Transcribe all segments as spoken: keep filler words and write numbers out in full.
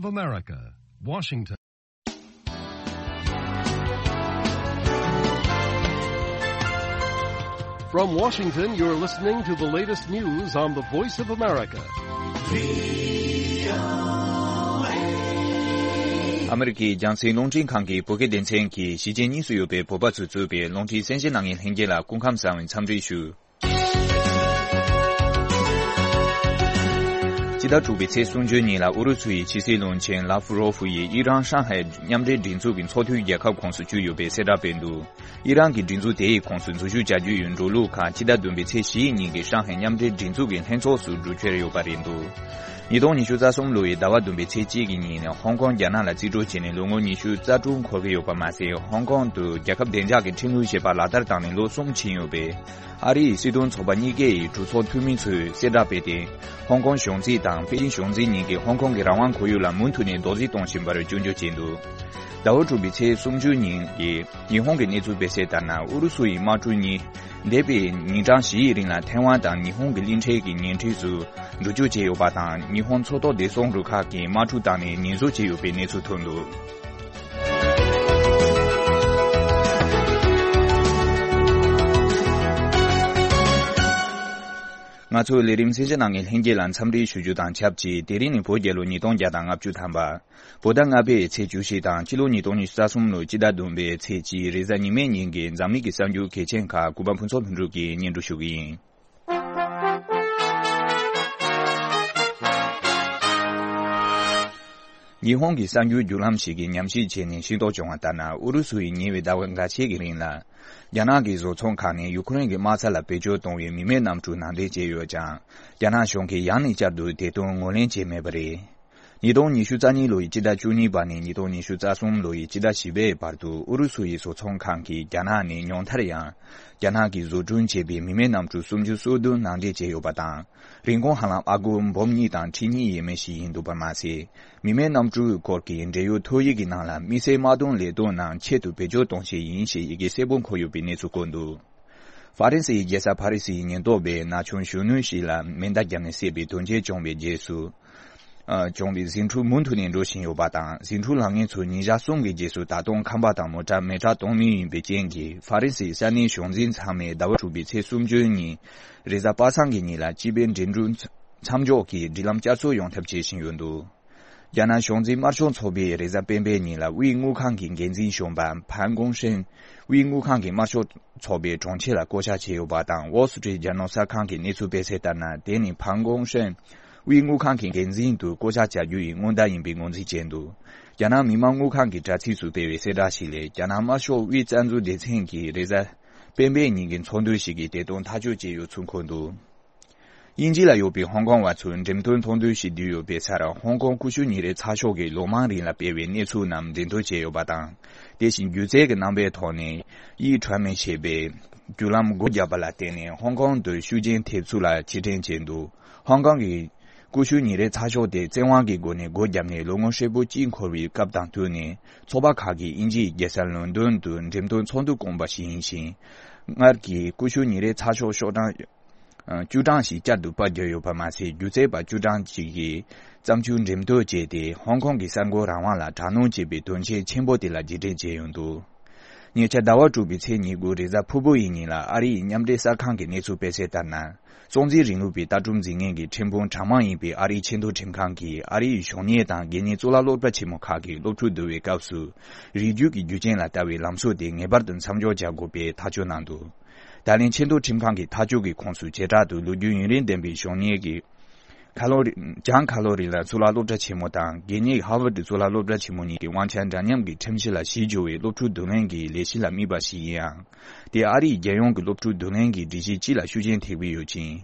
of America, Washington. From Washington, you're listening to the latest news on the Voice of America. ཨ་མི་རི་ཀའི་རྒྱང་སྲིང་རླུང་འཕྲིན་ཁང་གི་བོད་སྐད་སྡེ་ཚན་གྱིས་གཞིས་བྱེས་གཉིས་སུ་ཡོད་པའི་བོད་པ་ཚོས་གཙོས་པའི་རླུང་འཕྲིན་གསན་གཟིགས་གནང་མཁན་ལྷན་རྒྱས་ལ་སྐུ་ཁམས་བཟང་བའི་འཚམས་འདྲི་ཞུ། སྤྱི་ཟླ་དྲུག་པའི་ཚེས་སུམ་ཅུ་ཉིན་ལ་ཨུ་རུ་སུ་ཡི་ཕྱི་སྲིད་བློན་ཆེན་ལཱབ་རོ་ཧྥུ་ཡིས་ཨི་རན་ཧྲང་ཧའེ་མཉམ་འབྲེལ་སྒྲིག་འཛུགས་ཀྱི་ཚོགས་འཐུས་རྒྱལ་ཁབ་ཁོངས་སུ་བསྐྱོད་ཡོད་པའི་གསལ་བསྒྲགས་སྤེལ་འདུག་ཨི་རན་གྱི་སྒྲིག་འཛུགས་དེ་ཡི་ཁོངས་སུ་འཛུལ་ཞུགས་བྱ་རྒྱུ་ཡི་འགྲོ་ལུགས་ཁག་སྤྱི་ཟླ་བདུན་པའི་ཚེས་བཞི་ཉིན་གྱི་ཧྲང་ཧའེ་མཉམ་འབྲེལ་སྒྲིག་འཛུགས་ཀྱི་ལྷན་ཚོགས་སུ་གྲོས་ཆོད་ཡོད་པ་རེད་འདུག་ཉིས་སྟོང་ཉི་ཤུ་རྩ་གསུམ་ལོ་ཡི་ཟླ་བ་བདུན་པའི་ཚེས་གཅིག་གི་ཉིན་ནས་ཧོང་ཀོང་རྒྱ་ནག་ལ་རྩིས་སྤྲོད་བྱས་ནས་ལོ་ངོ་ཉི་ཤུ་རྩ་དྲུག་འཁོར་གྱི་ཡོད་པ་མ་ཟད། ཧོང་ཀོང་དུ་རྒྱལ་ཁབ་བདེ་འཇགས་ཀྱི་ཁྲིམས་ལུགས་ཞེས་པ་ལག་བསྟར་བཏང་ནས་ལོ་གསུམ་ཕྱིན་ཡོད་པས། ཨ་རི་ཡི་སྲིད་དོན་ཚོགས་པ་གཉིས་ཀའི་གྲོས་ཚོགས་འཐུས་མི་ཚོས་གསལ་བསྒྲགས་སྤེལ་ཏེ། ཧོང་ཀོང་གཞུང་འཛིན་དང་པེ་ཅིན་གཞུང་འཛིན་གཉིས་ཀྱིས་ཧོང་ཀོང་གི་རང་དབང་ཁོར་ཡུག་ལ་མུ་མཐུད་ནས་རྡོག་རྫིས་གཏོང་བཞིན་པར་སྐྱོན་བརྗོད་བྱས་འདུག་ཟླ་བ་དྲུག་པའི་ཚེས་སུམ་ཅུ་ཉིན་གྱི་ཉི་ཧོང་གི་གནས་ཚུལ་སྤེལ་གསལ་ལྟར་ན། ཨུ་རུ་སུ་ཡི་དམག་གྲུ་གཉིས་འདས་པའི་ཉིན་གྲངས་བཞིའི་རིང་ལ་ཐེ་ཝན་དང་ཉི་ཧོང་གི་གླིང་ཕྲན་གྱི་ཉེ་འཁྲིས་སུ་འགྲུལ་སྐྱོད་བྱས་ཡོད་པ་དང་། ཉི་ཧོང་མཚོ་ཐོག་བདེ་སྲུང་རུ་ཁག་གིས་དམག་གྲུ་བཏང་ནས་ཉེན་བཟོ་བྱས་ཡོད་པའི་གནས་ཚུལ་ཐོན་འདུག་ང་ཚོའི་ལས་རིམ་གསན་གཟིགས་གནང་མཁན་ལྷན་རྒྱས་ལ་འཚམས་འདྲི་ཞུ་རྒྱུ་དང་ཆབས་ཅིག་དེ་རིང་ནི་བོད་རྒྱལ་ལོ་ཉིས་སྟོང་བརྒྱ་དང་ལྔ་བཅུ་ཐམ་པ། བོད་ཟླ་ལྔ་པའི་ཚེས་བཅུ་བཞི་དང་སྤྱི་ལོ་ཉིས་སྟོང་ཉི་ཤུ་རྩ་གསུམ་ལོའི་སྤྱི་ཟླ་བདུན་པའི་ཚེས་གཅིག་རེས་གཟའ་ཉི་མའི་ཉིན་གྱི་འཛམ་གླིང་གི་གསར་འགྱུར་གལ་ཆེན་ཁག་གུས་པ་ཕུན་ཚོགས་ལྷུན་གྲུབ་ཀྱིས་སྙན་སྒྲོན་ཞུ་གི་ཡིན། ཉི་ཧོང་གི་གསར་འགྱུར་བརྒྱུད་ལམ་ཞིག་གིས་ཉམས་ཞིབ་བྱས་ནས་ཤེས་རྟོགས་བྱུང་བ་ལྟར་ན། ཨུ་རུ་སུ་ཡིས་ཉེ་བའི་ཟླ་བ་འགའ་ཤས་ཀྱི་རིང་ལ། རྒྱ་ནག་གི་བཟོ་ཚོང་ཁང་ནས་ཡུ་ཁུ་རེན་གྱི་དམག་ས་ལ་བེད་སྤྱོད་གཏོང་བའི་མི་མེད་གནམ་གྲུ་ནང་འདྲེན་བྱས་ཡོད་ཀྱང་། རྒྱ་ནག་གཞུང་གིས་ཡང་ནས་བསྐྱར་དུ་དེ་དོན་ངོས་ལེན་བྱས་མེད་པ་རེད། ཉིས་སྟོང་ཉི་ཤུ་རྩ་གཉིས་ལོ་ཡི་སྤྱི་ཟླ་བཅུ་གཉིས་པ་ནས་ཉིས་སྟོང་ཉི་ཤུ་རྩ་གསུམ་ལོ་ཡི་སྤྱི་ཟླ་བཞི་པའི་བར་དུ་ཨུ་རུ་སུ་ཡི་བཟོ་ཚོང་ཁང་གིས་རྒྱ་ནག་ནས་ཉུང་མཐར་ཡང་རྒྱ་ནག་གིས་བཟོ་སྐྲུན་བྱས་པའི་མི་མེད་གནམ་གྲུ་སུམ་ཅུ་སོ་བདུན་ནང་འདྲེན་བྱས་ཡོད་པ་དང་། རིན་གོང་ཧ་ལམ་ཨ་སྒོར་འབུམ་གཉིས་དང་ཁྲི་གཉིས་ཡས་མས་ཤིག་ཡིན་འདུག་པ་མ་ཟད། མི་མེད་གནམ་གྲུའི་སྐོར་གྱི་འབྲེལ་ཡོད་ཐོ་ཡིག་གི་ནང་ལ་དམིགས་བསལ་དམག་དོན་ལས་དོན་ནང་ཆེད་དུ་བེད་སྤྱོད་གཏོང་ཆེད་ཡིན་ཞེས་ཡི་གེ་གསལ་པོ་འཁོད་ཡོད་པའི་གནས་ཚུལ་བཀོད་འདུག་ཧྥ་རན་སིའི་རྒྱལ་ས་ཕ་རི་སིའི་ཉེན་རྟོག་པས་ན་ཆུང་གཞོན་ནུ་ཞིག་ལ་མེ་མདའ་བརྒྱབ་ནས་བསད་པའི་དོན་རྐྱེན་བྱུང་བའི་རྗེས་སུ། ཨ། བྱུང་བའི་ཟིང་འཁྲུག་མུ་མཐུད་ནས་འགྲོ་བཞིན་ཡོད་པ་དང་། ཟིང་འཁྲུག་ལངས་མཁན་ཚོ་ཉིན་ཞག་གསུམ་གྱི་རྗེས་སུ་ད་དུང་ཁང་པ་དང་མོ་ཊ་མེ་སྲེག་གཏོང་མུས་ཡིན་པའི་རྐྱེན་གྱིས། ཧྥ་རན་སིའི་ས་གནས་གཞུང་འཛིན་ཚང་མས་ཟླ་བ་དྲུག་པའི་ཚེས་སུམ་ཅུ་ཉིན་རེས་གཟའ་པ་སངས་ཀྱི་ཉིན་ལ་སྤྱི་པའི་འགྲིམ་འགྲུལ་མཚམས་འཇོག་གིས་སྒྲིག་ལམ་བསྐྱར་གསོ་ཡོང་ཐབས་བྱེད་བཞིན་ཡོད་འདུག་རྒྱ་ནག་གཞུང་འཛིན་དམར་ཤོག་ཚོགས་པས་རེས་གཟའ་སྤེན་པའི་ཉིན་ལ་དབུས་དངུལ་ཁང་གི་འགན་འཛིན་གཞོན་པ་ཕན་གོང་ཧྲེན། དབུས་དངུལ་ཁང་གི་དམར་ཤོག་ཚོགས་པའི་དྲུང་ཆེ་ལ་བསྐོ་གཞག་བྱས་ཡོད་པ་དང་། Wall Street Journal གསར་ཁང་གི་གནས་ཚུལ་སྤེལ་གསལ་ལྟར་ན། དེ་ནི་ཕན་གོང་ཧྲེན་དབུས་དངུལ་ཁང་གི་འགན་འཛིན་དུ་བསྐོ་གཞག་བྱ་རྒྱུ་ཡི་སྔོན་བརྡ་ཡིན་པའི་ངོས་འཛིན་བྱས་འདུག་རྒྱ་ནག་མི་དམངས་དངུལ་ཁང་གི་དྲ་ཚིགས་སུ་སྤེལ་བའི་གསལ་བསྒྲགས་ཤིག་ལས། རྒྱ་ནག་དམར་ཤོག་དབུས་རྩ་འཛུགས་སྡེ་ཚན་གྱིས་རེས་གཟའ་སྤེན་པའི་ཉིན་གྱི་ཚོགས་འདུ་ཞིག་གིས་དེ་དོན་ཐག་གཅོད་བྱས་ཡོད་ཚུལ་འཁོད་འདུག་དབྱིན་ཇི་ལ་ཡོད་པའི་ཧོང་ཀོང་བ་ཚོས་འགྲེམས་སྟོན་ཚོགས་འདུ་ཞིག་བསྡུས་ཡོད་པའི་སར། ཧོང་ཀོང་ཀུ་ཤུ་ཉིན་རེའི་ཚགས་ཤོག་གིས་ལོ་མང་རིང་ལ་སྤེལ་བའི་གནས་ཚུལ་རྣམས་འགྲེམས་སྟོན་བྱས་ཡོད་པ་དང་། དེ་བཞིན་སྒྱུ་རྩལ་གྱི་རྣམ་པའི་ཐོག་ནས་དབྱིན་ཁྲོན་མེ་ཞེས་པའི་བརྒྱུད་ལམ་སྒོ་བརྒྱབ་པ་ལ་བརྟེན་ནས། ཧོང་ཀོང་དུ་ཤུགས་རྐྱེན་ཐེབས་ཚུལ་ལ་རྗེས་དྲན་བྱས་འདུག་ཧོང་ཀོང་གི་ཀུ་ཤུ་ཉིན་རེའི་ཚགས་ཤོག་དེ་བཙན་དབང་གི་སྒོ་ནས་སྒོ་བརྒྱབ་ནས་ལོ་ངོ་ཧྲིལ་པོ་གཅིག་འཁོར་བའི་སྐབས་དང་བསྟུན་ནས། ཚོགས་པ་ཁག་གིས་དབྱིན་ཇིའི་རྒྱལ་ས་ལོན་ཌོན་དུ་འགྲེམས་སྟོན་ཚོགས་འདུ་བསྐོངས་པ་ཞིག་ཡིན་ཞིང་། སྔར་གྱི་ཀུ་ཤུ་ཉིན་རེའི་ཚགས་ཤོག་ཤོག་གྲངས་བཅུ་གྲངས་ཤིག་བསྐྱར་དུ་པར་བརྒྱབ་ཡོད་པ་མ་ཟད། སྒྱུ་རྩལ་པ་བཅུ་གྲངས་ཤིག་གིས་བརྩམས་ཆོས་འགྲེམས་སྟོན་བྱས་ཏེ། ཧོང་ཀོང་གི་གསར་འགོད་རང་དབང་ལ་དྲག་གནོན་བྱས་པའི་དོན་རྐྱེན་ཆེན་པོ་དེ་ལ་རྗེས་དྲན་བྱས་ཡོད་འདུག་ཉེ་ཆར་ཟླ་བ་དྲུག་པའི་ཚེས་ཉེར་དགུ་རེས་གཟའ་ཕུར་བུ་ཡི་ཉིན་ལ། ཨ་རི་ཡི་མཉམ་འབྲེལ་གསར་ཁང་གིས་གནས་ཚུལ་སྤེལ་གསལ་ལྟར་ན། སྲོག་འཛིན་རིང་ལུགས་པའི་ལྟ་གྲུབ་འཛིན་མཁན་གྱི་ཁྲིམས་དཔོན་གྲངས་མང་ཡིན་པའི་ཨ་རིའི་ཆེས་མཐོའི་ཁྲིམས་ཁང་གིས། ཨ་རིའི་གཞུང་གཉེར་དང་དགེ་བསྙེན་གཙུག་ལག་སློབ་གྲྭ་ཆེན་མོ་ཁག་གི་སློབ་ཕྲུག་བསྡུ་བའི་སྐབས་སུ། རིགས་རྒྱུད་ཀྱི་རྒྱུ་རྐྱེན་ལ་ལྟ་བའི་ལམ་སྲོལ་དེ་ངེས་པར་དུ་མཚམས་འཇོག་བྱ་དགོས་པའི་ཐག་གཅོད་གནང་འདུག་ད་ལན་ཆེས་མཐོའི་ཁྲིམས་ཁང་གི་ཐག་གཅོད་ཀྱི་ཁོངས་སུ་བྱེ་བྲག་ཏུ་ལོ་རྒྱུས་ཡུན་རིང་ལྡན་པའི་གཞུང་གཉེར་གྱི་ཁ་ལོ་རི། ལྗང་ཁ་ལོ་རི་ལ་གཙུག་ལག་སློབ་གྲྭ་ཆེན་མོ་དང་། དགེ་བསྙེན་ཧར་ཝར་ཌི་གཙུག་ལག་སློབ་གྲྭ་ཆེན་མོ་གཉིས་ཀྱི་དབང་ཆ་འདྲ་མཉམ་གྱི་ཁྲིམས་གཞི་ལ་གཞི་བཅོལ་བའི་སློབ་ཕྲུག་བསྡུ་ལེན་གྱི་ལས་གཞི་ལ་དམིགས་པ་ཞིག་ཡིན་ཡང་། དེས་ཨ་རིའི་རྒྱལ་ཡོངས་ཀྱི་སློབ་ཕྲུག་བསྡུ་ལེན་གྱི་སྒྲིག་གཞི་སྤྱི་ལ་ཤུགས་རྐྱེན་ཐེབས་ཀྱི་ཡོད་ཅིང་།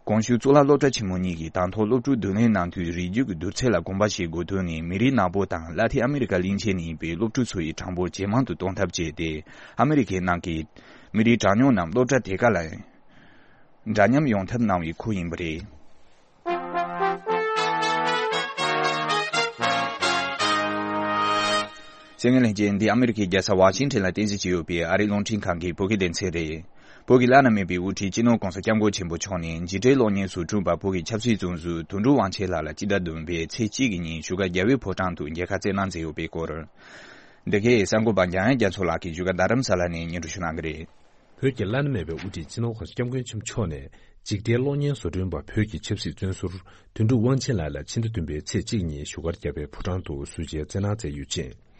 གོང་ཞུས་གཙུག་ལག་སློབ་གྲྭ་ཆེན་མོ་གཉིས་ཀྱིས་དང་ཐོག་སློབ་ཕྲུག་བསྡུ་ལེན་གནང་དུས་རིགས་རྒྱུད་ཀྱི་བསྡུར་ཚད་ལ་དགོངས་པ་བཞེས་དགོས་དོན་ནི། མི་རིགས་ནག་པོ་དང་ལ་ཏིན་ཨ་མི་རི་ཀ་གླིང་ཆེན་ནས་ཡིན་པའི་སློབ་ཕྲུག་ཚོ་ཡི་གྲངས་འབོར་ཇེ་མང་དུ་གཏོང་ཐབས་བྱས་ཏེ། ཨ་མི་རི་ཀའི་ནང་གི་མི་རིགས་གྲངས་ཉུང་རྣམས་སློབ་གྲྭ་དེ་ག་ལ་འདྲ་མཉམ་ཡོང་ཐབས་གནང་བའི་ཁུལ་ཡིན་པ་རེད། གསན་མཁན་ལྷན་རྒྱས། འདི་ཨ་མི་རི་ཀའི་རྒྱལ་ས་ཝ་ཤིང་ཊོན་ལ་རྟེན་གཞི་བྱས་ཡོད་པའི་ཨ་རིའི་རླུང་འཕྲིན་ཁང་གི་བོད་སྐད་སྡེ་ཚན་རེད། བོད་ཀྱི་བླ་ན་མེད་པའི་དབུ་ཁྲིད་སྤྱི་ནོར་༸གོང་ས་༸སྐྱབས་མགོན་ཆེན་པོ་མཆོག་ནས་འཇིགས་བྲལ་གློག་བརྙན་བཟོ་སྐྲུན་པ་བོད་ཀྱི་ཆབ་སྲིད་བཙོན་ཟུར་དོན་གྲུབ་དབང་ཆེན་ལགས་ལ་སྤྱི་ཟླ་བདུན་པའི་ཚེས་གཅིག་གི་ཉིན་བཞུགས་སྒར་རྒྱལ་བའི་ཕོ་བྲང་དུ་མཇལ་ཁ་བསྩལ་གནང་མཛད་ཡོད་པའི་སྐོར། འདི་གའི་གསར་འགོད་པ་འཇམ་དབྱངས་རྒྱ་མཚོ་ལགས་ཀྱིས་བཞུགས་སྒར་རྡ་རམ་ས་ལ་ནས་སྙན་སྒྲོན་ཞུ་གནང་གི་རེད། བོད་ཀྱི་བླ་ན་མེད་པའི་དབུ་ཁྲིད་སྤྱི་ནོར་༸གོང་ས་༸སྐྱབས་མགོན་ཆེན་པོ་མཆོག་ནས་འཇིགས་བྲལ་གློག་བརྙན་བཟོ་སྐྲུན་པ་བོད་ཀྱི་ཆབ་སྲིད་བཙོན་ཟུར་དོན་གྲུབ་དབང་ཆེན་ལགས་ལ་ཕྱི་ཟླ་བདུན་པའི་ཚེས་གཅིག་ཉིན་བཞུགས་སྒར་རྒྱལ་བའི་ཕོ་བྲང་དུ་གསོལ་ཇའི་བསྩལ་གནང་མཛད་ཡོད་ཅིང་།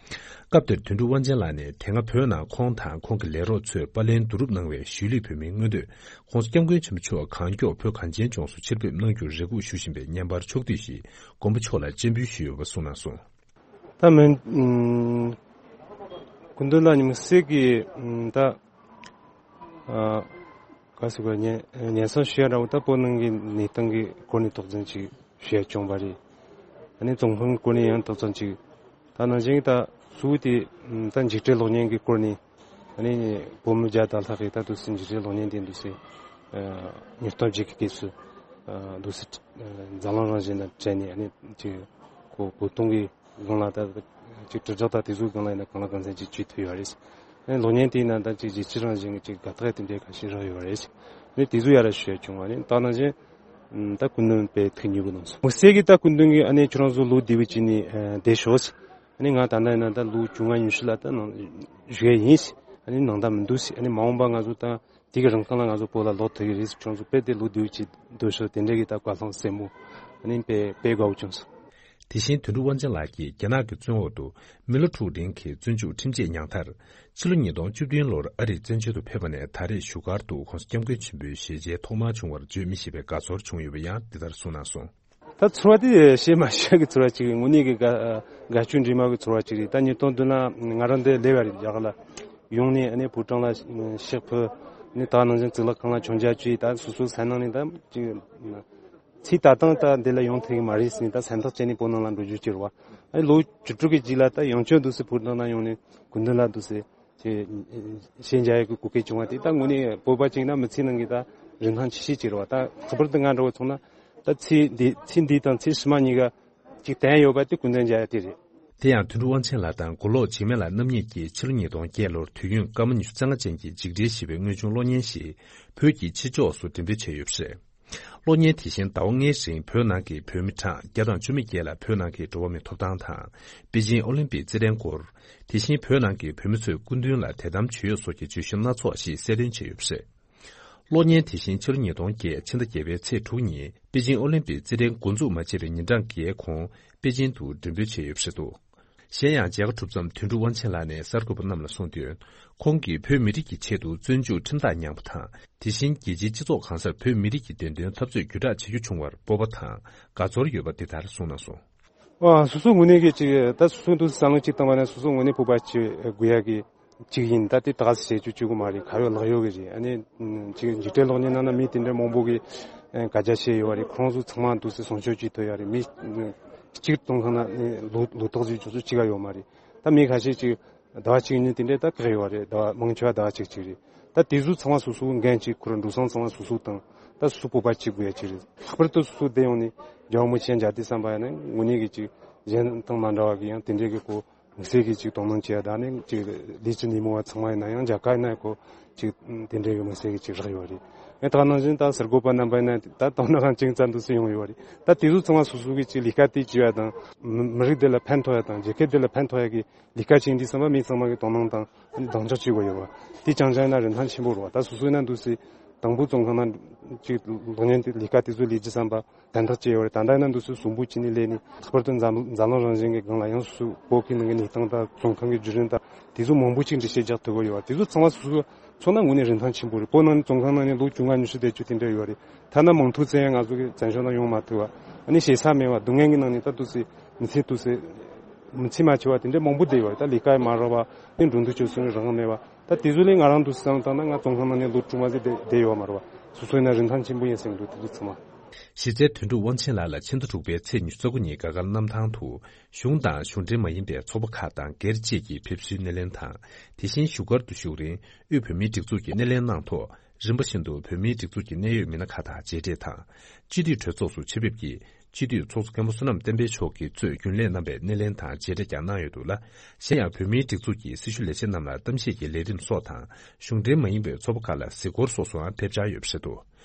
སྐབས་དེར་དོན་གྲུབ་དབང་ཆེན་ལགས་ནས་དེ་སྔ་བོད་ནང་ཁོང་དང་ཁོང་གི་ལས་རོགས་ཚོས་པར་ལེན་བསྡུ་རུབ་གནང་བའི་གཞིས་ལུས་བོད་མིའི་མངོན་འདོད་༸གོང་ས་༸སྐྱབས་མགོན་ཆེན་པོ་མཆོག་གང་མགྱོགས་བོད་གངས་ཅན་ལྗོངས་སུ་ཕྱིར་ཕེབས་གནང་རྒྱུར་རེ་སྒུག་ཞུ་བཞིན་པའི་བརྙན་པར་ཕྱོགས་བསྡུས་ཤིག་མགོན་པོ་མཆོག་ལ་སྤྱན་འབུལ་ཞུས་ཡོད་པ་གསུངས་གནང་སོང་། ད་མི་ཨུམ་སྐུ་མདུན་ལ་དམིགས་བསལ་གྱི་ཨུམ་ད་ཨ་ག་ཟེར་དགོས། སྙན་སྙན་སེང་ཞུ་ཡ་འདྲ་བོ་ད་བོད་ནང་གི་གནས་སྟངས་ཀྱི་སྐོར་ནས་དོགས་ཟོན་ཅིག་ཞུ་ཡ་བྱུང་བ་རེད། ཨ་ནི་ཙོང་ཁང་གི་སྐོར་ནས་ཡང་དོགས་ཟོན་ཅིག་ད་ནང་བཞིན་ད་སུའུ་དེ་ད་འཇིགས་བྲལ་གློག་བརྙན་གྱི་སྐོར་ནས་ཨ་ནི་བོད་མི་བརྒྱ་དང་ལྷག་གིས་ད་དུས་སུ་འཇིགས་བྲལ་གློག་བརྙན་དེ་འདུག་སེ་ཉིས་སྟོང་བརྒྱད་ཀྱི་སྐབས་སུ་འདུག་སེ་འཛམ་གླིང་རང་བཞིན་དང་བྲལ་ནས་ཨ་ནི་ཅིག་གོ་གོ་སྟོང་གི་སྒང་ལ་ད་ཅིག་དྲིལ་བསྒྲགས་དང་དེ་ཚོའི་སྒང་ལ་ཡིན་ན་གང་ལ་གང་འཚམ་ཅིག་བྱེད་ཐུབ་ཡོད་རེད། ཨ་ནི་གློག་བརྙན་དེ་ཡིན་ན་ད་ཅིག་རྒྱལ་སྤྱི་རང་བཞིན་གྱི་ཅིག་དགའ་རྟགས་དེ་འདྲའི་ཁ་ཤས་རག་ཡོད་རེད། ཨ་ནི་དེ་ཚོ་ཡར་ཞུ་ཡ་བྱུང་བ་རེད། ད་ནང་བཞིན་ད་སྐུ་མདུན་དཔེ་ཐུགས་མཉེས་པོ་གནང་སོང་། མི་སེར་གྱིས་ད་སྐུ་མདུན་གྱིས་ཨ་ནི་ཁྱོད་རང་ཚོ་ལོ་བདེ་བོ་བྱས་ནས་བསྡད་ཤོག་ཨ་ནི་ང་ད་ལྟ་ཡིན་ན་ད་ལོ་བཅོ་ལྔ་ཉི་ཤུ་ལ་ད་ནང་བཞུགས་ཡ་ཡིན། ཨ་ནི་ནང་ད་མི་འདུག་ཨ་ནི་མ་འོངས་པ་ང་ཚོ་ད་དེ་གི་རིང་ཁ་ལ་ང་ཚོ་བོད་ལ་ལོག་ཐུབ་ཀྱི་རེད། ཁྱོད་ཚོ་དཔེ་དེ་ལོ་བདེ་བོ་བྱས་སྡོད་ཤོག་དེ་འདྲ་གི་ད་བཀའ་སློབ་གསལ་པོ་ཨ་ནི་དཔེ་དཔེ་དགའ་བོ་བྱུང་སོང་། དེ་བཞིན་དོན་གྲུབ་དབང་ཆེན་ལགས་ཀྱིས་རྒྱ་ནག་གི་བཙོན་འོག་ཏུ་མི་ལོ་དྲུག་རིང་གི་བཙོན་འཇུག་ཁྲིམས་ཆད་མྱངས་མཐར། ཕྱི་ལོ་ཉིས་སྟོང་བཅུ་བདུན་ལོར་ཨ་རིར་བཙན་བྱོལ་དུ་ཕེབས་པ་ནས་ད་རེས་བཞུགས་སྒར་དུ་༸གོང་ས་༸སྐྱབས་མགོན་ཆེན་པོའི་ཞལ་མཇལ་ཐོག་མར་བྱུང་བར་བརྗོད་མི་ཤེས་པའི་དགའ་ཚོར་བྱུང་ཡོད་པ་ཡང་འདི་ལྟར་གསུངས་གནང་སོང་། ད་ཚོར་བ་དེ་བཤད་མ་ཤེས་ཀྱི་ཚོར་བ་ཅིག་རེད། དངོས་གནས་ཀྱི་དགའ་དགའ་སྐྱོ་འདྲེས་མ་གི་ཚོར་བ་ཅིག་རེད། ད་ཉིས་སྟོང་བདུན་ལ་ང་རང་འདིར་སླེབས་པ་རེད། རྒྱ་གར་ལ་ཡོང་ནས་ཨ་ནི་ཕོ་བྲང་ལ་གཤེགས་ཕུལ་ནས་ད་ནང་བཞིན་གཙུག་ལག་ཁང་ལ་མཆོད་མཇལ་བྱས། ད་སོ་སོའི་སེམས་ནང་ནས་ད་ཅིག་ཚེ་ད་ལྟ་ད་འདི་ལ་ཡོང་ཐུབ་ཀྱི་མ་རེད་ཟེར་ནས་ད་སེམས་ཐག་བཅད་ནས་བོད་ནང་ལ་འགྲོ་རྒྱུ་ཅིག་རེད་བ། ཨ་ནི་ལོ་བཅུ་དྲུག་གི་རྗེས་ལ་ད་ཡང་བསྐྱར་འདུག་སེ་བོད་ནང་ཡོང་ནས་སྐུ་མདུན་ལ་འདུག་སེ་ཅིག་ཞལ་མཇལ་ཡག་གི་གོ་སྐབས་བྱུང་བ་དེ་ད་དངོས་གནས་བོད་པ་ཅིག་ན་མི་ཚེ་ནང་གི་ད་རིན་ཐང་ཆེ་ཤོས་ཅིག་རེད་བ། ད་ལྷག་པར་དུ་ང་འདྲ་བོ་མཚོན་ན་ད་ཚེ་འདི་ཚེ་འདི་དང་ཚེ་ཕྱི་མ་གཉིས་ཀ་ཅིག་བརྟན་ཡོད་པ་དེ་སྐུ་མདུན་མཇལ་ཡ་དེ་རེད། དེ་ཡང་དོན་གྲུབ་དབང་ཆེན་ལགས་དང་མགོ་ལོག་འཇིགས་མེད་ལགས་རྣམ་གཉིས་ཀྱིས་ཕྱི་ལོ་ཉིས་སྟོང་བརྒྱད་ལོར་དུས་ཡུན་སྐར་མ་ཉི་ཤུ་རྩ་ལྔ་ཅན་གྱི་འཇིགས་བྲལ་ཞེས་པའི་དངོས་བྱུང་གློག་བརྙན་ཞིག་བོད་ཀྱི་ཕྱི་ཕྱོགས་སུ་འགྲེམས་སྤེལ་བྱས་ཡོད་པ་རེད། གློག་བརྙན་དེ་བཞིན་ཟླ་བ་ལྔའི་རིང་བོད་ནང་གི་བོད་མི་གྲངས་བརྒྱ་དང་བཅུ་མེད་བརྒྱད་ལ་བོད་ནང་གི་འགྲོ་བ་མིའི་ཐོབ་ཐང་དང་། པེ་ཅིང་ཨོ་ལིམ་པིག་རྩེད་འགྲན་སྐོར། དེ་བཞིན་བོད་ནང་གི་བོད་མི་ཚོས་སྐུ་མདུན་ལ་དད་དམ་བྱེད་ཡུལ་སོགས་ཀྱི་བརྗོད་གཞི་སྣ་ཚོགས་ཤིག་གསལ་སྟོན་བྱས་ཡོད་པ་རེད། གློག་བརྙན་དེ་བཞིན་ཕྱི་ལོ་ཉིས་སྟོང་བརྒྱད་ཕྱི་ཟླ་བརྒྱད་པའི་ཚེས་དྲུག་ཉིན་པེ་ཅིང་ཨོ་ལིམ་པིག་རྩེད་འགྲན་འགོ་འཛུགས་མ་བྱས་པའི་ཉིན་གྲངས་བརྒྱད་གོང་པེ་ཅིང་དུ་འགྲེམས་སྤེལ་བྱས་ཡོད་པ་རེད་འདུག་གཞན་ཡང་མཇལ་ཁ་གྲུབ་མཚམས་དོན་གྲུབ་དབང་ཆེན་ལགས་ནས་གསར་འགོད་པ་རྣམས་ལ་གསུངས་དོན། ཁོང་གིས་བོད་མི་རིགས་ཀྱི་ཆེད་དུ་བཙོན་འཇུག་ཁྲིམས་ཐག་མྱངས་པ་དང་། དེ་བཞིན་རྒྱལ་སྤྱིའི་སྤྱི་ཚོགས་གང་སར་བོད་མི་རིགས་ཀྱི་བདེན་དོན་འཐབ་རྩོད་རྒྱུད་དྲག་བྱེད་རྒྱུ་བྱུང་བར་སྤོབས་པ་དང་དགའ་ཚོར་ཡོད་པ་འདི་ལྟར་གསུངས་གནང་སོང་། ཨ་སོ་སོ་ངོས་ནས་ཀྱི་ཅིག་ད་སོ་སོ་འདུག་བསམ་བློ་ཅིག་བཏང་བ་ན་སོ་སོ་ངོས་ནས་སྤོབས་པ་ཅིག་དགོས་ཡ་གི་ཅིག་ཡིན། ད་དེ་ཏག་ཏག་བྱེད་རྒྱུ་བཅུག་གི་མ་རེད། ག་ཡོད་ལག་ཡོད་གི་རེད། ཨ་ནི་ཅིག་འཇིགས་བྲལ་གློག་བརྙན་ནང་ན་མི་དེ་འདྲ་མང་པོ་གི་ཨ་དགག་བྱ་བྱས་ཡོད་རེད། ཁོང་ཚོ་ཚང་མ་འདུག་སེ་སྲུང་སྐྱོབ་བྱེད་ཐུབ་ཡ་རེད། མི་གཅིག་གཏོང་མཁན་ན་ལོ་ལོ་ཏོག་ཟིག་ཅུང་ཟད་གཅིག་ག་ཡོད་མ་རེད། ད་མི་ཁ་ཤས་ཅིག་ཟླ་བ་གཅིག་གཉིས་དེ་འདྲ་ད་བཀག་ཡོད་རེད། ཟླ་བ་མང་ཆེ་བ་ཟླ་བ་གཅིག་གཅིག་རེད། ད་དེ་ཚོ་ཚང་མ་སོ་སོའི་འགན་གཅིག་ཁུར། འགྲོ་སོང་ཚང་མ་སོ་སོ་བཏང་། ད་སོ་སོ་སྤོབས་པ་གཅིག་དགོས་ཡ་གཅིག་རེད། ལྷག་པར་དུ་སོ་སོ་བསྡད་ཡོང་ནས་རྒྱལ་བ་རིན་པོ་ཆེ་མཇལ་དུས་བསམ་པ་ཡིན་ན་དངོས་གནས་ཀྱི་ཅིག་གཞན་དང་མ་འདྲ་བ་གི་ཡང་དེ་འདྲའི་གི་གོ་དམིགས་བསལ་གྱི་ཅིག་དོ་སྣང་བྱེད་ཡ་ད་ནི་ཅིག་ལས་བྱེད་སྣེ་མོ་བ་ཚང་མ་ཡིན་ན་ཡང་རྒྱ་གར་ཡིན་ན་ཁོ་ཅིག་དེ་འདྲའི་གི་དམིགས་བསལ་གྱི་ཅིག་རག་ཡོད་རེད། ཨེ་ད་ནང་བཞིན་ད་གསར་འགོད་པ་རྣམ་པ་ཡིན་ན་ད་དོ་སྣང་ཅིག་ཙམ་འདུག་སེ་ཡོང་ཡོད་རེད། ད་དེ་ཚོ་ཚང་མ་སོ་སོ་གི་ཅིག་ལས་ཀ་དེ་བྱེད་ཡ་དང་མི་མི་རིགས་དེ་ལ་ཕན་ཐོགས་ཡ་དང་རྒྱལ་ཁབ་དེ་ལ་ཕན་ཐོགས་ཡ་གི་ལས་ཀ་བྱེད་འདི་ཚང་མ་མི་ཚང་མ་གི་དོ་སྣང་དང་གདེང་འཇོག་བྱེད་དགོས་ཡོད་པ། དེ་རྐྱང་རྐྱང་ཡིན་ན་རིན་ཐང་ཆེན་པོ་རེད་པ། ད་སོ་སོ་ཡིན་ན་འདུག་སེ་དང་པོ་བཙོན་ཁང་ན་ཅིག་གློག་བརྙན་དེ་ལས་ཀ་དེ་ཚོ་ལས་རྒྱུ་བསམ་པ་གདན་ཐག་བཅད་ཡོད་རེད། ད་ལྟ་ཡིན་ན་འདུག་སེ་གསོན་པོ་བྱས་ནས་སླེབས་ནས་ལྷག་པར་དུ་འཛམ་འཛམ་གླིང་རང་བཞིན་གྱི་སྒང་ལ་ཡང་སོ་སོའི་བོད་ཀྱི་ནང་གི་གནས་སྟངས་དང་བཙོན་ཁང་གི་བརྒྱུད་རིམ་དང་དེ་ཚོ་མང་པོ་ཅིག་འགྲེལ་བཤད་རྒྱག་ཐུབ་ཀྱི་ཡོད་པ། དེ་ཚོ་ཚང་མ་སོ་སོ་མཚོན་ན་དངོས་གནས་རིན་ཐང་ཆེན་པོ་རེད། བོད་ནང་ནས་བཙོན་ཁང་ནང་ནས་ལོ་བཅོ་ལྔ་ཉི་ཤུ་བསྡད་རྒྱུ་དེ་འདྲ་ཡོད་རེད། ཐ་ན་མང་ཐོག་བཙན་ཡང་ང་ཚོ་གི་བཙན་བྱོལ་ནང་ཡོང་མ་ཐུབ་པ། ཨ་ནི་ཞེ་ས་མེད་པ་སྡུག་བསྔལ་གྱི་ནང་ནས་ད་འདུག་སེ་མི་ཚེ་འདུག་སེ་མི་ཚེ་མ་འཆི་བ་དེ་འདྲ་མང་པོ་བསྡད་ཡོད་རེད། ད་ལས་ཀ་ཡང་མ་རག་པ་ཨ་ནི་འགྲོ་འདུག་སྤྱོད་གསུམ་རང་དབང་མེད་པ། ད་དེ་ཚོ་ལས་ང་རང་འདུག་སེ་བསམ་བཏང་ན་ང་བཙོན་ཁང་ནང་ནས་ལོ་དྲུག་མ་ཟིན་བསྡད་བསྡད་ཡོད་མ་རེད་པ། སོ་སོ་ཡིན་ན་རིན་ཐང་ཆེན་པོ་ཡིན་བསམ་གྱི་འདུག་དེ་ཚོ་ཚང་མ། གཞི་རྩའི་དོན་གྲུབ་དབང་ཆེན་ལགས་ལ་ཕྱི་ཟླ་དྲུག་པའི་ཚེས་ཉི་ཤུ་རྩ་དགུ་ཉིན་དགའ་དགའ་གནམ་ཐང་དུ་གཞུང་དང་གཞུང་འབྲེལ་མ་ཡིན་པའི་ཚོགས་པ་ཁག་དང་སྒེར་བཅས་ཀྱིས་ཕེབས་བསུའི་སྣེ་ལེན་དང་། དེ་བཞིན་བཞུགས་སྒར་དུ་བཞུགས་རིང་དབུས་བོད་མིའི་སྒྲིག་འཛུགས་ཀྱི་སྣེ་ལེན་གནང་ཐོག་རིམ་པ་བཞིན་དུ་བོད་མིའི་སྒྲིག་འཛུགས་ཀྱི་གནད་ཡོད་མི་སྣ་ཁག་དང་མཇལ་འཕྲད་དང་། སྤྱི་འཐུས་གྲོས་ཚོགས་སུ་ཆེད་ཕེབས་ཀྱིས་ སྤྱི་འཐུས་ཚོགས་གཙོ་མཁན་པོ་བསོད་ནམས་བསྟན་འཕེལ་མཆོག་གིས་གཙོས་རྒྱུན་ལས་རྣམ་པས་སྣེ་ལེན་དང་མཇལ་འཕྲད་ཀྱང་གནང་ཡོད་འདུག་ལ། གཞན་ཡང་བོད་མིའི་སྒྲིག་འཛུགས་ཀྱི་སྲི་ཞུ་ལས་བྱེད་རྣམས་ལ་གཏམ་བཤད་ཀྱི་ལས་རིམ་སོགས་དང་། གཞུང་འབྲེལ་མ་ཡིན་པའི་ཚོགས་པ་ཁག་ལ་གཟིགས་སྐོར་སོགས་སུའང་ཕེབས་འཆར་ཡོད་པ་རེད་འདུག་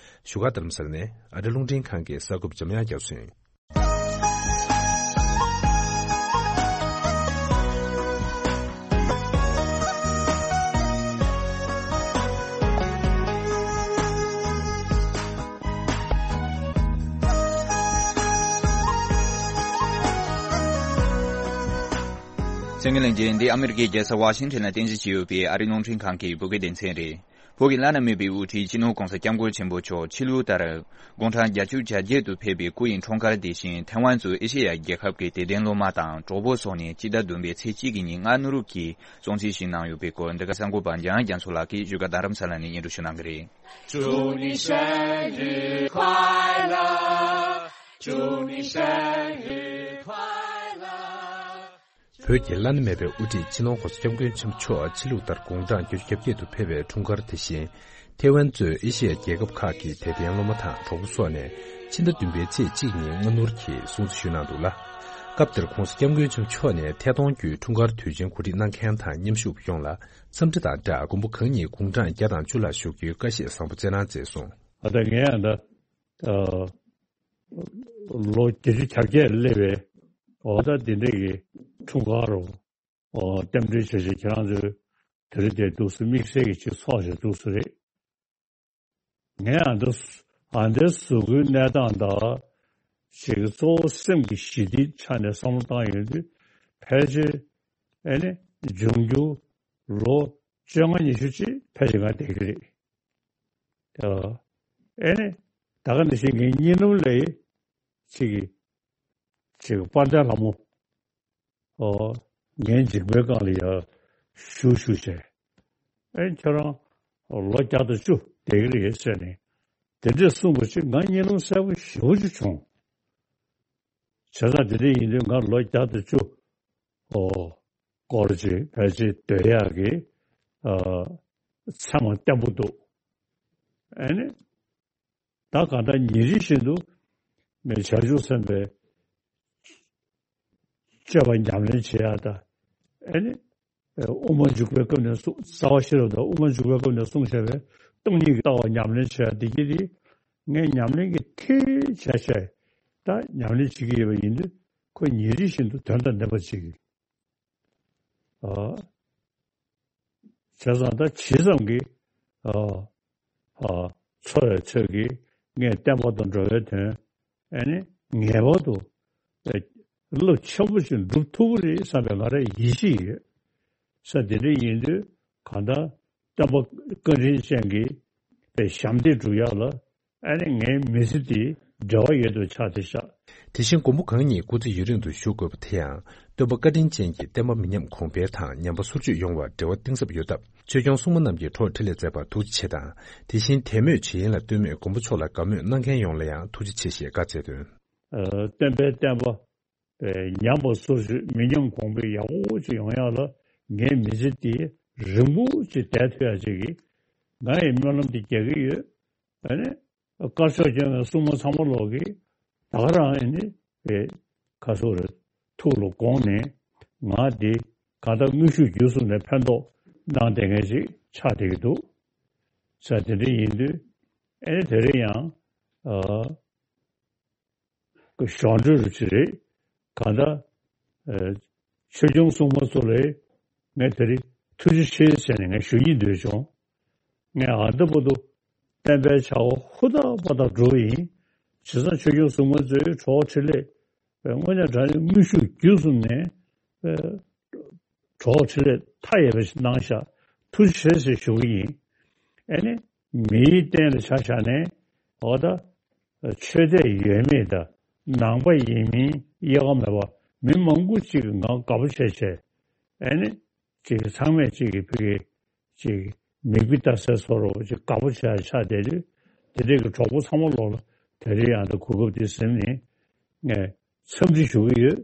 བཞུགས་སྒར་རྡ་རམ་ས་ལ་ནས་ཨ་རི་རླུང་འཕྲིན་ཁང་གི་གསར་འགོད་པ་འཇམ་དབྱངས་རྒྱ་མཚོ་ཡིན། གསན་མཁན་ལྷན་རྒྱས། འདི་ཨ་མི་རི་ཀའི་རྒྱལ་ས་ཝ་ཤིང་ཊོན་ལ་རྟེན་གཞི་བྱས་ཡོད་པའི་ཨ་རིའི་རླུང་འཕྲིན་ཁང་གི་བོད་སྐད་སྡེ་ཚན་རེད། བོད་ཀྱི་བླ་ན་མེད་པའི་དབུ་ཁྲིད་སྤྱི་ནོར་༧གོང་ས་༧སྐྱབས་མགོན་ཆེན་པོ་མཆོག་ཕྱི་ལུགས་ལྟར་དགུང་གྲངས་བརྒྱད་ཅུ་གྱ་བརྒྱད་དུ་ཕེབས་པའི་སྐུ་ཡི་འཁྲུངས་སྐར་དེ་བཞིན་ཐེ་ཝན་གཙོས་ཨེ་ཤེ་ཡ་རྒྱལ་ཁབ་ཀྱི་དད་ལྡན་སློབ་མ་དང་གྲོགས་པོ་སོགས་ནས་སྤྱི་ཟླ་བདུན་པའི་ཚེས་གཅིག་གི་ཉིན་མངའ་ནོར་གྱིས་སྲུང་བརྩི་ཞུས་གནང་ཡོད་པའི་སྐོར། འདི་ག་གསར་འགོད་པ་འཇམ་དབྱངས་རྒྱ་མཚོ་ལགས་ཀྱིས་བཞུགས་སྒར་རྡ་རམ་ས་ལ་ནས་སྙན་སྒྲོན་ཞུ་གནང་གི་རེད། 祝你生日快乐，祝你生日快乐。 བོད་ཀྱི་བླ་ན་མེད་པའི་དབུ་ཁྲིད་སྤྱི་ནོར་༧གོང་ས་༧སྐྱབས་མགོན་ཆེན་པོ་མཆོག་ཕྱི་ལུགས་ལྟར་དགུང་གྲངས་བརྒྱད་ཅུ་གྱ་བརྒྱད་དུ་ཕེབས་པའི་འཁྲུངས་སྐར་དེ་བཞིན། ཐེ་ཝན་གཙོས་ཨེ་ཤེ་ཡ་རྒྱལ་ཁབ་ཁག་གི་དད་ལྡན་སློབ་མ་དང་གྲོགས་པོ་སོགས་ནས་ཕྱི་ཟླ་བདུན་པའི་ཚེས་གཅིག་ཉིན་སྔ་སྣུར་གྱིས་སྲུང་བརྩི་ཞུས་གནང་འདུག་ལ། སྐབས་དེར་༧གོང་ས་༧སྐྱབས་མགོན་ཆེན་པོ་མཆོག་ནས་ཐད་གཏོང་བརྒྱུད་འཁྲུངས་སྐར་དུས་ཆེན་གོ་སྒྲིག་གནང་མཁན་དང་མཉམ་ཞུགས་པ་ཡོངས་ལ་འཚམས་འདྲི་དང་སྦྲགས་མགོན་པོ་གང་ཉིད་དགུང་གྲངས་བརྒྱ་དང་བཅུ་ལ་བཞུགས་རྒྱུའི་བཀའ་བཞེས་བཟང་པོ་སྩལ་གནང་མཛད་སོང་། ཨ་ད་ངས་ཨ་ད་ཨ་ལོ་བརྒྱད་ཅུ་གྱ་བརྒྱད་སླེབས་པའི་འོ་ད་འདི་འདྲ་གི་འཁྲུངས་སྐར་རུ་འོ་རྟེན་འབྲེལ་བྱས་བྱས་ཁྱེད་རང་ཚོས་དེ་རིང་དེ་འདུག་སེ་དམིགས་བསལ་གྱི་ཅིག་ཚོགས་བྱས་འདུག་སེ་རེད། ངས་ཨ་འདི་ཨ་འདིར་གཟུགས་པོའི་གནས་སྟངས་དང་ཅིག་གཙོ་བོ་སེམས་ཀྱི་ཞི་བདེའི་ཆ་ནས་བསམ་བློ་བཏང་ཡོང་དུས་ཕལ་ཆེར་ཨེ་ནི་འབྱུང་འགྱུར་ལོ་བཅོ་ལྔ་ཉི་ཤུ་ཅིག་ཕལ་ཆེར་ང་བསྡད་ཀྱི་རེད། ཨ་ཨེ་ནི་ད་ག་ནང་བཞིན་ངའི་གཉིད་ལམ་ལ་ཅིག་གིས་ཅིག་དཔལ་ལྡན་ལྷ་མོ། ཨོ། ངའི་མཇིང་པའི་སྒང་ལ་ཡར་བཞུགས་བཞུགས་བྱས། ཨེ་ཁྱོད་རང་ལོ་བརྒྱ་དང་བཅུ་བསྡད་ཀྱི་རེད་ཟེར་ནས་དེ་འདྲས་གསུངས་པ་ཅིག་ང་གཉིད་ལམ་གསལ་པོ་ཞེ་པོ་ཅིག་བྱུང་། བྱས་ཙང་དེ་འདྲ་ཡིན་དུས་ང་ལོ་བརྒྱ་དང་བཅུ་ཨོ་སྐོར་ཅིག་ཕལ་ཆེར་སྡོད་ཡག་གི་ཨ་མཚན་མ་བརྟན་པོ་འདུག་ཨེ་ནི། ད་གང་ལྟར་ཉིན་རེ་བཞིན་དུ་ངས་བྱང་ཆུབ་སེམས་དཔའི་སྤྱོད་པ་ཉམས་ལེན་བྱེད་ཡག་དང་། ཨེ་ནི། དབུ་མ་འཇུག་པའི་སྐབས་ནས་གསུངས་རྩ་བ་ཤེས་རབ་དང་དབུ་མ་འཇུག་པའི་སྐབས་ནས་གསུངས་བཞག་པའི་སྟོང་ཉིད་ཀྱི་ལྟ་བ་ཉམས་ལེན་བྱེད་ཡག་འདི་གྱིས་དེ་ངས་ཉམས་ལེན་གྱི་མཐིལ་བྱས་བྱས་ད་ཉམས་ལེན་བྱེད་ཀྱི་ཡོད་པ་ཡིན་དུས་ཁོ་ཉིན་རེ་བཞིན་དུ་དོན་དང་ལྡན་པ་ཅིག་གིས། ཨ། བྱས་ཙང་ད་ཇི་ཙམ་གྱིས་ཨ་ཨ་འཚོ་བའི་ཚོད་ཀྱིས་ངས་བསྟན་པ་དང་འགྲོ་བའི་དོན་ཨེ་ནི་ངེས་པར་དུ་རླབས་ཆེན་པོ་ཞིག་འགྲུབ་ཐུབ་ཀྱི་རེད་བསམ་པའི་ང་རང་ཡིད་ཆེས་ཡོད། ས་དེ་འདྲ་ཡིན་དུས་གང་ལྟར་བསྟན་པ་བཀའ་དྲིན་ཅན་གྱི་པའི་ཞབས་འདེགས་སྒྲུབ་ཡག་ལ་ཨ་ནི་ངའི་མི་ཚེ་འདི་འབྲེལ་བ་ཡོད་དུ་ཆགས་ཏེ་ཤག་དེ་བཞིན་མགོན་པོ་གང་ཉིད་སྐུ་ཚེ་ཡུན་རིང་དུ་བཞུགས་དགོས་པ་དེ་ཡང་སྟོན་པ་བཀའ་དྲིན་ཅན་གྱི་བསྟན་པ་མི་ཉམས་གོང་འཕེལ་དང་ཉམས་པ་སོར་ཆུད་ཡོང་བར་འབྲེལ་བ་གཏིང་ཟབ་ཡོད་སྟབས་ཆོས་སྐྱོང་སྲུང་མ་རྣམས་ཀྱི་གྲོགས་འཕྲིན་ལས་མཛད་པར་ཐུགས་རྗེ་ཆེ་དང་། དེ་བཞིན་དད་མོས་བྱེད་ཡུན་ལ་ལྟོས་མེད་མགོན་པོ་མཆོག་ལ་དགའ་མོས་གནང་མཁན་ཡོངས་ལ་ཡང་ཐུགས་རྗེ་ཆེ་ཞེས་བཀའ་སྩལ་དོན། ཨ། སྟོན་པའི་བསྟན་པ་ཉམས་པ་སོར་ཆུད་མི་ཉམས་གོང་འཕེལ་ཡག་པོ་ཅིག་ཡོང་ཡག་ལ་ངའི་མི་ཚེ་འདི་རིང་པོ་ཅིག་བསྡད་ཐུབ་ཡག་ཅིག་གིས་ང་ཡི་སྨོན་ལམ་འདི་རྒྱག་གི་ཡོད། ཨ་ནི། དཀར་ཕྱོགས་སྐྱོང་བའི་སྲུང་མ་ཚང་མ་ལོག་གིས་ད་ག་རང་ཨེ་ནི་བའི་ཁ་སོ་རེ་ཐུགས་ལ་དགོངས་ནས་ང་འདི་གང་ལྟར་དངོས་ཤུགས་བརྒྱུད་གསུམ་ནས་ཕན་ཐོགས་གནང་བསྡད་མཁན་ཞིག་ཆགས་བསྡད་ཀྱི་འདུག་ས་དེ་འདྲ་ཡིན་དུས་ཨེ་ནི་དེ་རིང་ཡང་ཨ་གཞུང་འབྲེལ་རུ་ཅི་རེད། གང་ལྟར་ཨ་ཆོས་སྐྱོང་སྲུང་མ་ཚོ་ལ་ངས་དེ་རིང་ཐུགས་རྗེ་ཆེ་ཟེར་ནས་ངས་ཞུ་སྙིང་འདོད་བྱུང་། ངས་ཨ་ད་བར་དུ་བསྟན་པའི་བྱ་བ་ཧུར་ཐག་པ་ཐག་སྒྲུབ་པ་ཡིན། བྱས་ཙང་ཆོས་སྐྱོང་སྲུང་མ་ཚོའི་གྲོགས་འཕྲིན་ལས་དངོས་གནས་དྲང་གནས་དངོས་ཤུགས་བརྒྱུད་གསུམ་ནས་གྲོགས་འཕྲིན་ལས་མཐའ་ཡས་པ་ཞིག་གནང་ཤག་ཐུགས་རྗེ་ཆེ་ཞུ་གི་ཡིན། ཨེ་ནི་མིའི་སྟེང་ལ་ཆ་བཞག་ནས་འོ་ད་ཆོས་དད་ཡོད་མེད་དང་ནང་པ་ཡིན་མིན་དབྱེ་བ་མེད་པ་མི་མང་པོ་ཅིག་གིས་ང་དགའ་པོ་བྱས་བྱས་ཨེ་ནི་ཅིག་ཚང་མས་ཅིག་གི་ཕ་གི་ཅིག་མིག་དཔེ་ལྟ་སའི་བཟོ་འདྲ་ཅིག་དགའ་པོ་བྱས་ཆགས་བསྡད་དུས་དེ་འདྲས་ཀྱི་གྲོགས་པོ་ཚང་མ་ལོག་ལ་དེ་རིང་ཡང་ད་གོ་སྐབས་འདི་ཟིན་ནས་ངས་འཚམས་འདྲི་ཞུ་གི་ཡོད།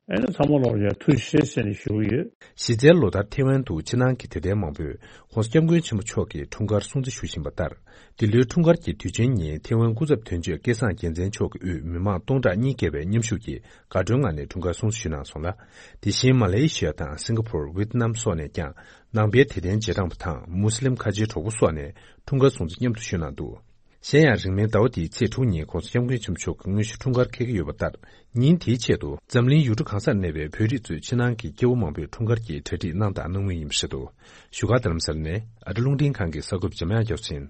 ཨ་ནི་ཚང་མ་ལོག་ཡ་ཐུགས་རྗེ་ཆེ་ཟེར་ནས་ཞུ་གི་ཡོད། གཞི་རྩའི་ལོ་ལྟར་ཐེ་ཝན་དུ་ཕྱི་ནང་གི་དད་ལྡན་མང་པོས་༸གོང་ས་༸སྐྱབས་མགོན་ཆེན་པོ་མཆོག་གི་འཁྲུངས་སྐར་སྲུང་བརྩི་ཞུ་བཞིན་པ་ལྟར། འདི་ལོའི་འཁྲུངས་སྐར་གྱི་དུས་ཆེན་ཉིན་ཐེ་ཝན་སྐུ་ཚབ་དོན་གཅོད་སྐལ་བཟང་རྒྱལ་མཚན་མཆོག་གི་དབུས་མི་མང་སྟོང་ཕྲག་གཉིས་བརྒལ་བའི་མཉམ་ཞུགས་ཀྱིས་དགའ་སྤྲོའི་ངང་ནས་འཁྲུངས་སྐར་སྲུང་བརྩི་ཞུས་གནང་སོང་ལ། དེ་བཞིན་མ་ལེ་ཤི་ཡ་དང་སིང་ག་ཕོར། ཝེད་ནམ་སོགས་ནས་ཀྱང་ནང་པའི་དད་ལྡན་རྗེས་འབྲང་པ་དང་མུ་སི་ལིམ་ཁ་ཆེའི་གྲོགས་པོ་སོགས་ནས་འཁྲུངས་སྐར་སྲུང་བརྩི་མཉམ་དུ་ཞུས་གནང་འདུག་གཞན་ཡང་རིང་མིན་ཟླ་བ་འདིའི་ཚེས་དྲུག་ཉིན་༸གོང་ས་༸སྐྱབས་མགོན་ཆེན་པོ་མཆོག་གི་དངོས་གཞི་འཁྲུངས་སྐར་འཁེལ་གྱི་ཡོད་པ་ལྟར། ཉིན་དེའི་ཆེད་དུ་འཛམ་གླིང་ཡུལ་གྲུ་གང་སར་གནས་པའི་བོད་རིགས་གཙོས་ཕྱི་ནང་གི་སྐྱེ་བོ་མང་པོས་འཁྲུངས་སྐར་གྱི་གྲ་སྒྲིག་གནང་དང་གནང་མུས་ཡིན་པ་རེད་འདུག་བཞུགས་སྒར་རྡ་རམ་ས་ལ་ནས་ཨ་རི་རླུང་འཕྲིན་ཁང་གི་གསར་འགོད་པ་འཇམ་དབྱངས་སྐྱབས་སུ་ཡིན།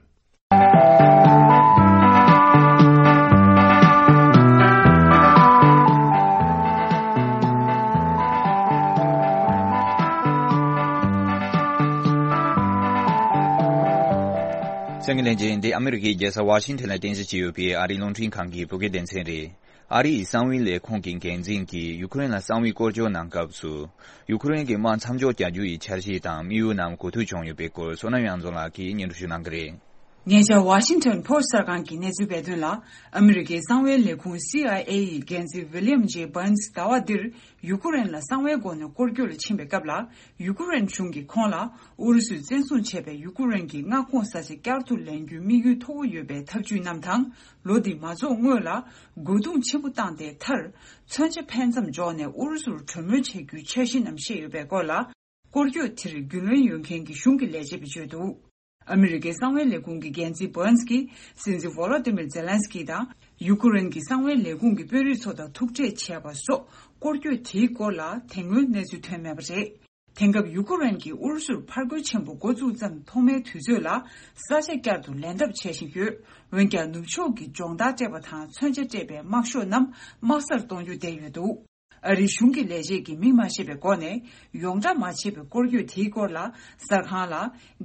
གསན་མཁན་ལྷན་རྒྱས། འདི་ཨ་མི་རི་ཀའི་རྒྱལ་ས་ཝ་ཤིང་ཊོན་ལ་རྟེན་གཞི་བྱས་ཡོད་པའི་ཨ་རིའི་རླུང་འཕྲིན་ཁང་གི་བོད་སྐད་སྡེ་ཚན་རེད། ཨ་རིའི་གསང་བའི་ལས་ཁུངས་ཀྱི་འགན་འཛིན་གྱིས་ཡུ་ཁུ་རེན་ལ་གསང་བའི་སྐོར་སྐྱོད་གནང་སྐབས་སུ། ཡུ་ཁུ་རེན་གྱི་དམག་མཚམས་འཇོག་རྒྱག་རྒྱུ་ཡི་འཆར་གཞི་དང་དམིགས་ཡུལ་རྣམས་གོ་ཐོས་བྱུང་ཡོད་པའི་སྐོར་བསོད་ནམས་དབྱངས་འཛོམས་ལགས་ཀྱིས་སྙན་སྒྲོན་ཞུ་གནང་གི་རེད། ཉེ་ཆར་ཝ་ཤིང་ཊོན་ཕོ་སི་ཊི་གསར་ཁང་གི་གནས་ཚུལ་སྤེལ་དོན་ལ། ཨ་མི་རི་ཀའི་གསང་བའི་ལས་ཁུངས་སི་ཨའི་ཨེ་ཡི་འགན་འཛིན་ཝི་ལི་ཡམ་ཇེ་བྷར་ནི་སི་ཟླ་བ་འདིར་ཡུ་ཁུ་རེན་ལ་གསང་བའི་སྒོ་ནས་སྐོར་སྐྱོད་ལ་ཕྱིན་པའི་སྐབས་ལ། ཡུ་ཁུ་རེན་གཞུང་གིས་ཁོང་ལ་ཨུ་རུ་སུས་བཙན་བཟུང་བྱས་པའི་ཡུ་ཁུ་རེན་གྱི་མངའ་ཁོངས་ས་ཆ་བསྐྱར་དུ་ལེན་རྒྱུའི་དམིགས་ཡུལ་མཐོ་བོ་ཡོད་པའི་ཐབས་ཇུས་རྣམས་དང་། ལོ་འདི་མ་རྫོགས་སྔོན་ལ་རྒོལ་རྡུང་ཆེན་པོ་བཏང་སྟེ་མཐར་མཚོན་ཆ་འཕེན་མཚམས་འཇོག་ནས་ཨུ་རུ་སུར་གྲོས་མོལ་བྱེད་རྒྱུའི་འཆར་གཞི་རྣམས་བཤད་ཡོད་པའི་སྐོར་ལ། སྐོར་སྐྱོད་དེར་རྒྱུས་ལོན་ཡོད་མཁན་གྱི་གཞུང་གི་ལས་བྱེད་པས་བརྗོད་འདུག་ཨ་མི་རི་ཀའི་གསང་བའི་ལས་ཁུངས་ཀྱི་འགན་འཛིན་བྷར་ནི་སི་གིས་སྲིད་འཛིན་ཝོ་ལོ་ཏི་མིར་ཛེ་ལན་སི་ཀི་དང་ཡུ་ཁུ་རེན་གྱི་གསང་བའི་ལས་ཁུངས་ཀྱི་དཔོན་རིགས་ཚོ་དང་ཐུག་འཕྲད་བྱས་པ་སོགས་སྐོར་སྐྱོད་དེའི་སྐོར་ལ་དེ་སྔོན་གནས་ཚུལ་ཐོན་མེད་པ་རེད། དེང་སྐབས་ཡུ་ཁུ་རེན་གྱིས་ཨུ་རུ་སུར་ཕར་རྒོལ་ཆེན་པོ་འགོ་བཙུགས་ཙམ་ཐོག་མའི་དུས་ཚོད་ལ་ས་ཆ་བསྐྱར་དུ་ལེན་ཐབས་བྱེད་བཞིན་ཡོད། འོན་ཀྱང་ནུབ་ཕྱོགས་ཀྱིས་སྦྱོང་བརྡར་སྤྲད་པ་དང་མཚོན་ཆ་སྤྲད་པའི་དམག་ཤོག་རྣམས་དམག་སར་གཏོང་རྒྱུ་བསྡད་ཡོད་འདུག་ཨ་རིའི་གཞུང་གི་ལས་བྱེད་ཀྱིས་མིང་མ་བཤད་པའི་སྒོ་ནས་ཡོངས་བསྒྲགས་མ་བྱས་པའི་སྐོར་སྐྱོད་དེའི་སྐོར་ལ་གསར་ཁང་ལ།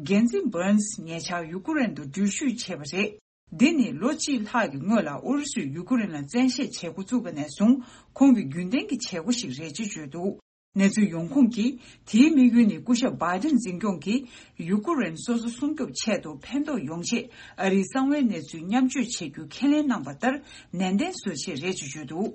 འགན་འཛིན་བྷར་ནི་སི་ཉེ་ཆར་ཡུ་ཁུ་རེན་དུ་འགྲུལ་བཞུད་བྱས་པ་རེད། འདི་ནི་ལོ་གཅིག་ལྷག་གི་སྔོན་ལ་ཨུ་རུ་སུས་ཡུ་ཁུ་རེན་ལ་བཙན་ཤེད་བྱེད་འགོ་བཙུགས་པ་ནས་བཟུང་ཁོང་གི་རྒྱུན་ལྡན་གྱི་བྱེད་སྒོ་ཞིག་རེད་ཅེས་བརྗོད་འདུག་གནས་ཚུལ་ཡོང་ཁུངས་ཀྱིས་དེའི་དམིགས་ཡུལ་ནི་སྐུ་ཞབས་བྷའི་ཏིན་འཛིན་སྐྱོང་གིས་ཡུ་ཁུ་རེན་སོ་སོ་སྲུང་སྐྱོབ་ཆེད་དུ་ཕན་ཐོགས་ཡོང་ཆེད་ཨ་རིའི་གསང་བའི་གནས་ཚུལ་མཉམ་སྤྱོད་བྱེད་རྒྱུ་ཁས་ལེན་གནང་བ་ལྟར་ནན་ཏན་བཟོ་ཆེད་རེད་ཅེས་བརྗོད་འདུག་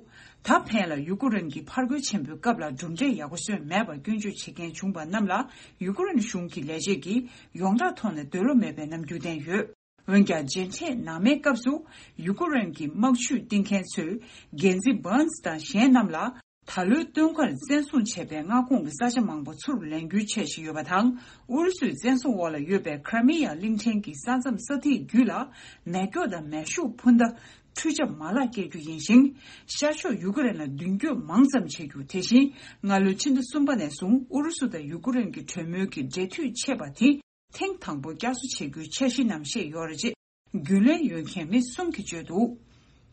ད་ཕན་ལ་ཡུ་ཁུ་རེན་གྱིས་ཕར་རྒོལ་ཆེན་པོའི་སྐབས་ལ་གྲུབ་འབྲས་ཡག་པོ་སོན་མེད་པར་སྐྱོན་བརྗོད་བྱེད་མཁན་བྱུང་བ་རྣམས་ལ་ཡུ་ཁུ་རེན་གཞུང་གི་ལས་བྱེད་ཀྱིས་ཡོངས་གྲགས་ཐོག་ནས་འདོད་བློ་མེད་པའི་རྣམ་འགྱུར་བསྟན་ཡོད། འོན་ཀྱང་མཇལ་འཕྲད་ནང་མའི་སྐབས་སུ་ཡུ་ཁུ་རེན་གྱི་དམག་ཇུས་བཏིང་མཁན་ཚོས་འགན་འཛིན་བྷར་ནི་སི་དང་གཞན་རྣམས་ལ། ད་ལོའི་སྟོན་ཁར་བཙན་བཟུང་བྱས་པའི་མངའ་ཁོངས་ཀྱི་ས་ཆ་མང་པོ་ཚུར་ལེན་རྒྱུའི་འཆར་གཞི་ཡོད་པ་དང་། ཨུ་རུ་སུའི་བཙན་བཟུང་འོག་ལ་ཡོད་པའི་ཁྲ་མི་ཡ་གླིང་ཕྲན་གྱི་ས་མཚམས་ས་ཐིག་བརྒྱུད་ལ་མེ་སྒྱོགས་དང་མེ་ཤུགས་འཕུར་མདའ་འཕྲུལ་ཆས་མ་ལག་སྐྱེལ་རྒྱུ་ཡིན་ཞིང་། ཤར་ཕྱོགས་ཡུ་ཀེ་རེན་ལ་མདུན་སྐྱོད་མང་ཙམ་བྱེད་རྒྱུ། དེ་བཞིན་སྔ་ལོའི་ཕྱི་ཟླ་གསུམ་པ་ནས་བཟུང་ཨུ་རུ་སུ་དང་ཡུ་ཀེ་རེན་གྱི་གྲོས་མོལ་གྱི་འབྲེལ་མཐུད་ཆད་པ་དེ་ཐེངས་དང་པོ་བསྐྱར་གསོ་བྱེད་རྒྱུའི་འཆར་གཞི་རྣམས་བཤད་ཡོད་རེད་ཅེས་རྒྱུས་ལོན་ཡོད་མཁན་མི་གསུམ་གྱིས་བརྗོད་འདུག་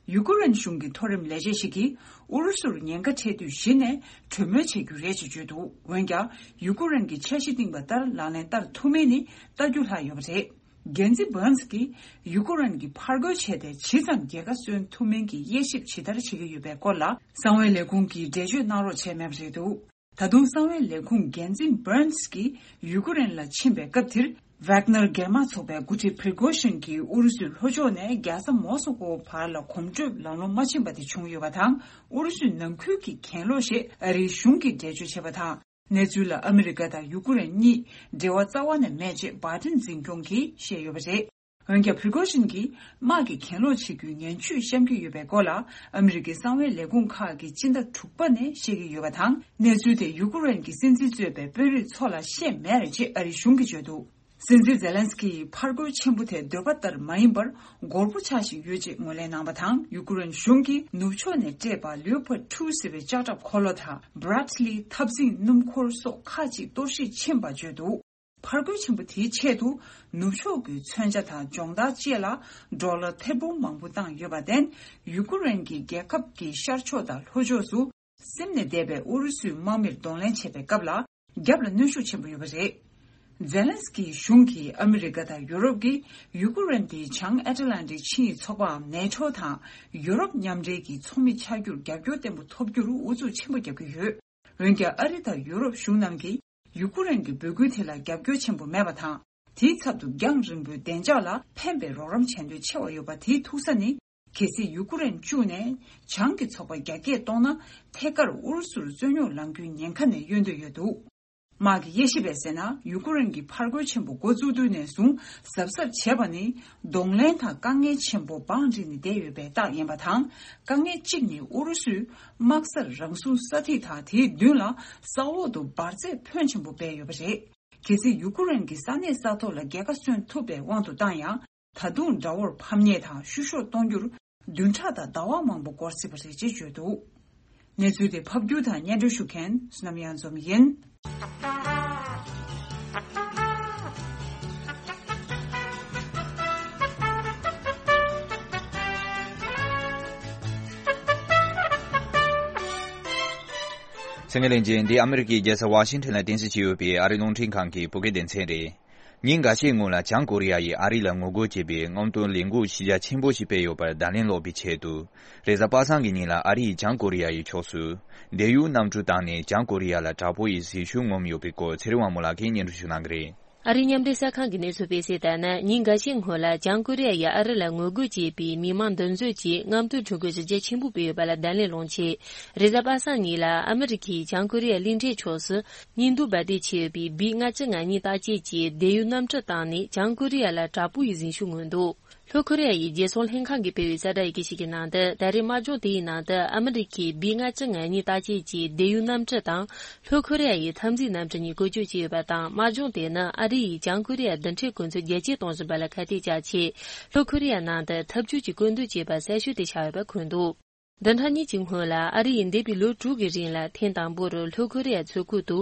ཡུ་ཀེ་རེན་གཞུང་གི་མཐོ་རིམ་ལས་བྱེད་ཞིག་གིས་ཨུ་རུ་སུར་ཉེན་ཁ་འཕྲད་དུས་གཞི་ནས་གྲོས་མོལ་བྱེད་རྒྱུ་རེད་ཅེས་བརྗོད་འདུག་འོན་ཀྱང་ཡུ་ཀེ་རེན་གྱིས་འཆར་གཞི་བཏིང་བ་ལྟར་ལག་ལེན་བསྟར་ཐུབ་མིན་ནི་ལྟ་རྒྱུ་ལྷག་ཡོད་པ་རེད། འགན་འཛིན་བྷར་ནི་སི་གིས་ཡུ་ཀེ་རེན་གྱིས་ཕར་རྒོལ་བྱས་ཏེ་ཇི་ཙམ་རྒྱལ་ཁ་སོན་ཐུབ་མིན་གྱི་དབྱེ་ཞིབ་ཇི་ལྟར་བྱེད་ཀྱི་ཡོད་པའི་སྐོར་ལ་གསང་བའི་ལས་ཁུངས་ཀྱིས་འགྲེལ་བརྗོད་གནང་རོགས་བྱས་མེད་པ་རེད་འདུག་ད་དུང་གསང་བའི་ལས་ཁུངས་འགན་འཛིན་བྷར་ནི་སི་གིས་ཡུ་ཀེ་རེན་ལ་ཕྱིན་པའི་སྐབས་དེར། ཝག་ནར་སྒེར་དམག་ཚོགས་པའི་འགོ་ཁྲིད་པྲི་གོ་ཤིན་གྱིས་ཨུ་རུ་སུའི་ལྷོ་ཕྱོགས་ནས་རྒྱལ་ས་མོ་སི་ཀོ་བར་ལ་གོམ་བགྲོད་ལམ་ལྷོང་མ་ཕྱིན་པ་དེ་བྱུང་ཡོད་པ་དང་། ཨུ་རུ་སུའི་ནང་ཁུལ་གྱི་གྱེན་ལོག་ཞེས་ཨ་རིའི་གཞུང་གིས་འགྲེལ་བརྗོད་བྱས་པ་དང་། གནས་ཚུལ་ལ་ཨ་མི་རི་ཀ་དང་ཡུ་ཀེ་རེན་གཉིས་འབྲེལ་བ་རྩ་བ་ནས་མེད་ཅེས་བྷའི་ཏིན་འཛིན་སྐྱོང་གིས་བཤད་ཡོད་པ་རེད། འོན་ཀྱང་པྲི་གོ་ཤིན་གྱིས་དམག་གི་གྱེན་ལོག་བྱེད་རྒྱུའི་ངན་ཇུས་བཤམས་ཀྱི་ཡོད་པའི་སྐོར་ལ་ཨ་མི་རི་ཀའི་གསང་བའི་ལས་ཁུངས་ཁག་གིས་སྤྱི་ཟླ་དྲུག་པ་ནས་བཤད་ཀྱི་ཡོད་པ་དང་། གནས་ཚུལ་དེ་ཡུ་ཀེ་རེན་གྱི་སྲིད་འཛིན་གཙོས་པའི་དཔོན་རིགས་ཚོ་ལ་བཤད་མེད་རེད་ཅེས་ཨ་རིའི་གཞུང་གིས་བརྗོད་འདུག་སྲིད་འཛིན་ཛེ་ལན་སི་ཀིས་ཕར་རྒོལ་ཆེན་པོ་དེ་འདོད་པ་ལྟར་མ་ཡིན་པར་འགོར་པོ་ཆགས་བཞིན་ཡོད་ཅེས་ངོས་ལེན་གནང་བ་དང་། ཡུ་ཀེ་རེན་གཞུང་གིས་ནུབ་ཕྱོགས་ནས་སྤྲད་པ་ལིའུ་པར་ཊུ་ཟེར་བའི་ལྕགས་ཁྲབ་འཁོར་ལོ་དང་། བྷ་རད་ལི་འཐབ་འཛིང་སྣུམ་འཁོར་སོགས་ཁག་ཅིག་གཏོར་བཤིག་ཕྱིན་པ་བརྗོད་འདུག་ཕར་རྒོལ་ཆེན་པོ་དེའི་ཆེད་དུ་ནུབ་ཕྱོགས་ཀྱི་མཚོན་ཆ་དང་སྦྱོང་བརྡར་བཅས་ལ་ཌོ་ལར་ཐེར་འབུམ་མང་པོ་བཏང་ཡོད་པར་བརྟེན། ཡུ་ཀེ་རེན་གྱི་རྒྱལ་ཁབ་ཀྱི་ཤར་ཕྱོགས་དང་ལྷོ་ཕྱོགས་སུ་སིམ་ནས་བསྡད་པའི་ཨུ་རུ་སུའི་དམག་མིར་གདོང་ལེན་བྱེད་པའི་སྐབས་ལ་རྒྱབ་ལ་གནོན་ཤུགས་ཆེན་པོ་ཡོད་པ་རེད། ཛེ་ལན་སི་ཀིའི་གཞུང་གིས་ཨ་མི་རི་ཀ་དང་ཡུ་རོབ་ཀྱིས་ཡུ་ཀེ་རེན་དེའི་བྱང་ཨེ་ཊ་ལན་ཊིག་ཆིངས་ཡིག་ཚོགས་པའམ་ནེ་ཊོ་དང་ཡུ་རོབ་མཉམ་འབྲེལ་གྱི་ཚོགས་མི་ཆགས་རྒྱུར་རྒྱབ་སྐྱོར་བརྟན་པོ་ཐོབ་རྒྱུར་ཨུ་ཚུགས་ཆེན་པོ་བརྒྱབ་ཀྱི་ཡོད། འོན་ཀྱང་ཨ་རི་དང་ཡུ་རོབ་གཞུང་རྣམས་ཀྱིས་ཡུ་ཀེ་རེན་གྱི་འབོད་སྐུལ་དེ་ལ་རྒྱབ་སྐྱོར་ཆེན་པོ་མེད་པ་དང་། དེའི་ཚབ་ཏུ་རྒྱང་རིང་པོའི་བདེ་འཇགས་ལ་ཕན་པའི་རོགས་རམ་བྱེད་འདོད་ཆེ་བ་ཡོད་པ་དེའི་ཐུག་ས་ནི། གལ་སྲིད་ཡུ་ཀེ་རེན་བཅུག་ནས་བྱང་གི་ཚོགས་པ་རྒྱ་སྐྱེད་གཏོང་ན། ཐད་ཀར་ཨུ་རུ་སུར་རྩོད་རྙོག་ལངས་རྒྱུའི་ཉེན་ཁ་ནས་གཡོལ་འདོད་ཡོད་འདུག། དམག་གི་དབྱེ་ཞིབ་པས་ཟེར་ན། ཡུ་ཀེ་རེན་གྱིས་ཕར་རྒོལ་ཆེན་པོ་འགོ་བཙུགས་དུས་ནས་བཟུང་གཟབ་གཟབ་བྱས་པ་ནི། གདོང་ལེན་དང་དཀའ་ངལ་ཆེན་པོ་བང་བསྒྲིགས་ནས་བསྡད་ཡོད་པའི་རྟགས་ཡིན་པ་དང་། དཀའ་ངལ་གཅིག་ནི་ཨུ་རུ་སུས་དམག་སར་རང་སྲུང་ས་ཐིག་དང་། དེའི་མདུན་ལ་ས་འོག་ཏུ་འབར་རྫས་ཕོན་ཆེན་པོ་སྦས་ཡོད་པ་རེད། གལ་སྲིད་ཡུ་ཀེ་རེན་གྱིས་ས་གནས་ས་ཐོག་ལ་རྒྱལ་ཁ་སོན་ཐུབ་པའི་དབང་དུ་བཏང་ཡང་། ད་དུང་དགྲ་བོར་ཕམ་ཉེས་དང་བཤུ་གཞོག་གཏོང་རྒྱུར་བདུན་ཕྲག་དང་ཟླ་བ་མང་པོ་འགོར་སྲིད་པ་རེད་ཅེས་བརྗོད་འདུག། གནས་ཚུལ་དེ་ཕབ་སྒྱུར་དང་སྙན་སྒྲོན་ཞུ་མཁན་བསོད་ནམས་གཡང་འཛོམས་ཡིན། གསན་མཁན་ལྷན་རྒྱས། འདི་ཨ་མི་རི་ཀའི་རྒྱལ་ས་ཝ་ཤིང་ཊོན་ལ་རྟེན་གཞི་བྱས་ཡོད་པའི་ཨ་རིའི་རླུང་འཕྲིན་ཁང་གི་བོད་སྐད་སྡེ་ཚན་རེད། ཉིན་འགའ་ཤས་སྔོན་ལ་བྱང་ཀོ་རི་ཡ་ཡིས་ཨ་རི་ལ་ངོ་རྒོལ་བྱེད་པའི་རྔམ་སྟོན་ལས་འགུལ་གཞི་རྒྱ་ཆེན་པོ་ཞིག་སྤེལ་ཡོད་པར་བརྡ་ལན་སློག་པའི་ཆེད་དུ། རེས་གཟའ་པ་སངས་ཀྱི་ཉིན་ལ་ཨ་རི་ཡིས་བྱང་ཀོ་རི་ཡ་ཡི་ཕྱོགས་སུ་བསྡད་ཡུལ་གནམ་གྲུ་བཏང་ནས་བྱང་ཀོ་རི་ཡ་ལ་དྲག་པོ་ཡི་ཟིང་ཆ་ངོམ་ཡོད་པའི་སྐོར་ཚེ་རིང་དབང་མོ་ལགས་ཀྱིས་སྙན་སྒྲོན་ཞུ་གནང་གི་རེད། ཨ་རིའི་མཉམ་འབྲེལ་གསར་ཁང་གིས་གནས་ཚུལ་སྤེལ་གསལ་ལྟར་ན། ཉིན་འགའ་ཤས་སྔོན་ལ་བྱང་ཀོ་རི་ཡ་ཡིས་ཨ་རི་ལ་ངོ་རྒོལ་བྱེད་པའི་མི་མང་འདུ་འཛོམས་ཀྱི་རྔམ་སྟོན་ཁྲོམ་སྐོར་གཞི་རྒྱ་ཆེན་པོ་སྤེལ་ཡོད་པ་ལ་བརྡ་ལན་སློག་ཆེད། རེས་གཟའ་པ་སངས་ཉིན་ལ་ཨ་མི་རི་ཁས་བྱང་ཀོ་རི་ཡ་གླིང་ཕྲན་ཕྱོགས་སུ་བརྙན་ཐུང་འབར་མདེལ་ཆེ་ཡོད་པའི་བི་ལྔ་བཅུ་ང་གཉིས་བརྟག་དཔྱད་ཀྱི་བསྡད་ཡུལ་གནམ་གྲུ་བཏང་ནས་བྱང་ཀོ་རི་ཡ་ལ་དྲག་པོ་ཡི་ཟིང་ཆ་མངོན་འདུག། ལྷོ་ཀོ་རི་ཡ་ཡི་རྒྱལ་སྲུང་ལྷན་ཁང་གིས་སྤེལ་བའི་གསལ་བསྒྲགས་ཡི་གེ་ཞིག་གི་ནང་དུ། ད་རེས་དམག་སྦྱོང་དེའི་ནང་དུ་ཨ་མི་རི་ཁས་བི་ལྔ་བཅུ་ང་གཉིས་བརྟག་དཔྱད་ཀྱི་བསྡད་ཡུལ་གནམ་གྲུ་དང་། ལྷོ་ཀོ་རི་ཡ་ཡི་འཐབ་འཛིང་གནམ་གྲུ་གཉིས་བཀོལ་སྤྱོད་བྱས་ཡོད་པ་དང་། དམག་སྦྱོང་དེ་ནི་ཨ་རི་ཡིས་བྱང་ཀོ་རི་ཡ་མདུན་ཁྲིད་འགོ་འཛིན་རྒྱ་སྐྱེད་གཏོང་བཞིན་པ་ལ་ཁ་གཏད་བཅག་ཆེད། ལྷོ་ཀོ་རི་ཡ་ནང་དུ་འཐབ་ཇུས་ཀྱི་བཀོད་འདོམས་བྱས་པ་གསལ་ཤོས་དེ་ཆགས་ཡོད་པ་འཁོད་འདུག། བདུན་ཕྲག་གཉིས་ཀྱི་སྔོན་ལ་ཨ་རི་ཡིས་འདས་པའི་ལོ་དྲུག་གི་རིང་ལ་ཐེངས་དང་པོར་ལྷོ་ཀོ་རི་ཡ་མཚོ་ཁུལ་དུ་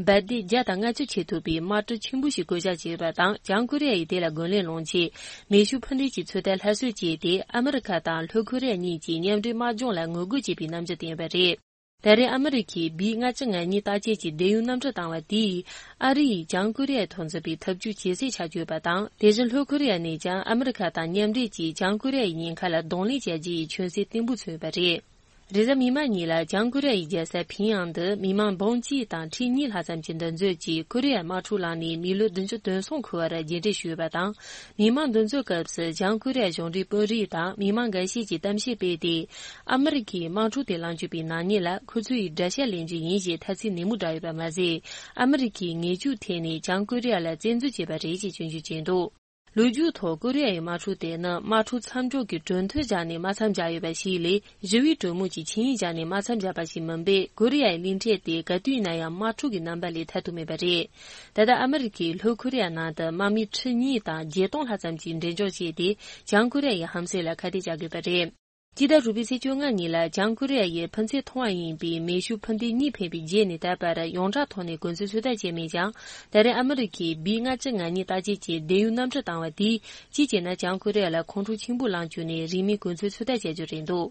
འབར་མདེལ་བརྒྱ་དང་ལྔ་བཅུ་ཆེ་ཐུབ་པའི་དམག་གྲུ་ཆེན་པོ་ཞིག་བཀོལ་བཞག་བྱས་ཡོད་པ་དང་། བྱང་ཀོ་རི་ཡ་ཡིས་དེ་ལ་རྒོལ་ལན་སློང་ཆེད་མེ་ཤུགས་འཕུར་མདེལ་གྱི་ཚོད་ལྟ་སླར་གསོ་བྱས་ཏེ། ཨ་མི་རི་ཁ་དང་ལྷོ་ཀོ་རི་ཡ་གཉིས་ཀྱིས་མཉམ་འབྲེལ་དམག་སྦྱོང་ལ་ངོ་རྒོལ་བྱས་པའི་རྣམ་འགྱུར་བསྟན་ཡོད་པ་རེད། ད་རེས་ཨ་མི་རི་ཁས་བི་ལྔ་བཅུ་ང་གཉིས་བརྟག་དཔྱད་ཀྱི་བསྡད་ཡུལ་གནམ་གྲུ་བཏང་བ་དེས། ཨ་རི་ཡིས་བྱང་ཀོ་རི་ཡ་ཐོག་འཛིན་པའི་འཐབ་ཇུས་ཇེ་གསལ་ཆགས་ཡོད་པ་དང་། དེ་བཞིན་ལྷོ་ཀོ་རི་ཡ་ནས་ཀྱང་ཨ་མི་རི་ཁ་དང་མཉམ་འབྲེལ་གྱིས་བྱང་ཀོ་རི་ཡ་ཡི་ཉེན་ཁ་ལ་གདོང་ལེན་བྱ་རྒྱུ་ཡི་མཆན་སྲིད་བརྟན་པོ་མཚོན་ཡོད་པ་རེད། རེས་གཟའ་མིག་དམར་ཉིན་ལ་བྱང་ཀོ་རི་ཡ་ཡི་རྒྱལ་ས་ཕིང་ཡང་དུ་མི་མང་འབུམ་གཅིག་དང་ཁྲི་གཉིས་ལྷག་ཙམ་གྱི་འདུ་འཛོམས་ཀྱིས་ཀོ་རི་ཡ་དམག་འཁྲུག་ལངས་ནས་མི་ལོ་བདུན་ཅུ་དོན་གསུམ་འཁོར་བར་རྗེས་འབྲང་ཞུས་ཡོད་པ་དང་། མི་མང་འདུ་འཛོམས་སྐབས་སུ་བྱང་ཀོ་རི་ཡ་གཞུང་འབྲེལ་དཔོན་རིགས་དང་མི་མང་འགའ་ཤས་ཀྱིས་གཏམ་བཤད་སྤེལ་ཏེ། ཨ་མི་རི་ཀས་དམག་འཁྲུག་དེ་ལངས་བཅུག་པའི་ནག་ཉེས་ལ་ཁོ་ཚོས་དགྲ་ཤ་ལེན་རྒྱུ་ཡིན་ཞེས་ཐ་ཚིག་ནན་མོ་བསྒྲགས་ཡོད་པ་མ་ཟད། ཨ་མི་རི་ཀས་ངེས་ཤུགས་འཐེན་ནས་བྱང་ཀོ་རི་ཡ་ལ་བཙན་འཛུལ་བྱས་པ་རེད་ཅེས་སྐྱོན་བརྗོད་བྱས་འདུག། ལོ་རྒྱུས་ཐོག་ཀོ་རི་ཡ་ཡི་དམག་འཁྲུག་དེ་ནི་དམག་འཁྲུག་མཚམས་འཇོག་གི་གྲོས་མཐུན་བཞག་ནས་མ་མཚམས་བཞག་ཡོད་པ་ཞིག་ལས། ཞི་བའི་གྲོས་མོལ་གྱི་ཆིངས་ཡིག་བཞག་ནས་མ་མཚམས་བཞག་པ་ཞིག་མིན་པས། ཀོ་རི་ཡའི་གླིང་ཕྲན་དེ་ག་དུས་ཡིན་ན་ཡང་དམག་འཁྲུག་གི་རྣམ་པ་ལས་ཐར་ཐབས་མེད་པ་རེད། ད་ལྟ་ཨ་མི་རི་ཀས་ལྷོ་ཀོ་རི་ཡ་ནང་དུ་དམག་མི་ཁྲི་གཉིས་དང་བརྒྱད་སྟོང་ལྷག་ཙམ་གྱི་འགྲེམས་འཇོག་བྱས་ཏེ། བྱང་ཀོ་རི་ཡ་ཡི་ཧམ་སེམས་ལ་ཁ་གཏད་བཅག་དགོས་པ་རེད། སྤྱི་ཟླ་དྲུག་པའི་ཚེས་བཅོ་ལྔ་ཉིན་ལ་བྱང་ཀོ་རི་ཡ་ཡིས་ཕུན་ཚོགས་ཐོན་པ་ཡིན་པའི་མེ་ཤུགས་འཕུར་མདེལ་གཉིས་འཕེན་པའི་རྗེས་ནས་ད་བར་ཡོངས་གྲགས་ཐོག་ནས་གོ་མཚོན་ཚོད་ལྟ་བྱས་མེད་ཀྱང་། ད་རེས་ཨ་མི་རི་ཀས་བི་ལྔ་བཅུ་ང་གཉིས་བརྟག་དཔྱད་ཀྱི་བསྡད་ཡུལ་གནམ་གྲུ་བཏང་བ་དེས། གཅིག་བྱས་ན་བྱང་ཀོ་རི་ཡ་ལ་ཁོང་ཁྲོ་ཆེན་པོ་ལངས་བཅུག་ནས་རིན་མེད་གོ་མཚོན་ཚོད་ལྟ་བྱ་རྒྱུ་རེད་འདུག།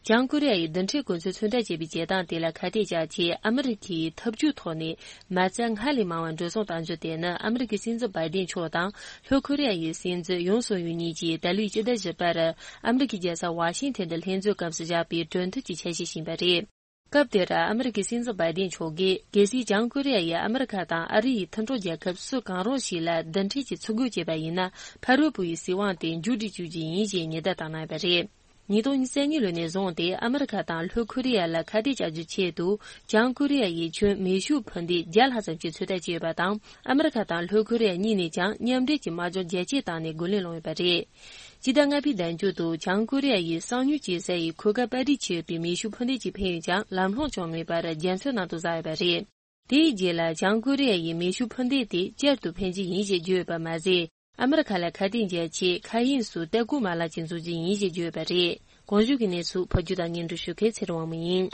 བྱང་ཀོ་རི་ཡ་ཡི་རྡུལ་ཕྲན་གོ་མཚོན་ཚོད་ལྟ་བྱེད་པའི་བྱེད་སྟངས་དེ་ལ་ཁ་གཏད་བཅག་ཆེད། ཨ་མི་རི་ཀས་འཐབ་ཇུས་ཐོག་ནས་མ་རྩ་སྔར་ལས་མང་བ་འགྲོ་སོང་གཏང་རྒྱུ་དེ་ནི། ཨ་མི་རི་ཀའི་སྲིད་འཛིན་བྷའི་ཏིན་མཆོག་དང་ལྷོ་ཀོ་རི་ཡ་ཡི་སྲིད་འཛིན་ཡུན་སུག་ཡོལ་གཉིས་ཀྱིས་ད་ལོའི་སྤྱི་ཟླ་བཞི་པར་ཨ་མི་རི་ཀའི་རྒྱལ་ས་ཝ་ཤིང་ཐན་དུ་ལྷན་འཛོམས་སྐབས་སུ་བཞག་པའི་གྲོས་མཐུན་གྱི་ཆ་ཤས་ཤིག་ཡིན་པ་རེད། སྐབས་དེར་ཨ་མི་རི་ཀའི་སྲིད་འཛིན་བྷའི་ཏིན་མཆོག་གིས། གལ་སྲིད་བྱང་ཀོ་རི་ཡ་ཡིས་ཨ་མི་རི་ཁ་དང་ཨ་རི་ཡི་མཐུན་གྲོགས་རྒྱལ་ཁབ་སུ་གང་རུང་ཞིག་ལ་རྡུལ་ཕྲན་གྱི་ཚུར་རྒོལ་བྱས་པ་ཡིན་ན། ཕ་རོལ་པོ་ཡི་སྲིད་དབང་དེ་མཇུག་སྒྲིལ་བཅུག་རྒྱུ་ཡིན་ཞེས་ཉེན་བརྡ་བཏང་གནང་ཡོད་པ་རེད། ཉིས་སྟོང་ཉེར་གཉིས་ལོ་ནས་བཟུང་སྟེ་ཨ་མི་རི་ཁ་དང་ལྷོ་ཀོ་རི་ཡ་ལ་ཁ་གཏད་བཅག་རྒྱུའི་ཆེད་དུ། བྱང་ཀོ་རི་ཡ་ཡིས་ཁྱོན་མེ་ཤུགས་འཕུར་མདེལ་བརྒྱ་ལྷག་ཙམ་ཞིག་ཚོད་ལྟ་བྱས་ཡོད་པ་དང་། ཨ་མི་རི་ཁ་དང་ལྷོ་ཀོ་རི་ཡ་གཉིས་ནས་ཀྱང་མཉམ་འབྲེལ་གྱིས་དམག་སྦྱོང་རྒྱ་སྐྱེད་བཏང་ནས་རྒོལ་ལན་སློང་ཡོད་པ་རེད། སྤྱི་ཟླ་ལྔ་པའི་ཟླ་མཇུག་ཏུ་བྱང་ཀོ་རི་ཡ་ཡིས་གསང་མྱུལ་བྱེད་ས་ཡི་འཁོར་སྐར་པར་རིས་ཆེ་བའི་མེ་ཤུགས་འཕུར་མདེལ་ཅིག་འཕེན་ཡོད་ཀྱང་། ལམ་ལྷོང་བྱུང་མེད་པར་རྒྱ་མཚོའི་ནང་དུ་ཟགས་ཡོད་པ་རེད། དེའི་རྗེས་ལ་བྱང་ཀོ་རི་ཡ་ཡིས་མེ་ཤུགས་འཕུར་མདེལ་དེ་བསྐྱར་དུ་འཕེན་རྒྱུ་ཡིན་ཞེས་བརྗོད་ཡོད་པ་མ་ཟད། ཨ་མི་རི་ཁ་ལ་ཁ་གཏད་འཇལ་ཆེད་མཁའ་དབྱིངས་སུ་ལྟ་སྐོར་མ་ལག་ཅིག་འཛུགས་རྒྱུ་ཡིན་ཞེས་བརྗོད་ཡོད་པ་རེད། གོང་ཞུས་ཀྱི་གནས་ཚུལ་ཕབ་སྒྱུར་དང་སྙན་སྒྲོན་ཞུ་མཁན་ཚེ་རིང་དབང་མོ་ཡིན།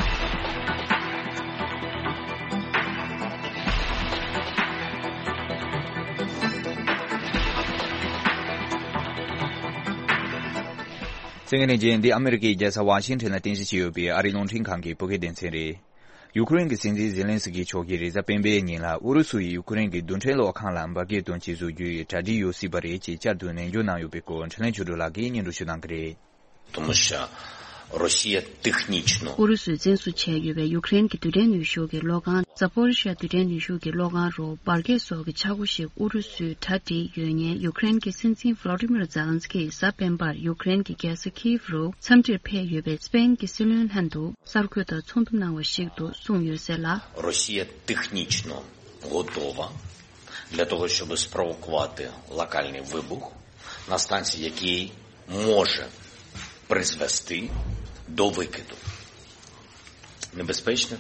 གསན་མཁན་ལྷན་རྒྱས། འདི་ཨ་མི་རི་ཀའི་རྒྱལ་ས་ཝ་ཤིང་ཊོན་ལ་རྟེན་གཞི་བྱས་ཡོད་པའི་ཨ་རིའི་རླུང་འཕྲིན་ཁང་གི་བོད་སྐད་སྡེ་ཚན་རེད། ཡུ་ཀེ་རེན་གྱི་སྲིད་འཛིན་ཛེ་ལན་སི་ཀི་མཆོག་གིས་རེས་གཟའ་སྤེན་པའི་ཉིན་ལ་ཨུ་རུ་སུ་ཡིས་ཡུ་ཀེ་རེན་གྱི་རྡུལ་ཕྲན་གློག་ཁང་ལ་འབར་གས་གཏོང་ཆེད་བཟོ་རྒྱུའི་གྲ་སྒྲིག་ཡོད་སྲིད་པ་རེད་ཅེས་བསྐྱར་དུ་ནན་སྐྱོན་གནང་ཡོད་པའི་སྐོར་འཕྲིན་ལས་ཆོས་སྒྲོན་ལགས་ཀྱིས་སྙན་སྒྲོན་ཞུ་གནང་གི་རེད། དུ་མ་ཤ། Росія технічно. ཨུ་རུ་སུས་འཛིན་བཟུང་བྱས་ཡོད་པའི་ཡུཀ་རེན་གྱི་རྡུལ་ཕྲན་ནུས་ཤུགས་ཀྱི་གློག་ཁང་Zaporizhzhia རྡུལ་ཕྲན་ནུས་ཤུགས་ཀྱི་གློག་ཁང་རུ་འབར་གས་སོགས་ཀྱི་ཆག་སྒོ་ཞིག་ཨུ་རུ་སུས་གྲ་སྒྲིག་ཡོད་ཉེན་ཡུཀ་རེན་གྱི་སྲིད་འཛིན་Volodymyr Zelenskyy གཟའ་སྤེན་པར་ཡུཀ་རེན་གྱི་རྒྱལ་ས་Kyiv རུ་འཚམས་འདྲིར་ཕེབས་ཡོད་པའི་སྤེན་གྱི་སྲིད་བློན་ལྷན་དུ་གསར་འགོད་དང་ཚོགས་འདུ་གནང་བ་ཞིག་ཏུ་གསུངས་ཡོད་ཟེར་ལ། Росія технічно готова для того, щоб спровокувати локальний вибух на станції, який може призвести до викиду небезпечних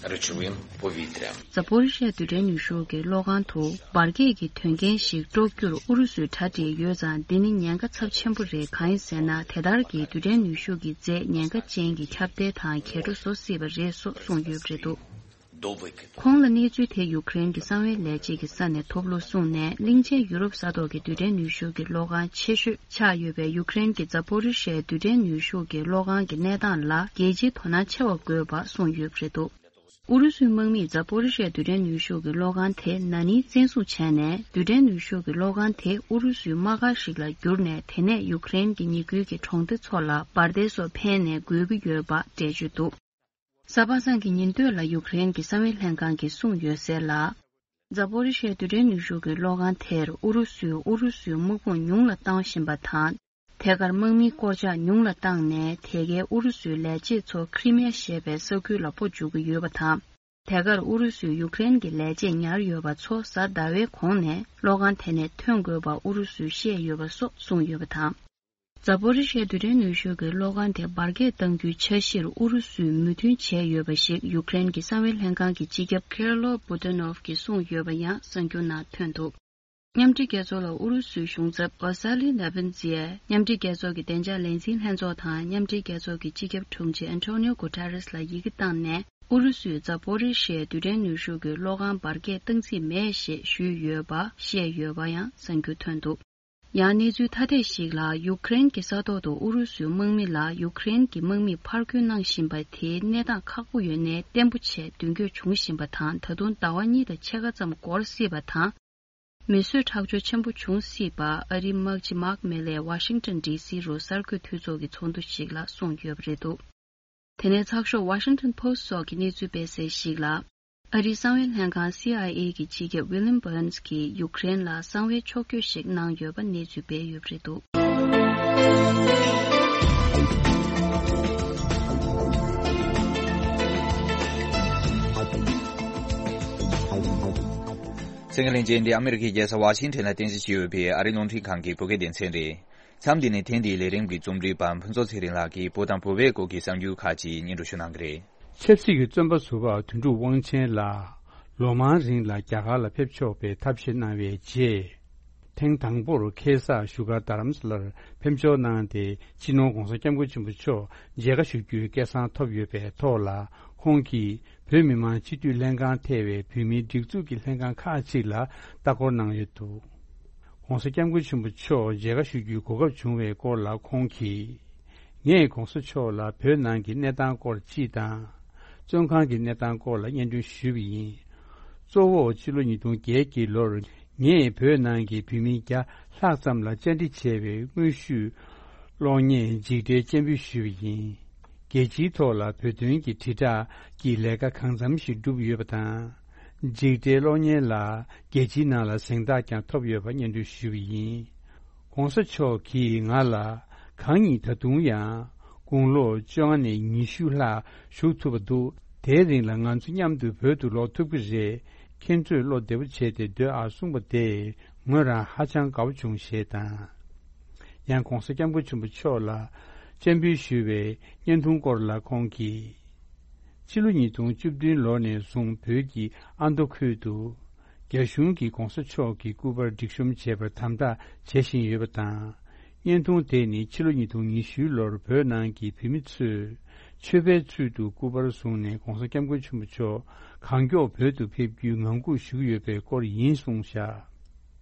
речовин повітря. Zaporizhzhia རྡུལ་ཕྲན་ནུས་ཤུགས་ཀྱི་གློག་ཁང་དུ་འབར་གས་ཀྱི་དོན་རྐྱེན་ཞིག་དཀྲོག་རྒྱུར་ཨུ་རུ་སུས་གྲ་སྒྲིག་ཡོད་ཙང་། འདི་ནི་ཉེན་ཁ་ཚབས་ཆེན་པོ་རེད། གང་ཡིན་ཟེར་ན། དེ་ལྟར་གྱི་རྡུལ་ཕྲན་ནུས་ཤུགས་ཀྱི་རྫས་ཉེན་ཁ་ཅན་གྱི་ཁྱབ་གདལ་དང་འགྱེད་འཕྲོ་བཟོ་སྲིད་པ་རེད་སོགས་གསུངས་ཡོད་པ་རེད་འདུག། ཁོང་ལ་གནས་ཚུལ་དེ་ཡུཀ་རེན་གྱི་གསང་བའི་ལས་བྱེད་ཀྱི་ས་ནས་ཐོབ་ལུགས་གསུངས་ནས། གླིང་ཆེན་ཡུ་རོབ་ས་ཐོག་གི་རྡུལ་ཕྲན་ནུས་ཤུགས་ཀྱི་གློག་ཁང་ཆེ་ཤོས་ཆགས་ཡོད་པའི་ཡུཀ་རེན་གྱི་Zaporizhzhia རྡུལ་ཕྲན་ནུས་ཤུགས་ཀྱི་གློག་ཁང་གི་གནས་སྟངས་ལ་རྒྱལ་སྤྱིའི་དོ་སྣང་ཆེ་བ་དགོས་པ་གསུངས་ཡོད་པ་རེད་འདུག། ཨུ་རུ་སུའི་དམག་མིས་Zaporizhzhia རྡུལ་ཕྲན་ནུས་ཤུགས་ཀྱི་གློག་ཁང་དེ་ན་ནིང་བཙན་བཟུང་བྱས་ནས། རྡུལ་ཕྲན་ནུས་ཤུགས་ཀྱི་གློག་ཁང་དེ་ཨུ་རུ་སུའི་དམག་སྒར་ཞིག་ལ་བསྒྱུར་ནས། དེ་ནས་ཡུཀ་རེན་གྱི་ཉེ་ཁུལ་གྱི་གྲོང་སྡེ་ཚོ་ལ་འབར་མདེལ་སོགས་འཕེན་ནས་རྒོལ་གྱི་ཡོད་པ་འགྲེལ་བརྗོད་འདུག། གཟའ་པ་སངས་ཀྱི་ཉིན་སྟོད་ལ་ཡུཀ་རེན་གྱི་གསང་བའི་ལྷན་ཁང་གིས་གསུངས་ཡོད་ཟེར་ལ། Zaporizhzhia རྡུལ་ཕྲན་ནུས་ཤུགས་ཀྱི་གློག་ཁང་དེར་ཨུ་རུ་སུས་ཨུ་རུ་སུའི་དམག་དཔུང་ཉུང་ལ་བཏང་བཞིན་པ་དང་། ཐད་ཀར་དམག་མིའི་སྐོར་ཆ་ཉུང་ལ་བཏང་ནས། དེ་གའི་ཨུ་རུ་སུའི་ལས་བྱེད་ཚོ་Crimea ཞེས་པའི་ས་ཁུལ་ལ་སྤོ་འཇུག་གི་ཡོད་པ་དང་། དེ་གར་ཨུ་རུ་སུས་ཡུཀ་རེན་གྱི་ལས་བྱེད་ཉར་ཡོད་པ་ཚོ་གཟའ་ཟླ་བའི་གོང་ནས་གློག་ཁང་དེ་ནས་ཐོན་དགོས་པ་ཨུ་རུ་སུས་བཤད་ཡོད་པ་སོགས་གསུངས་ཡོད་པ་དང་། Zaporizhzhia རྡུལ་ཕྲན་ནུས་ཤུགས་ཀྱི་གློག་ཁང་དེ་འབར་གས་གཏང་རྒྱུའི་འཆར་གཞིར་ཨུ་རུ་སུས་མོས་མཐུན་བྱས་ཡོད་པ་ཞིག་ཡུཀ་རེན་གྱི་གསང་བའི་ལྷན་ཁང་གི་སྤྱི་ཁྱབ་Kirilo Budanov གིས་གསུངས་ཡོད་པ་ཡང་གསར་འགྱུར་ནང་ཐོན་འདུག། མཉམ་འབྲེལ་རྒྱལ་ཚོགས་ལ་ཨུ་རུ་སུའི་གཞུང་ཚབ་Vasily Nebenzia མཉམ་འབྲེལ་རྒྱལ་ཚོགས་ཀྱི་བདེ་འཇགས་ལས་འཛིན་ལྷན་ཚོགས་དང་མཉམ་འབྲེལ་རྒྱལ་ཚོགས་ཀྱི་སྤྱི་ཁྱབ་དྲུང་ཆེ་Antonio Guterres ལ་ཡི་གེ་བཏང་ནས། ཨུ་རུ་སུས་Zaporizhzhia རྡུལ་ཕྲན་ནུས་ཤུགས་ཀྱི་གློག་ཁང་འབར་གས་གཏང་རྩིས་མེད་ཞེས་ཞུས་ཡོད་པ་བཤད་ཡོད་པ་ཡང་གསར་འགྱུར་ཐོན་འདུག། ཡང་གནས་ཚུལ་ཐ་དད་ཞིག་ལ། ཡུཀ་རེན་གྱི་ས་ཐོག་ཏུ་ཨུ་རུ་སུའི་དམག་མི་ལ་ཡུཀ་རེན་གྱི་དམག་མིས་ཕར་རྒོལ་གནང་བཞིན་པ་དེའི་གནས་སྟངས་ཁག་པོ་ཡོད་ནའི་བརྟན་པོ་བྱས་མདུན་སྐྱོད་བྱུང་བཞིན་པ་དང་། ད་དུང་ཟླ་བ་གཉིས་དང་ཕྱེད་ཀ་ཙམ་འགོར་སྲིད་པ་དང་། མི་གསོད་ཁྲག་སྦྱོར་ཆེན་པོ་འབྱུང་སྲིད་པ་ཨ་རིའི་དམག་སྤྱི་Mark Milley Washington D C རུ་གསར་འགོད་འཐུས་ཚོགས་ཀྱི་ཚོགས་འདུ་ཞིག་ལ་གསུངས་ཡོད་པ་རེད་འདུག། དེ་ནས་ཚགས་ཤོག་Washington Post སོགས་ཀྱི་གནས་ཚུལ་སྤེལ་གསལ་ཞིག་ལ། ཨ་རིའི་གསང་བའི་ལྷན་ཁང་C I A གྱི་སྤྱི་ཁྱབ་William Burns གྱིས་ཡུཀ་རེན་ལ་གསང་བའི་ཕྱོགས་བསྐྱོད་ཞིག་གནང་ཡོད་པ་གནས་ཚུལ་སྤེལ་ཡོད་པ་རེད་འདུག། གསན་མཁན་ལྷན་རྒྱས། འདི་ཨ་མི་རི་ཀའི་རྒྱལ་ས་ཝ་ཤིང་ཊོན་ལ་རྟེན་གཞི་བྱས་ཡོད་པའི་ཨ་རིའི་རླུང་འཕྲིན་ཁང་གི་བོད་སྐད་སྡེ་ཚན་རེད། མཚམས་འདི་ནས་ཐེངས་འདིའི་ལས་རིམ་གྱི་རྩོམ་སྒྲིག་པ་ཕུན་ཚོགས་ཚེ་རིང་ལགས་ཀྱིས་བོད་དང་བོད་པའི་སྐོར་གྱི་གསར་འགྱུར་ཁག་ཅིག་སྙན་སྒྲོན་ཞུ་གནང་གི་རེད། ཆབ་སྲིད་ཀྱི་བཙོན་པ་ཟུར་པ་དོན་གྲུབ་དབང་ཆེན་ལགས་ལོ་མང་རིང་ལ་རྒྱ་གར་ལ་ཕེབས་ཆོག་པའི་ཐབས་ཤེས་གནང་བའི་རྗེས། ཐེངས་དང་པོར་ཁེ་ས་བཞུགས་སྒར་རྡ་རམ་ས་ལར་ཕེབས་འབྱོར་གནང་སྟེ། སྤྱི་ནོར་༧གོང་ས་༧སྐྱབས་མགོན་ཆེན་པོ་མཆོག་མཇལ་ཁ་ཞུ་རྒྱུའི་སྐལ་བཟང་ཐོབ་ཡོད་པའི་ཐོག་ལ། ཁོང་གིས་བོད་མི་མང་སྤྱི་འཐུས་ལྷན་ཁང་ཐེ་བའི་བོད་མིའི་སྒྲིག་འཛུགས་ཀྱི་ལྷན་ཁང་ཁག་ཅིག་ལ་ལྟ་སྐོར་གནང་ཡོད་འདུག། ༧གོང་ས་༧སྐྱབས་མགོན་ཆེན་པོ་མཆོག་མཇལ་ཁ་ཞུ་རྒྱུའི་གོ་སྐབས་བྱུང་བའི་སྐོར་ལ་ཁོང་གིས། ངས་༧གོང་ས་མཆོག་ལ་བོད་ནང་གི་གནས་སྟངས་སྐོར་སྤྱི་དང་། བཙོན་ཁང་གི་གནས་སྟངས་སྐོར་ལ་སྙན་སྒྲོན་ཞུས་པ་ཡིན། གཙོ་བོ་ཕྱི་ལོ་ཉིས་སྟོང་བརྒྱད་ཀྱི་ལོར་ངས་བོད་ནང་གི་བོད་མི་བརྒྱ་ལྷག་ཙམ་ལ་བཅར་འདྲི་བྱས་པའི་དངོས་ཞུས་གློག་བརྙན་མཇུག་འབྲས་སྤྱན་འབུལ་ཞུས་པ་ཡིན། རྒྱལ་སྤྱིའི་ཐོག་ལ་བོད་དོན་གྱི་དྲིལ་བསྒྲགས་ཀྱི་ལས་ཀ་གང་འཚམ་ཞིག་བསྒྲུབས་ཡོད་པ་དང་། མཇུག་འབྲས་གློག་བརྙན་ལ་རྒྱལ་སྤྱིའི་ནང་ལ་གཟེངས་རྟགས་ཀྱང་ཐོབ་ཡོད་པ་སྙན་སྒྲོན་ཞུས་པ་ཡིན། ༧གོང་ས་མཆོག་གིས་ང་ལ་གང་ཉིད་ད་དུང་ཡང་དགུང་ལོ་བཅོ་ལྔ་ནས་ཉི་ཤུ་ལྷག་བཞུགས་ཐུབ་པ་འདུག། དེའི་རིང་ལ་ང་ཚོ་མཉམ་དུ་བོད་དུ་ལོག་ཐུབ་ཀྱི་རེད། ཁྱེད་ཚོས་བློ་བདེ་པོ་བྱས་ཏེ་སྡོད་ཨ་གསུངས་པ་དེས་ངོས་རང་ཧ་ཅང་དགའ་པོ་བྱུང་ཞེས་དང་། ཡང་༧གོང་ས་༧སྐྱབས་མགོན་ཆེན་པོ་མཆོག་ལ་སྤྱན་འབུལ་ཞུས་པའི་བརྙན་ཐུང་སྐོར་ལ་ཁོང་གིས། ཕྱི་ལོ་ཉིས་སྟོང་བཅུ་བདུན་ལོ་ནས་བཟུང་བོད་ཀྱི་ཨ་མདོ་ཁུལ་དུ། རྒྱ་གཞུང་གིས་༧གོང་ས་མཆོག་གི་སྐུ་པར་སྒྲིག་གཤོམ་བྱེད་པར་དམ་དྲག་བྱེད་བཞིན་ཡོད་པ་དང་། བརྙན་ཐུང་དེ་ནི་ཕྱི་ལོ་ཉིས་སྟོང་ཉི་ཤུ་ལོར་བོད་ནང་གི་བོད་མི་ཚོས་མཆོད་པའི་ཚུལ་དུ་སྐུ་པར་བཟུང་ནས་༧གོང་ས་༧སྐྱབས་མགོན་ཆེན་པོ་མཆོག་གང་མགྱོགས་བོད་དུ་ཕེབས་རྒྱུའི་ངང་སྒུག་ཞུ་གི་ཡོད་པའི་སྐོར་ཡིན་གསུངས་བཞག།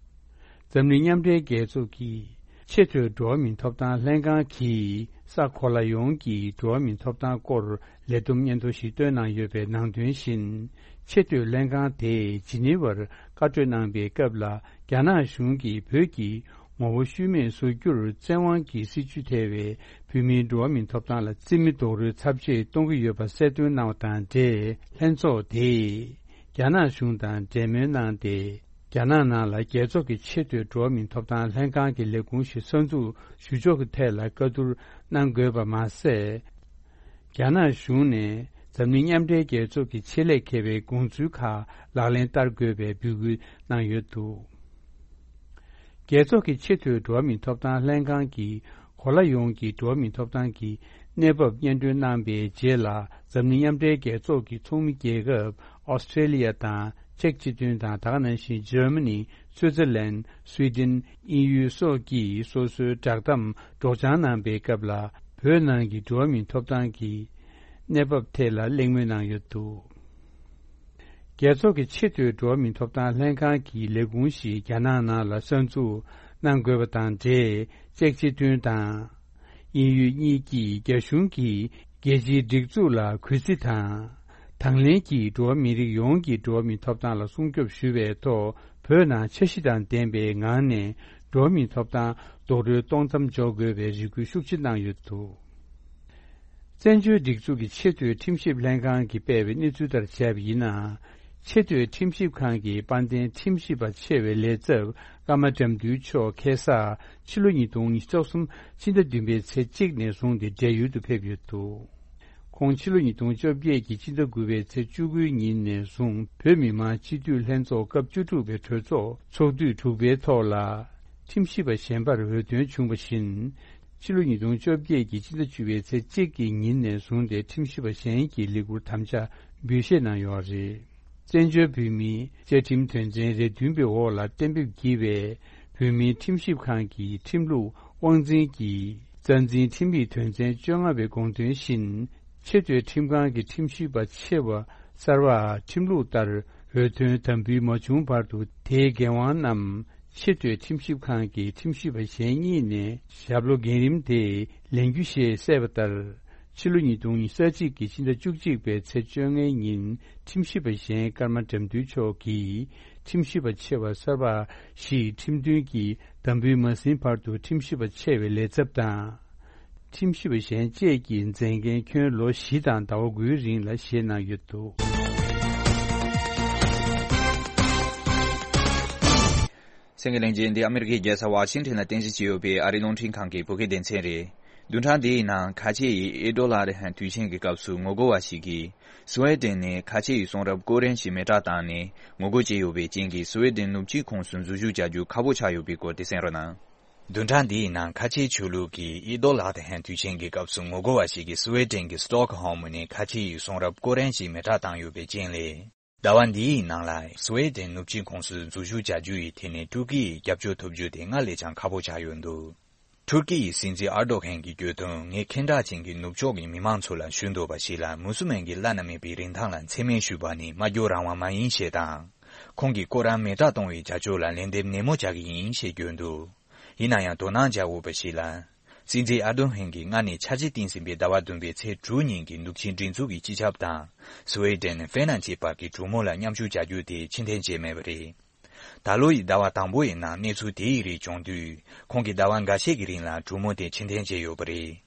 འཛམ་གླིང་མཉམ་འབྲེལ་རྒྱལ་ཚོགས་ཀྱི་ཆེས་མཐོའི་འགྲོ་བ་མིའི་ཐོབ་ཐང་ལྷན་ཁང་གིས་ས་གོ་ལ་ཡོངས་ཀྱི་འགྲོ་བ་མིའི་ཐོབ་ཐང་སྐོར་ལས་བསྡོམས་སྙན་ཐོ་ཞིག་བཏོན་གནང་ཡོད་པའི་ནང་དོན་བཞིན། ཆེས་མཐོའི་ལྷན་ཁང་དེས་ཇི་ནི་ཝར་བཀའ་གྲོས་གནང་པའི་སྐབས་ལ། རྒྱ་ནག་གཞུང་གིས་བོད་ཀྱི་ངོ་བོ་ཤུལ་མེད་བཟོ་རྒྱུར་བཙན་དབང་གི་སྲིད་བྱུས་ཐེ་བའི་བོད་ བོད་མིའི་འགྲོ་བ་མིའི་ཐོབ་ཐང་ལ་རྩིས་མེད་རྡོག་རོལ་ཚབས་ཆེ་གཏོང་གི་ཡོད་པ་གསལ་སྟོན་གནང་བ་དང་འབྲེལ། ལྷན་ཚོགས་དེས་རྒྱ་ནག་གཞུང་དང་འབྲེལ་མོལ་གནང་སྟེ། རྒྱ་ནག་ནང་ལ་རྒྱལ་ཚོགས་ཀྱི་ཆེས་མཐོའི་འགྲོ་བ་མིའི་ཐོབ་ཐང་ལྷན་ཁང་གི་ལས་ཁུངས་ཤིག་གསར་འཛུགས་ཞུ་ཕྱོགས་ཀྱི་ཐད་ལ་བཀའ་བསྡུར་གནང་དགོས་པ་མ་ཟད། རྒྱ་ནག་གཞུང་ནས་འཛམ་གླིང་མཉམ་འབྲེལ་རྒྱལ་ཚོགས་ཀྱི་ཆེད་ལས་མཁས་པའི་དགོངས་ཚུལ་ཁག་ལག་ལེན་བསྟར་དགོས་པའི་འབོད་སྐུལ་གནང་ཡོད་འདུག་རྒྱལ་ཚོགས་ཀྱི་ཆེས་མཐོའི་འགྲོ་བ་མིའི་ཐོབ་ཐང་ལྷན་ཁང་གིས་གོ་ལ་ཡོངས་ཀྱི་འགྲོ་བ་མིའི་ཐོབ་ཐང་གི་གནས་བབ་སྙན་སྒྲོན་གནང་པའི་རྗེས་ལ། འཛམ་གླིང་མཉམ་འབྲེལ་རྒྱལ་ཚོགས་ཀྱི་ཚོགས་མི་རྒྱལ་ཁབ་ཨོ་སི་ཀྲེ་ལི་ཡ་དང་ཅེཀ་སྤྱི་མཐུན་དང་། ད་ག་ནང་བཞིན་འཇར་མ་ནི། སུའི་ཙེར་ལན། སུའེ་ཏེན། དབྱིན་ཡུལ་སོགས་ཀྱིས་སོ་སོའི་བསྒྲགས་གཏམ་སྒྲོག་སྦྱང་གནང་པའི་སྐབས་ལ། བོད་ནང་གི་འགྲོ་བ་མིའི་ཐོབ་ཐང་གི་གནས་བབ་ཐད་ལ་གླེང་མོལ་གནང་ཡོད་འདུག་རྒྱལ་ཚོགས་ཀྱི་ཆེས་མཐོའི་འགྲོ་བ་མིའི་ཐོབ་ཐང་ལྷན་ཁང་གི་ལས་ཁུངས་ཤིག་རྒྱ་ནག་ནང་ལ་གསར་འཛུགས་གནང་དགོས་པ་དང་འབྲེལ། ཅེཀ་སྤྱི་མཐུན་དང་། དབྱིན་ཡུལ་གཉིས་ཀྱིས་རྒྱ་གཞུང་གིས་རྒྱལ་སྤྱིའི་སྒྲིག་འཛུགས་ལ་གུས་བརྩི་དང་། དང་ལེན་གྱིས་འགྲོ་བ་མི་རིགས་ཡོངས་ཀྱི་འགྲོ་བ་མིའི་ཐོབ་ཐང་ལ་སྲུང་སྐྱོབ་ཞུ་བའི་ཐོག་བོད་ནང་འཆར་གཞི་དང་ལྡན་པའི་ངང་ནས་འགྲོ་བ་མིའི་ཐོབ་ཐང་རྡོག་རོལ་གཏོང་མཚམས་འཇོག་དགོས་པའི་རེ་སྐུལ་ཤུགས་ཆེ་གནང་ཡོད་འདུག་བཙན་བྱོལ་སྒྲིག་འཛུགས་ཀྱི་ཆེས་མཐོའི་ཁྲིམས་ཞིབ་ལྷན་ཁང་གིས་སྤེལ་བའི་གནས་ཚུལ་ལྟར་བྱས་པ་ཡིན་ན། ཆེས་མཐོའི་ཁྲིམས་ཞིབ་ཁང་གི་དཔལ་ལྡན་ཁྲིམས་ཞིབ་པ་ཆེ་བའི་ལས་ཚབ་ཀརྨ་དགྲ་འདུལ་མཆོག་ཁ་སང་ཕྱི་ལོ་ཉིས་སྟོང་ཉི་ཤུ་རྩ་གསུམ་ཕྱི་ཟླ་བདུན་པའི་ཚེས་གཅིག་ནས་བཟུང་སྟེ་བགྲེས་ཡོལ་དུ་ཕེབས་ཡོད་འདུག་ཁོང་ཕྱི་ལོ་ཉིས་སྟོང་བཅོ་བརྒྱད་ཀྱི་ཕྱི་ཟླ་དགུ་པའི་ཚེས་བཅུ་དགུའི་ཉིན་ནས་བཟུང་བོད་མི་མང་སྤྱི་འཐུས་ལྷན་ཚོགས་སྐབས་བཅུ་དྲུག་པའི་གྲོས་ཚོགས་ཚོགས་དུས་དྲུག་པའི་ཐོག་ལ་ཁྲིམས་ཞིབ་པ་གཞན་པར་འོས་ཐོན་བྱུང་བ་བཞིན། ཕྱི་ལོ་ཉིས་སྟོང་བཅོ་བརྒྱད་ཀྱི་ཕྱི་ཟླ་བཅུ་པའི་ཚེས་གཅིག་གི་ཉིན་ནས་བཟུང་སྟེ་ཁྲིམས་ཞིབ་པ་གཞན་གྱི་ལས་ཁུར་དམ་བཅའ་འབུལ་བཞེས་གནང་ཡོད་པ་རེད། བཙན་བྱོལ་བོད་མིའི་བཅའ་ཁྲིམས་དོན་ཚན་རེ་བདུན་པའི་འོག་ལ་གཏན་འབེབས་བགྱིས་པའི་བོད་མིའི་ཁྲིམས་ཞིབ་ཁང་གི་ཁྲིམས་ལུགས་དབང་འཛིན་གྱི་རྩ་འཛིན་ཁྲིམས་ཡིག་དོན་ཚན་བཅོ་ལྔ་པའི་དགོངས་དོན་བཞིན། ཆེས་མཐོའི་ཁྲིམས་ཁང་གི་ཁྲིམས་ཞིབ་པ་ཆེ་བ་གསར་པ་ཁྲིམས་ལུགས་ལྟར་འོས་ཐོན་དམ་འབུལ་མ་བྱུང་བར་དུ་དེའི་འགན་དབང་རྣམས་ཆེས་མཐོའི་ཁྲིམས་ཞིབ་ཁང་གི་ཁྲིམས་ཞིབ་པ་གཞན་གཉིས་ནས་ཞབས་ལོ་འགན་རིམ་དེ་ལེན་རྒྱུ་ཞེས་གསལ་བ་ལྟར། ཕྱི་ལོ་ཉིས་སྟོང་ཉི་ཤུ་རྩ་གཅིག་གི་ཕྱི་ཟླ་བཅུ་གཅིག་པའི་ཚེས་བཅོ་ལྔའི་ཉིན་ཁྲིམས་ཞིབ་པ་གཞན་ཀརྨ་དགྲ་འདུལ་མཆོག་གིས་ཁྲིམས་ཞིབ་པ་ཆེ་བ་གསར་པ་ཞིག་ཁྲིམས་མཐུན་གྱིས་དམ་འབུལ་མ་ཟིན་བར་དུ་ཁྲིམས་ཞིབ་པ་ཆེ་བའི་ལས་ཚབ་དང་། ཁྲིམས་ཞིབ་པ་གཞན་བཅས་ཀྱི་མཛད་འགན་ཁྱོན་ལོ་བཞི་དང་ཟླ་བ་དགུའི་རིང་ལ་བཞེས་གནང་ཡོད་འདུག་གསན་མཁན་ལྷན་རྒྱས། འདི་ཨ་མི་རི་ཀའི་རྒྱལ་ས་ཝ་ཤིང་ཊོན་ལ་རྟེན་གཞི་བྱས་ཡོད་པའི་ཨ་རིའི་རླུང་འཕྲིན་ཁང་གི་བོད་སྐད་སྡེ་ཚན་རེད། བདུན་ཕྲག་འདིའི་ནང་ཁ་ཆེ་ཡི་ཨེ་ཏོ་ལ་རེ་ཧན་དུས་ཆེན་གྱི་སྐབས་སུ་ངོ་རྒོལ་བ་ཞིག་གིས་སུ་ཝེ་ཏེན་ནས་ཁ་ཆེ་ཡི་གསུང་རབ་ཀོ་རན་ཞིག་མེ་སྲེག་བཏང་ནས་ངོ་རྒོལ་བྱས་ཡོད་པའི་རྐྱེན་གྱིས་སུ་ཝེ་ཏེན་ནུབ་ཕྱོགས་ཁོངས་སུ་འཛུལ་ཞུགས་བྱ་རྒྱུ་ཁག་པོ་ཆགས་ཡོད་པའི་སྐོར་དེ་གསན་རོགས་གནང་། བདུན་ཕྲག་འདིའི་ནང་ཁ་ཆེ་ཆོས་ལུགས་ཀྱི་ཨེ་ཏོ་ལ་རེ་ཧན་དུས་ཆེན་གྱི་སྐབས་སུ་ངོ་རྒོལ་བ་ཞིག་གིས་སུ་ཝེ་ཏེན་གྱི་སྟོག་ཧོམ་ནས་ཁ་ཆེ་ཡི་གསུང་རབ་ཀོ་རན་ཞིག་མེ་སྲེག་བཏང་ཡོད་པའི་རྐྱེན་ལས། ཟླ་བ་འདིའི་ནང་ལ་སུ་ཝེ་ཏེན་ནུབ་ཕྱོགས་ཁོངས་སུ་འཛུལ་ཞུགས་བྱ་རྒྱུ་ཡི་ཐད་ནས་ཏུར་ཀི་ཡི་རྒྱབ་སྐྱོར་ཐོབ་རྒྱུ་དེ་སྔར་ལས་ཀྱང་ཁག་པོ་ཆགས་ཡོད་འདུག་ཏུར་ཀི་ཡི་སྲིད་འཛིན་ཨར་རྡོ་གྷན་གྱིས་བརྗོད་དོན། ངས་ཁེངས་དྲེགས་ཅན་གྱི་ནུབ་ཕྱོགས་ཀྱི་མི་མང་ཚོ་ལ་ཞུ་འདོད་པ་ཞིག་ལ། མུ་སུལ་མན་གྱི་བླ་ན་མེད་པའི་རིན་ཐང་ལ་མཚན་སྨད་ཞུས་པ་ནི་སྨྲ་བརྗོད་རང་དབང་མ་ཡིན་ཞེས་དང་། ཁོང་གིས་ཀོ་རན་མེ་སྲེག་གཏོང་བའི་བྱ་སྤྱོད་ལ་ལན་འདེབས་ནན་མོ་བྱ་གི་ཡིན་ཞེས་བརྗོད་འདུག་ཡིན་ན་ཡང་དོ་སྣང་བྱ་དགོས་པ་ཞིག་ལ། སྲིད་འཛིན་ཨར་རྡོ་གྷན་གྱིས་སྔར་ནས་འཆར་གཞི་བཏིང་ཟིན་པའི་ཟླ་བ་བདུན་པའི་ཚེས་དྲུག་ཉིན་གྱི་ནུབ་ཆིངས་སྒྲིག་འཛུགས་ཀྱི་སྤྱི་ཁྱབ་དང་། སུ་ཝེ་ཏེན་ཧྥེ་ནན་གྱི་བར་གྱི་གྲོས་མོལ་ལ་མཉམ་ཞུགས་བྱ་རྒྱུ་དེ་ཕྱིར་འཐེན་བྱས་མེད་པ་རེད། ད་ལོ་ཡི་ཟླ་བ་དང་པོ་ཡི་ནང་གནས་ཚུལ་དེ་ཡི་རིགས་བྱུང་དུས། ཁོང་གིས་ཟླ་བ་འགའ་ཤས་ཀྱི་རིང་ལ་གྲོས་མོལ་དེ་ཕྱིར་འཐེན་བྱས་ཡོད་པ་རེད།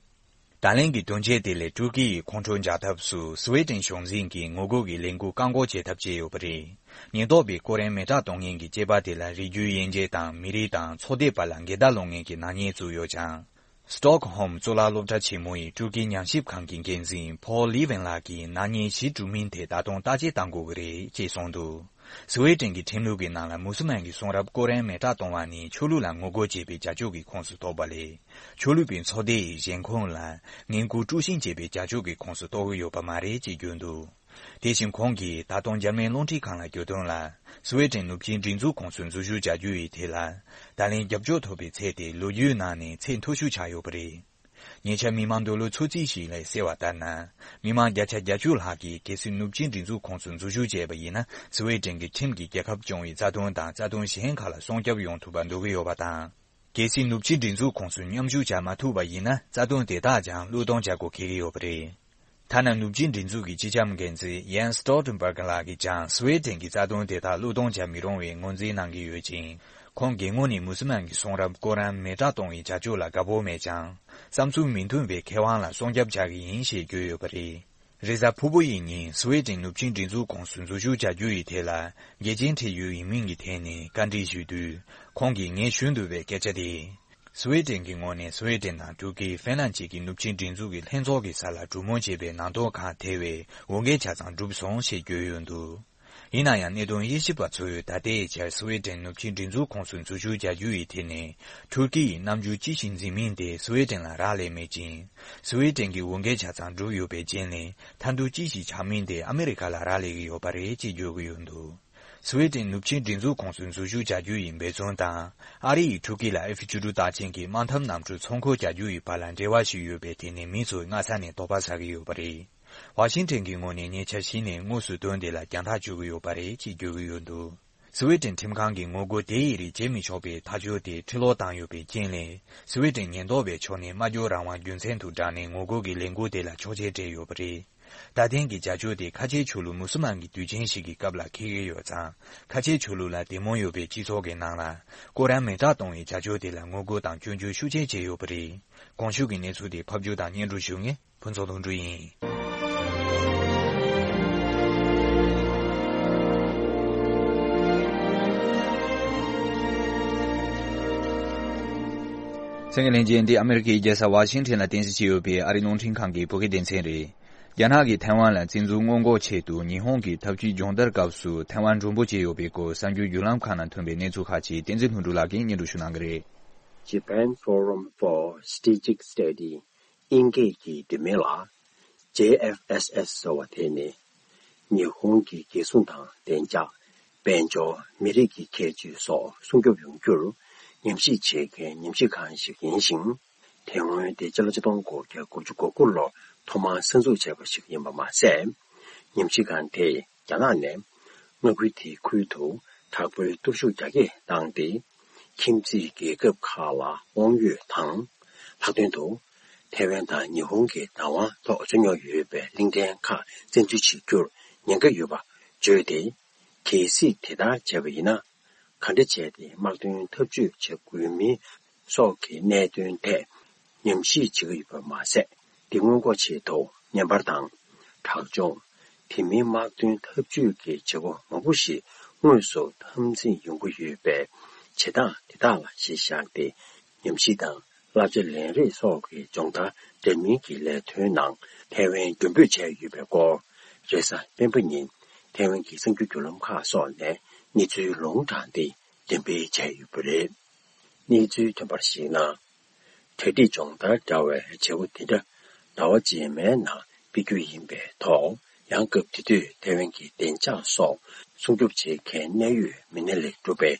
ད་ལན་གྱི་དོན་རྐྱེན་དེ་ལས་ཏུར་ཀི་ཡི་ཁོང་ཁྲོ་འཇགས་ཐབས་སུ་སུ་ཝེ་ཏེན་གཞུང་འཛིན་གྱིས་ངོ་རྒོལ་གྱི་ལས་འགུལ་བཀག་འགོག་བྱེད་ཐབས་བྱས་ཡོད་པ་རེད། ཉེན་རྟོག་པས་ཀོ་རན་མེ་སྲེག་གཏོང་མཁན་གྱི་སྐྱེས་པ་དེ་ལ་རིགས་རྒྱུད་དབྱེ་འབྱེད་དང་མི་རིགས་དང་ཚོགས་སྡེ་བར་ལ་འགལ་ཟླ་སློང་མཁན་གྱི་ནག་ཉེས་བཙུགས་ཡོད་ཀྱང་། སྟོག་ཧོམ་གཙུག་ལག་སློབ་གྲྭ་ཆེན་མོ་ཡི་ཏུར་ཀི་ཉམས་ཞིབ་ཁང་གི་འགན་འཛིན་ཕོལ་ལི་ཝན་ལགས་ཀྱིས་ནག་ཉེས་གཞི་གྲུབ་མིན་དེ་ད་དུང་བརྟག་དཔྱད་གཏང་དགོས་ཀྱི་རེད་ཅེས་གསུངས་འདུག་སུ་ཝེ་ཏེན་གྱི་ཁྲིམས་ལུགས་ཀྱི་ནང་ལ་མུ་སུལ་མན་གྱི་གསུང་རབ་ཀོ་རན་མེ་སྲེག་གཏོང་བ་ནི་ཆོས་ལུགས་ལ་ངོ་རྒོལ་བྱེད་པའི་བྱ་སྤྱོད་ཀྱི་ཁོངས་སུ་གཏོགས་པ་ལས། ཆོས་ལུགས་པའི་ཚོགས་སྡེ་ཡི་གཞན་ཁོངས་ལ་ངན་སྐུལ་དཀྲུག་ཤིང་བྱེད་པའི་བྱ་སྤྱོད་ཀྱི་ཁོངས་སུ་གཏོགས་ཀྱི་ཡོད་པ་མ་རེད་ཅེས་བརྗོད་འདུག་དེ་བཞིན་ཁོང་གིས་ད་དུང་འཇར་མན་རླུང་འཕྲིན་ཁང་ལ་བརྗོད་དོན་ལ། སུ་ཝེ་ཏེན་ནུབ་ཆིངས་སྒྲིག་འཛུགས་ཁོངས་སུ་འཛུལ་ཞུགས་བྱ་རྒྱུ་ཡི་ཐད་ལ། ད་ལན་རྒྱབ་སྐྱོར་ཐོབ་པའི་ཚད་དེ་ལོ་རྒྱུས་ནང་ནས་ཚད་མཐོ་ཤོས་ཆགས་ཡོད་པ་རེད། ཉེ་ཆར་མི་མང་འདོད་བློ་ཚོད་རྩིས་ཤིག་ལས་གསལ་བ་ལྟར་ན། མི་མང་བརྒྱ་ཆ་བརྒྱད་ཅུ་ལྷག་གིས་གལ་སྲིད་ནུབ་ཆིངས་སྒྲིག་འཛུགས་ཁོངས་སུ་འཛུལ་ཞུགས་བྱས་པ་ཡིན་ན། སུ་ཝེ་ཏེན་གྱི་ཁྲིམས་ཀྱི་རྒྱལ་ཁབ་སྐྱོང་བའི་རྩ་དོན་དང་རྩ་དོན་གཞན་ཁག་ལ་སྲུང་སྐྱོབ་ཡོང་ཐུབ་པ་འདོད་ཀྱི་ཡོད་པ་དང་། གལ་སྲིད་ནུབ་ཕྱིའི་སྒྲིག་འཛུགས་ཁོངས་སུ་མཉམ་ཞུགས་བྱ་མ་ཐུབ་པ་ཡིན་ན། རྩ་དོན་དེ་དག་ཀྱང་བློས་གཏོང་བྱ་དགོས་འཁེལ་གྱི་ཡོད་པ་རེད། ཐ་ན་ནུབ་ཕྱིའི་སྒྲིག་འཛུགས་ཀྱི་སྤྱི་ཁྱབ་འགན་འཛིན་ཡན་སི་སྟོལ་ཏན་བྷར་གྷི་ལགས་ཀྱིས་ཀྱང་སུ་ཝེ་ཏེན་གྱི་རྩ་དོན་དེ་དག་བློས་གཏོང་བྱ་མི་རུང་བའི་ངོས་འཛིན་གནང་གི་ཡོད་ཅིང་། ཁོང་གི་ངོས་ནས་མུ་སི་མན་གྱི་གསུང་རབ་ཀོ་རན་མེ་སྟག་གཏོང་བའི་བྱ་སྤྱོད་ལ་དགའ་པོ་མེད་ཀྱང་། བསམ་ཚུལ་མི་མཐུན་པའི་མཁས་དབང་ལ་སྲུང་སྐྱོབ་བྱ་གི་ཡིན་ཞེས་བརྗོད་ཡོད་པ་རེད། རེས་གཟའ་ཕུར་བུ་ཡི་ཉིན་སུ་ཝེ་ཏེན་ནུབ་ཆིངས་སྒྲིག་འཛུགས་ཁོངས་སུ་འཛུལ་ཞུགས་བྱ་རྒྱུ་ཡི་ཐད་ལ་འགལ་རྐྱེན་འཕྲད་ཡུལ་ཡིན་མིན་གྱི་ཐད་ནས་བཀའ་འདྲི་ཞུས་དུས། ཁོང་གིས་ངས་ཞུ་འདོད་པའི་སྐད་ཆ་དེ། སུ་ཝེ་ཏེན་གྱི་ངོས་ནས་སུ་ཝེ་ཏེན་དང་ཐུར་ཀི། ཧྥིན་ལན་བཅས་ཀྱི་ནུབ་ཆིངས་སྒྲིག་འཛུགས་ཀྱི་ལྷན་ཚོགས་ཀྱི་ས་ལ་གྲོས་མོལ་བྱས་པའི་ནང་དོན་ཁག་ཐེ་བའི་འོས་འགན་ཆ་ཚང་གྲུབ་སོང་ཞེས་བརྗོད་ཡོད་འདུག་ཡིན་ན་ཡང་གནད་དོན་དབྱེ་ཞིབ་པ་ཚོས་ད་ལྟའི་ཆར་སུ་ཝེ་ཏེན་ནུབ་ཆིངས་སྒྲིག་འཛུགས་ཁོངས་སུ་འཛུལ་ཞུགས་བྱ་རྒྱུ་ཡི་ཐད་ནས་ཐུར་ཀི་ཡིས་རྣམ་འགྱུར་ཅི་ཞིག་འཛིན་མིན་དེ་སུ་ཝེ་ཏེན་ལ་རག་ལས་མེད་ཅིང་། སུ་ཝེ་ཏེན་གྱི་འོས་འགན་ཆ་ཚང་གྲུབ་ཡོད་པའི་རྗེས་ནས་མཐའ་འདུལ་ཅི་ཞིག་བྱ་མིན་དེ་ཨ་མི་རི་ཁ་ལ་རག་ལས་ཀྱི་ཡོད་པ་རེད་ཅེས་བརྗོད་ཀྱི་ཡོད་འདུག་སུ་ཝེ་ཏེན་ནུབ་ཆིངས་སྒྲིག་འཛུགས་ཁོངས་སུ་འཛུལ་ཞུགས་བྱ་རྒྱུ་ཡི་འབད་བརྩོན་དང་། ཨ་རི་ཡིས་ཐུར་ཀི་ལ་ཨེཕ་བཅུ་དྲུག་རྟགས་ཅན་གྱི་དམག་འཐབ་གནམ་གྲུ་ཚོང་འཁོར་རྒྱག་རྒྱུ་ཡི་བར་ལ་འབྲེལ་བ་ཞིག་ཡོད་པའི་ཐད་ནས་མི་ཚོས་སྔ་ས་ནས་དོགས་པ་ཟ་གི་ཡོད་པ་རེད། ཝ་ཤིང་ཏན་གྱི་ངོས་ནས་ཉེ་ཆར་གཞི་ནས་དངོས་སུ་དོན་དེ་ལ་རྒྱང་ཐག་གཅོད་ཀྱི་ཡོད་པ་རེད་ཅེས་བརྗོད་ཀྱི་ཡོད་འདུག་སུ་ཝེ་ཏེན་ཁྲིམས་ཁང་གིས་ངོ་རྒོལ་དེ་ཡི་རིགས་བྱེད་མི་ཆོག་པའི་ཐག་གཅོད་དེ་ཕྱིར་སློག་བཏང་ཡོད་པའི་རྐྱེན་ལས། སུ་ཝེ་ཏེན་ཉེན་རྟོག་པའི་ཕྱོགས་ནས་སྨྲ་བརྗོད་རང་དབང་རྒྱུ་མཚན་དུ་བསྒྲགས་ནས་ངོ་རྒོལ་གྱི་ལས་འགུལ་དེ་ལ་ཆོག་མཆན་སྤྲད་ཡོད་པ་རེད། ད་ཐེངས་ཀྱི་བྱ་སྤྱོད་དེ་ཁ་ཆེའི་ཆོས་ལུགས་མུ་སུལ་མན་གྱི་དུས་ཆེན་ཞིག་གི་སྐབས་ལ་འཁེལ་གྱི་ཡོད་ཙང་། ཁ་ཆེའི་ཆོས་ལུགས་ལ་དད་མོས་ཡོད་པའི་སྤྱི་ཚོགས་ཀྱི་ནང་ལ། ཀོ་རན་མེ་སྟག་གཏོང་བའི་བྱ་སྤྱོད་དེ་ལ་ངོ་རྒོལ་དང་སྐྱོན་བརྗོད་ཤུགས་ཆེ་བྱས་ཡོད་པ་རེད། གོང་ཞུས་ཀྱི་གནས་ཚུལ་དེ་ཕབ་སྒྱུར་དང་སྙན་སྒྲོན་ཞུ་མཁན་ཕུན་ཚོགས་ལྷུན་གྲུབ་ཡིན། གསན་མཁན་ལྷན་རྒྱས། འདི་ཨ་མེ་རི་ཁའི་རྒྱལ་ས་ཝ་ཤིང་ཊོན་ལ་རྟེན་གཞི་བྱས་ཡོད་པའི་ཨ་རིའི་རླུང་འཕྲིན་ཁང་གི་བོད་སྐད་སྡེ་ཚན་རེད། རྒྱ་ནག་གིས་ཐའེ་ཝན་ལ་བཙན་འཛུལ་སྔོན་འགོག་ཆེད་དུ་ཉི་ཧོང་གི་འཐབ་ཇུས་སྦྱོང་བརྡར་སྐབས་སུ་ཐའེ་ཝན་མགྲོན་པོ་བྱས་ཡོད་པའི་སྐོར་གསར་འགྱུར་བརྒྱུད་ལམ་ཁག་ནང་ཐོན་པའི་གནས་ཚུལ་ཁག་ཅིག་བསྟན་འཛིན་ལྷུན་གྲུབ་ལགས་ཀྱིས་སྙན་སྒྲོན་ཞུ་གནང་གི་རེད། Japan Forum for Strategic Study དབྱིན་སྐད་ཀྱི་བསྡུས་མིང་ལ་ཇེ་ཨེཕ་ཨེས་ཨེས་ཟེར་བ་དེ་ནི། ཉི་ཧོང་གི་རྒྱལ་སྲུང་དང་བདེ་འཇགས། དཔལ་འབྱོར། མི་རིགས་ཀྱི་ཁྱད་ཆོས་སོགས་སྲུང་སྐྱོབ་ཡོང་རྒྱུར་ཉམས་ཞིབ་བྱེད་མཁན་ཉམས་ཞིབ་ཁང་ཞིག་ཡིན་ཞིང་། དེ་སྔོན་དེ་སྤྱི་ལོ་ཆིག་སྟོང་དགུ་བརྒྱ་དགུ་བཅུ་གོ་དགུ་ལོར་ཐོག་མར་གསར་འཛུགས་བྱས་པ་ཞིག་ཡིན་པ་མ་ཟད། ཉམས་ཞིབ་ཁང་དེས་རྒྱ་ནག་ནས་མངའ་ཁུལ་དེའི་ཁུལ་དུ་དྲག་པོའི་སྟོབས་ཤུགས་རྒྱ་སྐྱེད་བཏང་སྟེ། ཁྱིམ་མཚེས་རྒྱལ་ཁབ་ཁག་ལ་དབང་ཡོད་དང་། ལྷག་དོན་དུ། ཐའེ་ཝན་དང་ཉི་ཧོང་གི་བདག་དབང་ཐོག་རྩོད་རྙོག་ཡོད་པའི་གླིང་ཕྲན་ཁག་བཙན་འཛུལ་བྱེད་རྒྱུར་ཉེན་ཁ་ཡོད་པ་བརྗོད་དེ། གལ་སྲིད་དེ་ལྟར་བྱས་པ་ཡིན་ན། ག་འདྲ་བྱས་ཏེ་དམག་དོན་འཐབ་ཇུས་བྱེད་དགོས་མིན་སོགས་ཀྱི་གནད་དོན་ཐད་ཉམས་ཞིབ་བྱེད་ཀྱི་ཡོད་པ་མ་ཟད། འདི་སྔོན་འགོག་ཆེད་དུ་བརྙན་པར་དང་། དྲག་སྦྱོང་། དེ་མིན་དམག་དོན་འཐབ་ཇུས་ཀྱི་བྱེད་སྒོ་མང་པོ་ཞིག་དངོས་སུ་འཐབ་འཛིང་ཡོང་གི་ཡོད་པའི་བྱེད་སྟངས་དེ་དག་ལ་གཞི་བཞག་སྟེ། ཉམས་ཞིབ་དང་བསླབ་བྱ་ལེན་རེས་སོགས་ཀྱི་སྦྱོང་བརྡར་འདྲ་མིན་གྱི་ལས་དོན་ནང་ཐའེ་ཝན་མགྲོན་འབོད་བྱས་ཡོད་པའི་སྐོར། རེས་གཟའ་སྤེན་པ་ཉིན་ཐའེ་ཝན་གྱི་གསར་འགྱུར་བརྒྱུད་ལམ་ཁག་སོགས་ནས་གནས་ཚུལ་ལུང་དྲངས་ཏེ་འགྲེམས་སྤེལ་བྱས་ཡོད་པ་རེད། གནས་ཚུལ་ཐོན་པར་གཞིགས་ན། གྲ་སྒྲིག་སྦྱོང་བརྡར་འདྲ་བའི་བྱེད་སྒོ་དེ་འདྲ་ཟླ་བ་རྗེས་མའི་ནང་སྤེལ་རྒྱུ་ཡིན་པའི་ཐོག་ཡང་སྐབས་དེ་དུས་ཐའེ་ཝན་གྱི་བདེ་འཇགས་སོགས་སྲུང་སྐྱོབ་བྱེད་མཁན་གནད་ཡོད་མི་སྣ་ལས་གྲུབ་པའི་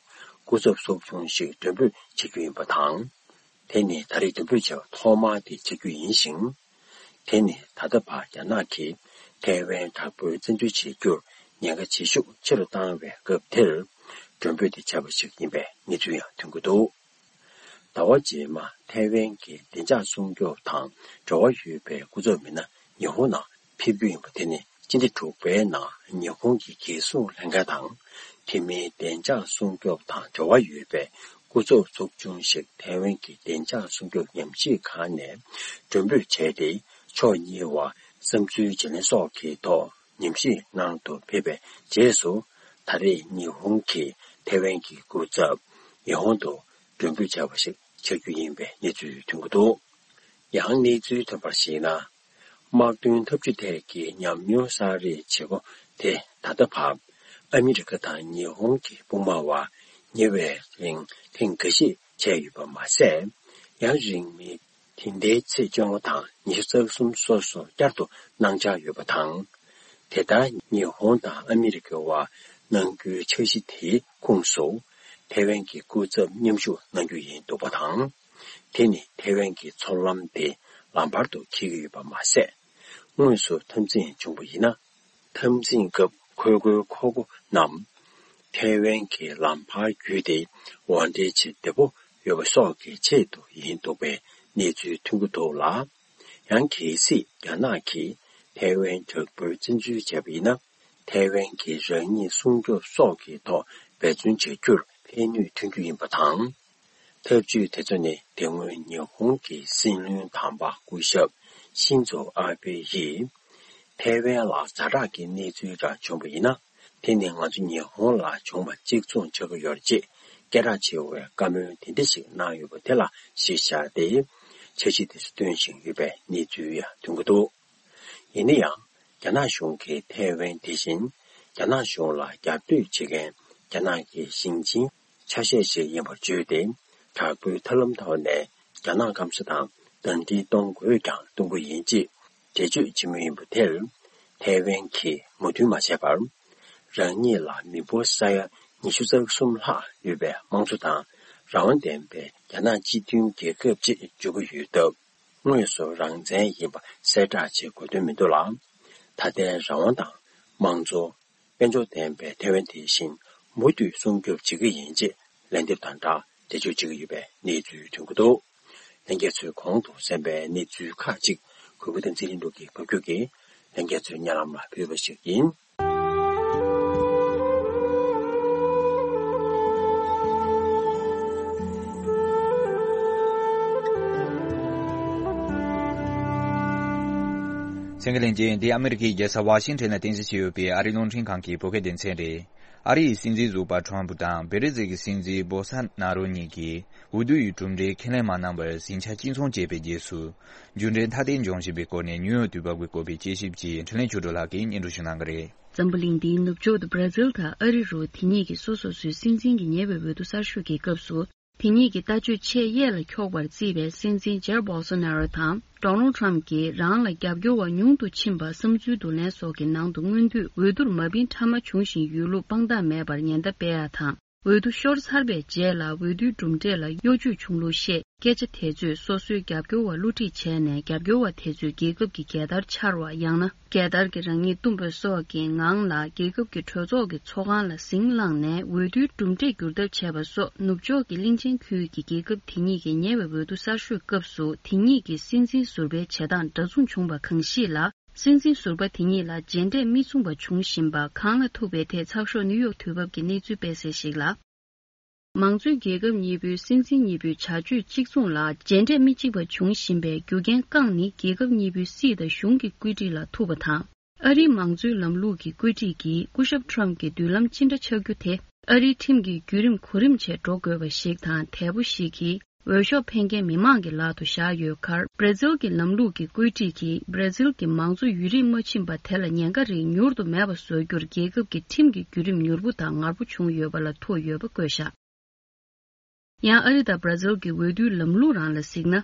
སྐུ་ཚབ་ཚོགས་ཆུང་ཞིག་མགྲོན་འབོད་བྱེད་རྒྱུ་ཡིན་པ་དང་། དེ་ནི་ད་རེས་མགྲོན་འབོད་བྱས་པ་ཐོག་མ་དེ་ཆགས་རྒྱུ་ཡིན་ཞིང་། དེ་ནི་ད་ལྟ་བར་རྒྱ་ནག་གིས་ཐའེ་ཝན་དྲག་པོའི་བཙན་འཛུལ་བྱེད་རྒྱུར་ཉེན་ཁ་བྱེད་ཤུགས་ཆེ་རུ་བཏང་བའི་སྐབས་དེར། མགྲོན་འབོད་དེ་བྱས་པ་ཞིག་ཡིན་པའི་གནས་ཚུལ་ཡང་ཐོན་གྱི་འདུག་ཟླ་བ་རྗེས་མ་ཐའེ་ཝན་གྱི་བདེ་འཇགས་སྲུང་སྐྱོབ་དང་འབྲེལ་བ་ཡོད་པའི་སྐུ་ཚབ་མི་སྣ་ཉི་ཧོང་ནང་ཕེབས་རྒྱུ་ཡིན་པ་དེ་ནི་སྤྱི་ཟླ་དྲུག་པའི་ནང་ཉི་ཧོང་གི་རྒྱལ་སྲུང་ལྷན་ཁང་དང་། དེ་མིན་བདེ་འཇགས་སྲུང་སྐྱོབ་དང་འབྲེལ་བ་ཡོད་པའི་སྐུ་ཚབ་ཚོགས་ཆུང་ཞིག་ཐའེ་ཝན་གྱི་བདེ་འཇགས་སྲུང་སྐྱོབ་ཉམས་ཞིབ་ཁང་ནས་མགྲོན་འབོད་བྱས་ཏེ། ཕྱོགས་གཉིས་བར་བསམ་ཚུལ་བརྗེ་ལེན་སོགས་ཀྱི་ཐོག་ཉམས་ཞིབ་གནང་དུ་ཕེབས་པའི་རྗེས་སུ། ད་རེས་ཉི་ཧོང་གིས་ཐའེ་ཝན་གྱི་སྐུ་ཚབ་ཉི་ཧོང་དུ་མགྲོན་འབོད་བྱས་པ་ཞིག་ཆགས་རྒྱུ་ཡིན་པའི་གནས་ཚུལ་ཐོན་གྱི་འདུག་ཡང་གནས་ཚུལ་ཐོན་པར་གཞིགས་ན། དམག་དོན་འཐབ་ཇུས་ཐད་ཀྱི་ཉམས་མྱོང་གསར་རེས་བྱེད་སྒོ་དེ་ད་ལྟ་བར་ཨ་མི་རི་ཀ་དང་ཉི་ཧོང་གི་དཔུང་དམག་དབར་ཉེ་བའི་རིང་ཐེངས་འགའ་ཤས་བྱས་ཡོད་པ་མ་ཟད། ཡང་རིང་མིན་དེ་ཟླའི་ཚེས་བཅོ་ལྔ་དང་ཉི་ཤུ་རྩ་གསུམ་སོ་སོར་བསྐྱར་དུ་གནང་འཆར་ཡོད་པ་དང་། དེ་ལྟར་ཉི་ཧོང་དང་ཨ་མི་རི་ཀའི་དབར་གནང་རྒྱུའི་འཆར་གཞི་དེའི་ཁོངས་སུ་ཐའེ་ཝན་གྱི་སྐུ་ཚབ་མཉམ་ཞུགས་གནང་རྒྱུ་ཡིན་འདུག་པ་དང་། དེ་ནི་ཐའེ་ཝན་གྱི་མཚོ་ལམ་དེ་ལམ་བར་དུ་འཁེལ་གྱི་ཡོད་པ་མ་ཟད། དངོས་སུ་འཐབ་འཛིང་བྱུང་བ་ཡིན་ན། འཐབ་འཛིང་སྐབས་འཁོར་སྒོའི་འཁོར་སྒོ་རྣམས་ཐའེ་ཝན་གྱི་ལམ་བར་བརྒྱུད་དེ་དབོར་འདྲེན་བྱེད་བདེ་པོ་ཡོད་པ་སོགས་ཀྱི་ཆེད་དུ་ཡིན་འདུག་པའི་གནས་ཚུལ་ཐོན་གྱི་འདུག་ལ། ཡང་གལ་སྲིད་རྒྱ་ནག་གིས་ཐའེ་ཝན་དྲག་པོའི་བཙན་འཛུལ་བྱས་པ་ཡིན་ན། ཐའེ་ཝན་གྱི་རང་ཉིད་སྲུང་སྐྱོབ་སོགས་ཀྱི་ཐོག་འབད་བརྩོན་བྱ་རྒྱུར་ ཕན་ནུས་ཐོན་རྒྱུ་ཡིན་པ་དང་། ཐབས་ཇུས་དེ་ཚོ་ནི་དེ་སྔོན་ཉི་ཧོང་གི་སྲིད་བློན་དམ་པ་སྐུ་ཞབས་ཤིན་ཛོ་ཨ་བྷེ་ཡིས་ཐའེ་ཝན་ལ་ཛ་དྲག་གི་གནས་ཚུལ་འདྲ་བྱུང་བ་ཡིན་ན། དེ་ནི་ང་ཚོ་ཉི་ཧོང་ལ་བྱུང་བ་གཅིག་མཚུངས་ཆགས་ཀྱི་ཡོད་རེད་ཅེས་སྐད་གྲགས་ཆེ་བའི་བཀའ་མོལ་དེ་འདྲ་ཞིག་གནང་ཡོད་པ་དེ་ལ་གཞི་བཞག་སྟེ། འཆར་གཞི་དེ་ཚོ་བཏོན་བཞིན་ཡོད་པའི་གནས་ཚུལ་ཡང་ཐོན་གྱི་འདུག་ཡིན་ན་ཡང་། རྒྱ་ནག་གཞུང་གིས་ཐའེ་ཝན་དེ་བཞིན་རྒྱ་ནག་གཞུང་ལ་རྒྱབ་གཏོད་བྱེད་མཁན་རྒྱ་ནག་གི་ཞིང་ཆེན་ཆ་ཤས་ཤིག་ཡིན་པར་བརྗོད་དེ། དྲག་པོའི་ཐབས་ལམ་ཐོག་ནས་རྒྱ་ནག་སྐམ་ས་དང་གདན་འདྲེན་གཏོང་དགོས་ཀྱང་གཏོང་གི་ཡིན་ཅེས་འགྲེལ་བརྗོད་བྱེད་མུས་ཡིན་པ་དེར། ཐའེ་ཝན་གྱིས་མོས་མཐུན་མ་བྱས་པར། རང་ཉིད་ལ་མི་འབོར་ས་ཡ་ཉི་ཤུ་རྩ་གསུམ་ལྷག་ཡོད་པའི་དམངས་གཙོ་དང་རང་དབང་ལྡན་པའི་རྒྱ་ནག་སྤྱི་མཐུན་རྒྱལ་ཁབ་ཅེས་བརྗོད་ཀྱི་ཡོད་སྟབས། དངོས་སུ་རང་བཙན་ཡིན་པ་གསལ་བསྒྲགས་བྱེད་དགོས་དོན་མི་འདུག་ལ། ད་ལྟའི་རང་དབང་དང་དམངས་གཙོ། དཔལ་འབྱོར་ལྡན་པའི་ཐའེ་ཝན་དེ་བཞིན་མུ་མཐུད་སྲུང་སྐྱོབ་བྱེད་ཀྱི་ཡིན་ཅེས་ལན་འདེབས་དང་སྦྲགས་འགྲེལ་བརྗོད་བྱེད་ཀྱི་ཡོད་པའི་གནས་ཚུལ་ཐོན་གྱི་འདུག་ལྷན་རྒྱས་ཚོས་གོང་དུ་གསན་པའི་གནས་ཚུལ་ཁག་ཅིག་གུས་པ་དང་ཚེ་རིང་ལུགས་ཀྱིས་ཕབ་སྒྱུར་གྱིས་ལྷན་རྒྱས་ཚོའི་སྙན་ལམ་ལ་ཕུལ་བ་ཞིག་ཡིན། གསན་མཁན་ལྷན་རྒྱས། འདི་ཨ་མི་རི་ཀའི་རྒྱལ་ས་ཝ་ཤིང་ཊོན་ལ་རྟེན་གཞི་བྱས་ཡོད་པའི་ཨ་རིའི་རླུང་འཕྲིན་ཁང་གི་བོད་སྐད་སྡེ་ཚན་རེད། ཨ་རི་ཡི་སྲིད་འཛིན་ཟུར་པ་ཁྲོམ་ཕུ་དང་བེ་ར་ཟིལ་གྱི་སྲིད་འཛིན་བོ་ས་ན་རོ་གཉིས་ཀྱིས་འོས་བསྡུ་ཡི་གྲུབ་འབྲས་ཁས་ལེན་མ་གནང་བར་ཟིང་ཆ་གཅིག་མཚུངས་བྱས་པའི་རྗེས་སུ། འགྱུར་འགྲོས་མཐའ་གཏན་འཁྱོངས་བཞིན་པའི་སྐོར་ནས་ནིའུ་ཡོག་དུས་བབ་ཀྱི་སྐོར་པའི་དཔྱད་ཞིབ་ཀྱི་འཕྲིན་ལས་ཆོས་སྒྲོན་ལགས་ཀྱིས་སྙན་སྒྲོན་ཞུ་གནང་གི་རེད། འཛམ་བུ་གླིང་འདིའི་ནུབ་ཕྱོགས་སུ་བྷ་ར་ཛིལ་དང་ཨ་རི་རུ་དེ་གཉིས་ཀྱིས་སོ་སོ་སོའི་སྲིད་འཛིན་གྱི་ཉེ་བའི་འོས་བསྡུ་གསར་ཤོག་གི་སྐབས་སུ། དེ་གཉིས་ཀྱི་ལྟ་སྤྱོད་ཆེས་གཡས་ལ་འཁྱོག་པར་བརྩིས་པའི་སྲིད་འཛིན་ཇེར་བོལ་སོ་ན་རོ་དང་ཌོ་ནལ་ཊམ་གྱིས་རང་ལ་རྒྱབ་སྐྱོར་བ་ཉུང་དུ་ཕྱིན་པ་བསམ་ཚུལ་བསྡུ་ལེན་སོགས་ཀྱི་ནང་དུ་སྔོན་དུས་འོས་བསྡུར་མ་ཕིན་ཕྲ་མ་བྱུང་ཞིང་ཡོད་ལུགས་དཔང་རྟགས་མེད་པར་ཉེན་བརྡ་སྤེལ་ཡ་དང་། འོས་བསྡུ་ཤོར་ཚར་བའི་རྗེས་ལ་འོས་བསྡུའི་གྲུབ་འབྲས་ལ་གཡོ་ཇུས་བྱུང་ལུགས་བཤད། སྐད་ཆ་དེ་ཚོས་སོ་སོའི་རྒྱབ་སྐྱོར་བ་བསླུ་བྲིད་བྱས་ནས་རྒྱབ་སྐྱོར་བ་དེ་ཚོས་རྒྱལ་ཁབ་ཀྱི་རྒྱལ་དར་འཕྱར་བ། ཡང་ན་རྒྱལ་དར་གྱི་རང་ཉིད་བཏུམ་པ་སོགས་ཀྱི་ངང་ལ་རྒྱལ་ཁབ་ཀྱི་གྲོས་ཚོགས་ཀྱི་ཚོགས་ཁང་ལ་ཟིང་བསླངས་ནས་འོས་བསྡུའི་གྲུབ་འབྲས་བསྒྱུར་ཐབས་བྱས་པ་སོགས། ནུབ་ཕྱོགས་ཀྱི་གླིང་ཆེན་ཁུལ་གྱི་རྒྱལ་ཁབ་དེ་གཉིས་ཀྱི་ཉེ་བའི་འོས་བསྡུ་གསར་ཤོག་སྐབས་སུ་དེ་གཉིས་ཀྱི་སྲིད་འཛིན་ཟུར་པའི་བྱེད་སྟངས་འདྲ་མཚུངས་བྱུང་བ་གང་ཞིག་ལ། སྲིད་འཛིན་ཟུར་པ་དེ་གཉིས་ལ་རྗེས་འབྲས་མི་མཚུངས་པ་བྱུང་བཞིན་པ་གང་ལ་ཐུག་པའི་ཐད་ཚགས་ཤོག་ནིའུ་ཡོག་དུས་བབ་ཀྱིས་གནས་ཚུལ་སྤེལ་གསལ་ཞིག་ལ། མང་གཙོའི་རྒྱལ་ཁབ་གཉིས་པོའི་སྲིད་འཛིན་གཉིས་པོའི་བྱ་སྤྱོད་གཅིག་མཚུངས་ལ་རྗེས་འབྲས་མི་གཅིག་པ་འབྱུང་བཞིན་པའི་རྒྱུ་རྐྱེན་རྐང་ནི་རྒྱལ་ཁབ་གཉིས་པོའི་སྲིད་དང་གཞུང་གི་བཀོད་སྒྲིག་ལ་ཐུག་པ་དང་། ཨ་རིའི་མང་གཙོའི་ལམ་ལུགས་ཀྱི་བཀོད་སྒྲིག་གིས་སྐུ་ཞབས་ཊམ་གྱི་མདུན་ལམ་ཅི་འདྲ་ཆགས་རྒྱུ་དེ་ཨ་རིའི་ཁྲིམས་ཀྱི་བརྒྱུད་རིམ་གོ་རིམ་བྱས་འགྲོ་དགོས་པ་ཞིག་དང་། དལ་པོ་ཞིག་གིས་འོས་ཤོག་འཕེན་མཁན་མི་མང་གི་ལག་ཏུ་བཞག་ཡོད་ཁར། བྷ་ར་ཛིལ་གྱི་ལམ་ལུགས་ཀྱི་བཀོད་སྒྲིག་གིས་བྷ་ར་ཛིལ་གྱི་མང་གཙོ་ཡུན་རིང་མ་ཕྱིན་པ་དེ་ལ་ཉེན་ཁ་རིགས་མྱུར་དུ་མེད་པ་བཟོ་རྒྱུར་རྒྱལ་ཁབ་ཀྱི་ཁྲིམས་ཀྱི་བརྒྱུད་རིམ་མྱུར་པོ་དང་ངར་པོ་བྱུང་ཡོད་པ་ལ་ཐུག་ཡོད་པ་བཀོད་བཞག་ཡང་ཨ་རི་དང་བྷ་ར་ཛིལ་གྱི་འོས་བསྡུའི་ལམ་ལུགས་རང་ལ་གཟིགས་ན།